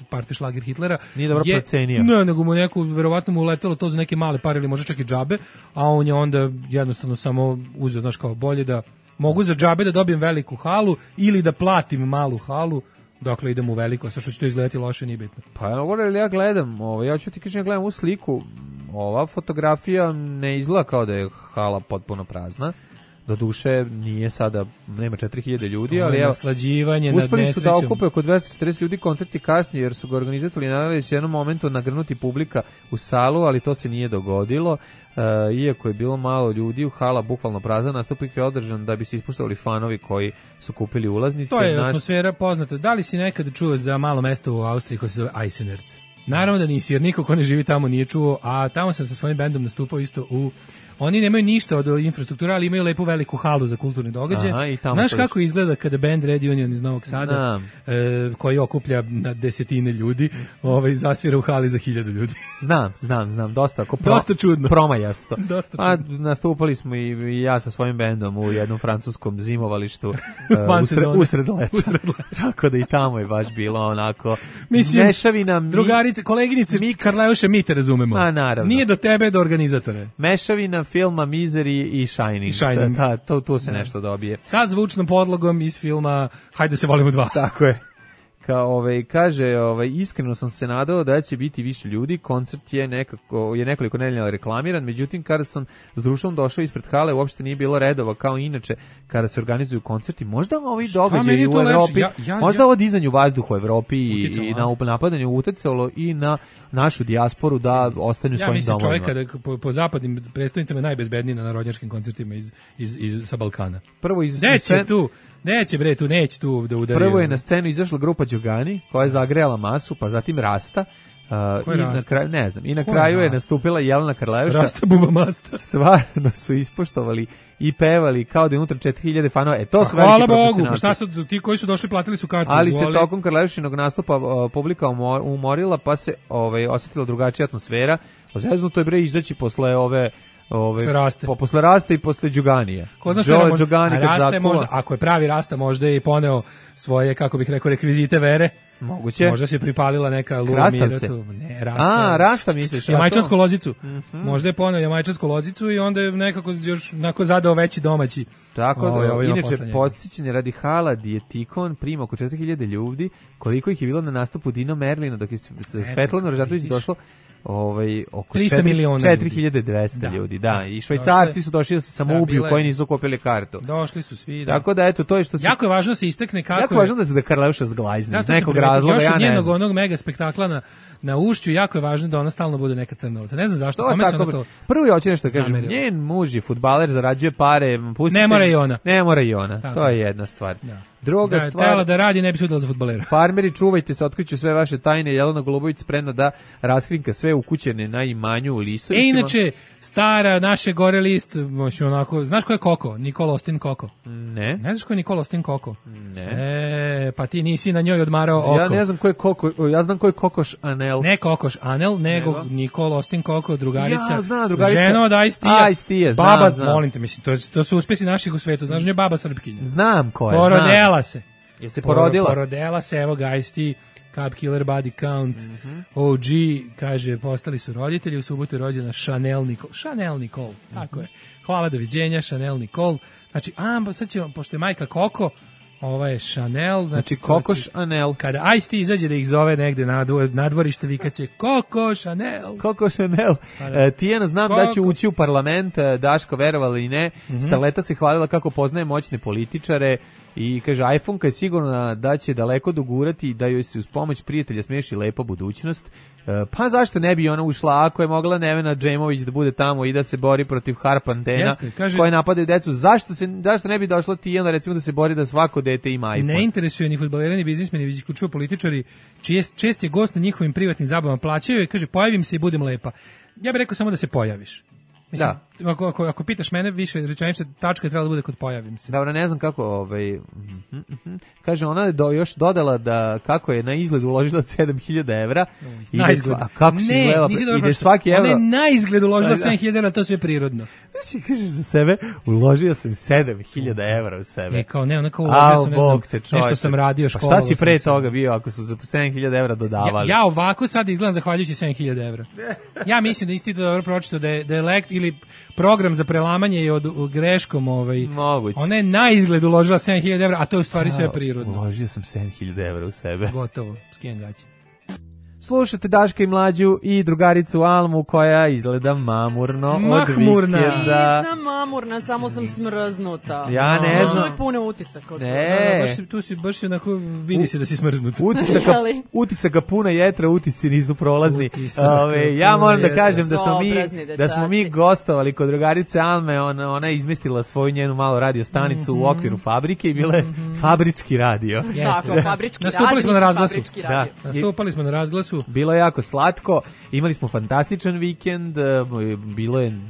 Partijšlager Hitlera. Nije dobro procenio. Ne, nego mu verovatno mu uletelo to za neke male pare ili možda čak i džabe, a on je onda jednostavno samo uzeo, znaš, kao bolje da mogu za džabe da dobijem veliku halu ili da platim malu halu, dokle idem u veliko, sa što će to izgledati loše, nije bitno. Pa ja gledam, ja ću ti kažem, ja gledam u sliku, ova fotografija ne izgleda kao da je hala potpuno prazna. Do duše nije sada, nema 4000 ljudi, ali evo, uspeli su da okupe oko 240 ljudi, koncert je kasnije jer su ga organizatori nadali se jednom momentu nagrnuti publika u salu, ali to se nije dogodilo. Iako je bilo malo ljudi, u hala bukvalno prazna, nastupnik je održan da bi se ispuštavali fanovi koji su kupili ulaznice. To je atmosfera poznata. Da li si nekad čuo za malo mesto u Austriji koje se zove Eisenerz? Naravno da nisi, jer niko ko ne živi tamo nije čuo, a tamo sam sa svojim bendom nastupao isto u... Oni nemaju ništa od infrastrukture, ali imaju lepu veliku halu za kulturne događaje. Znaš kako izgleda kada band Red Union iz Novog Sada, koji okuplja na desetine ljudi, zasvira u hali za 1000 ljudi? Znam. Dosta čudno. Promajasto. Nastupali smo i ja sa svojim bendom u jednom francuskom zimovalištu usred leta. Tako da i tamo je baš bilo onako mešavina. Drugarice, koleginice, Karleuše, mi te razumemo. Nije do tebe, do organizatore. Mešavina filma Misery i Shining. Tu se nešto dobije. Sa zvučnom podlogom iz filma Hajde se volimo 2. Tako je. Kaže, iskreno sam se nadao da će biti više ljudi, koncert je nekoliko nedelja reklamiran, međutim kada sam s društvom došao ispred hale uopšte nije bilo redova kao inače kada se organizuju koncerti. Možda ovi događaji u Evropi, možda ovo dizanje u vazduhu u Evropi i na napadanju uticalo i na našu dijasporu da ostanu svojim domovima. Ja mislim čovjek po zapadnim predstavnicama najbezbedniji na narodnjačkim koncertima sa Balkana. Prvo neće tu da udari. Prvo je na scenu izašla grupa Đogani koja je zagrejala masu, pa zatim Rasta. I na kraju, ne znam, i na kraju je nastupila Jelena Karleuša. Rasta Buba Masta. Stvarno su ispoštovali i pevali kao da je unutra 4000 fanova. To su hvala Bogu, pa šta su ti koji su došli platili su kartu. Ali se tokom Karleušinog nastupa publika umorila, pa se osjetila drugačija atmosfera. Zeznuto je bre izaći posle posle Rasta i posle Đuganije. Ko zna šta može, Rasta je možda, ako je pravi Rasta, možda je i poneo svoje, kako bih rekao, rekvizite vere. Moguće. Možda se pripalila neka Krastavce. Ne, Rasta. Rasta misliš. Jamajčansku lozicu. Možda je poneo jamajčansku lozicu i onda je nekako još zadao veći domaći. Tako da, inače, podsjećanje radi hala Dietikon prima oko 4000 ljudi, koliko ih je bilo na nastupu Dino Merlina, dok je Svetlana Rožatović došlo oko 300 miliona 4200 ljudi, da. I Švajcarci su došli da se samoubiju koji nisu kupili kartu. Došli su svi, da. Tako da, eto, to je što se... Jako je važno da se istakne kako jako je... važno da se Karleuša zglajzne, iz nekog razloga, ja ne znam. Još od njenog onog mega spektakla na Ušću, jako je važno da ona stalno bude neka crnovca. Ne znam zašto, kome se ona to... Prvo je hoće nešto kažem, njen muž je fudbaler, zarađuje pare, pustite... Ne mora i ona. Ne mora i ona, to je jedna stvar. Druga stvar, tela da radi, ne bi se udala za fudbalera. Farmeri, čuvajte se, otkriću sve vaše tajne. Jelena Golubović spremna da raskrinka sve ukućene na imanju u Lisovićima. Inače, stara naše gore list, onako, znaš ko je Koko? Nikola Ostin Koko? Ne. Ne znaš ko je Nikola Ostin Koko? Ne. Pa ti nisi na njoj odmarao oko. Ja ne znam ko je Koko, ja znam ko je Kokoš Anel. Ne Kokoš Anel, nego Nikola Ostin Koko, drugarica. Ja, znam, drugarica. Žena od Ice-T-a. Baba, molim te, mislim, to su uspesi naših u svetu. Znaš, nje baba Srpkinja. Znam ko je, Porodela se. Je se porodila? Porodela se, evo ga, Ice-T, Cup Killer, Body Count, OG, kaže, postali su roditelji, u subotu je rođena Chanel Nicole, tako je. Hvala, doviđenja, Chanel Nicole. Znači, sad ćemo, pošto je majka Koko, ova je Chanel. Znači, Koko Chanel. Kada Ice-T izađe da ih zove negde na dvorište, vikaće Koko Chanel. Koko Chanel. Tijana, znam da će ući u parlament, Daško, verovala i ne. Starleta se hvalila kako poznaje moćne političare. I kaže, iPhone-ka je sigurno da će daleko dogurati i da joj se uz pomoć prijatelja smeši lepa budućnost. Pa zašto ne bi ona ušla ako je mogla Nevena Džemović da bude tamo i da se bori protiv harpantena koje napadaju decu? Zašto ne bi došla Tijana recimo da se bori da svako dete ima iPhone? Ne interesuje ni fudbaleri, ni biznismeni, već isključivo političari, čiji čest je gost na njihovim privatnim zabavama, plaćaju i kaže, pojavim se i budem lepa. Ja bih rekao samo da se pojaviš. Mislim, ako pitaš mene, više rečenice, tačka je trebala da bude kod pojavim se. Dobro, ne znam kako, kaže, ona je još dodala da kako je na izgled uložila 7000 evra. Na izgled. A kako si izgledala? Ide svaki evro. Ona je na izgled uložila 7000 evra, to sve prirodno. Znači, kažeš za sebe, uložio sam 7000 evra u sebe. Kao ne, onako uložio sam, ne znam, nešto sam radio, školovao sam. Pa šta si pre toga bio ako su za 7000 evra dodavali? Ja ovako sad izgledam zahvaljujući 7000 evra. Ja mislim da institut dobro pročitao da je ili program za prelamanje je od greškom moguće. Ona je na izgled uložila 7000 evra, a to je u stvari sve prirodno. Uložio sam 7000 evra u sebe. Gotovo, skijem gaće. Slušate Daška i Mlađu i drugaricu Almu koja izgleda mamurno od vikenda. Nisam mamurna, samo sam smrznuta. Ja ne znam. Uvijek puno utisak od tu si baš onako, vidi se da si smrznuta. Utisaka puna jetra, utisci nisu prolazni. Ja moram da kažem da smo mi gostovali kod drugarice Alme, ona je izmestila svoju njenu malu radio stanicu u okviru fabrike i bila je fabrički radio. Tako, fabrički radio. Nastupali smo na razglasu. Bilo je jako slatko, imali smo fantastičan vikend, bilo je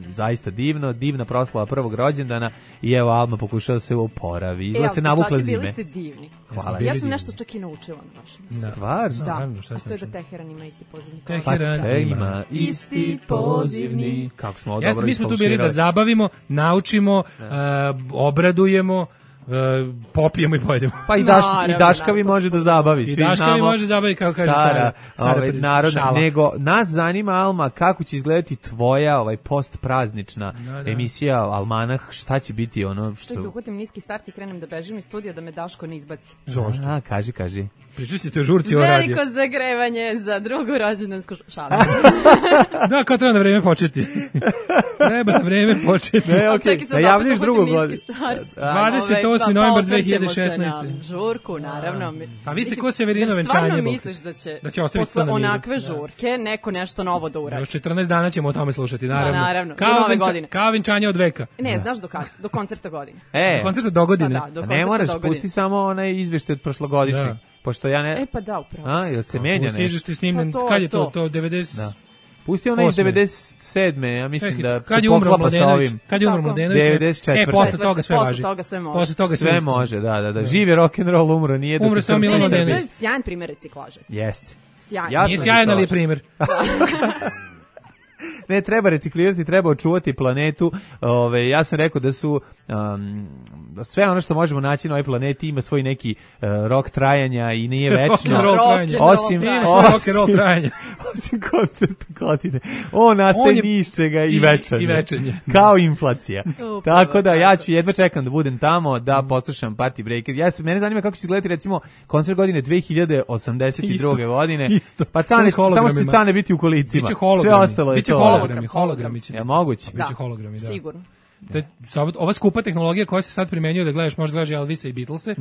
zaista divna proslava prvog rođendana i evo Alma pokušala se oporavi. Izgleda se navukla zime. Bili ste divni. Hvala. Ja sam nešto čak i naučila na vašem. Stvarno? Da, a to je da Teheran ima isti pozivni. Teheran ima isti pozivni. Kako smo dobro isfalširali. Mi smo tu bili da zabavimo, naučimo, obradujemo, popijemo i pojedemo. Pa i Daškavi može da zabavi, svi znamo. I Daškavi može zabavi, kao kaže stara narodna. Nego, nas zanima, Alma, kako će izgledati tvoja postpraznična emisija Almanah, šta će biti ono što... Da uhvatim niski start i krenem da bežim iz studija da me Daško ne izbaci. Zašto? Kaži. Pričustite o žurci o radio. Veliko zagrevanje za drugu rođendansku šalu. Da, kao treba na vreme početi. Treba na vreme početi. Ne, okej, najavljiš drugu godinu. 28. novembar 2016. Žurku, naravno. Pa vi ste ko Severino venčanje. Stvarno misliš da će posle onakve žurke neko nešto novo da uradi? Još 14 dana ćemo o tome slušati, naravno. Naravno, do nove godine. Kao venčanje od veka. Ne, znaš do kada? Do koncerta godine. Do koncerta do godine. Ne moraš, pusti samo onaj izveštaj od prošlogodišnjeg. Pošto ja ne... pa da, upravo. Jel se menja nešto? Stižeš ti snimljen, kad je to 90... Da. Pusti onaj iz 97. Ja mislim da kad se poklapa sa ovim. Kad je umro Mladenović? 94. Posle toga sve važi. Posle toga sve može, da. Živi rock'n'roll, umro, nije da... Umro samo Milan Mladenović. To je sjajan primjer reciklaže. Jeste. Sjajan. Nije sjajan, ali je primjer. Ne, treba reciklirati, treba očuvati planetu. Ja sam rekao da su sve ono što možemo naći na ovoj planeti ima svoj neki rok trajanja i nije večno. Osim koncerta godine. On nastaje ni iz čega i večanje. Kao inflacija. Tako da ja ću jedva čekam da budem tamo, da poslušam Party Breaker. Mene zanima kako će izgledati recimo koncert godine 2082. godine. Pa samo će Cane biti u kolicima. Sve ostalo je to. Hologrami će. Je moguće? Biće hologrami, da. Sigurno. Ova skupa tehnologija koja se sad primenjuje da gledaš, možda gledaš Elvisa i Beatlese,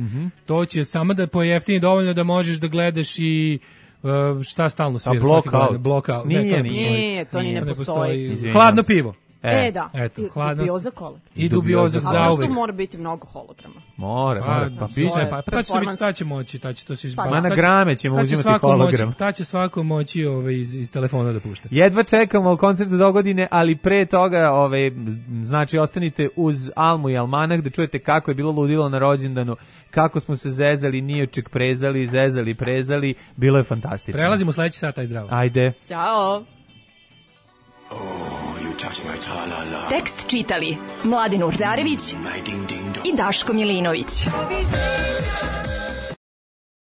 to će samo da pojeftini dovoljno da možeš da gledaš i šta stalno svira svaki godin. Blockout. Nije, to ni ne postoji. Hladno pivo. Da. Eto, Dubioza kolektiv. I dubiozak za uvek. A što mora biti mnogo holograma? Mora. Pa ta će moći, to se izbaviti. Ma na grame ćemo uzimati hologram. Ta će svako moći iz telefona da pušta. Jedva čekamo koncert do godine, ali pre toga, znači, ostanite uz Almu i Almanah da čujete kako je bilo ludilo na rođendanu, kako smo se zezali, nijuček prezali, zezali, prezali, bilo je fantastično. Prelazimo u sledeći sat, aj zdravo. Ajde. Ćao. Tekst čitali Mladin Urdarević i Daško Milinović.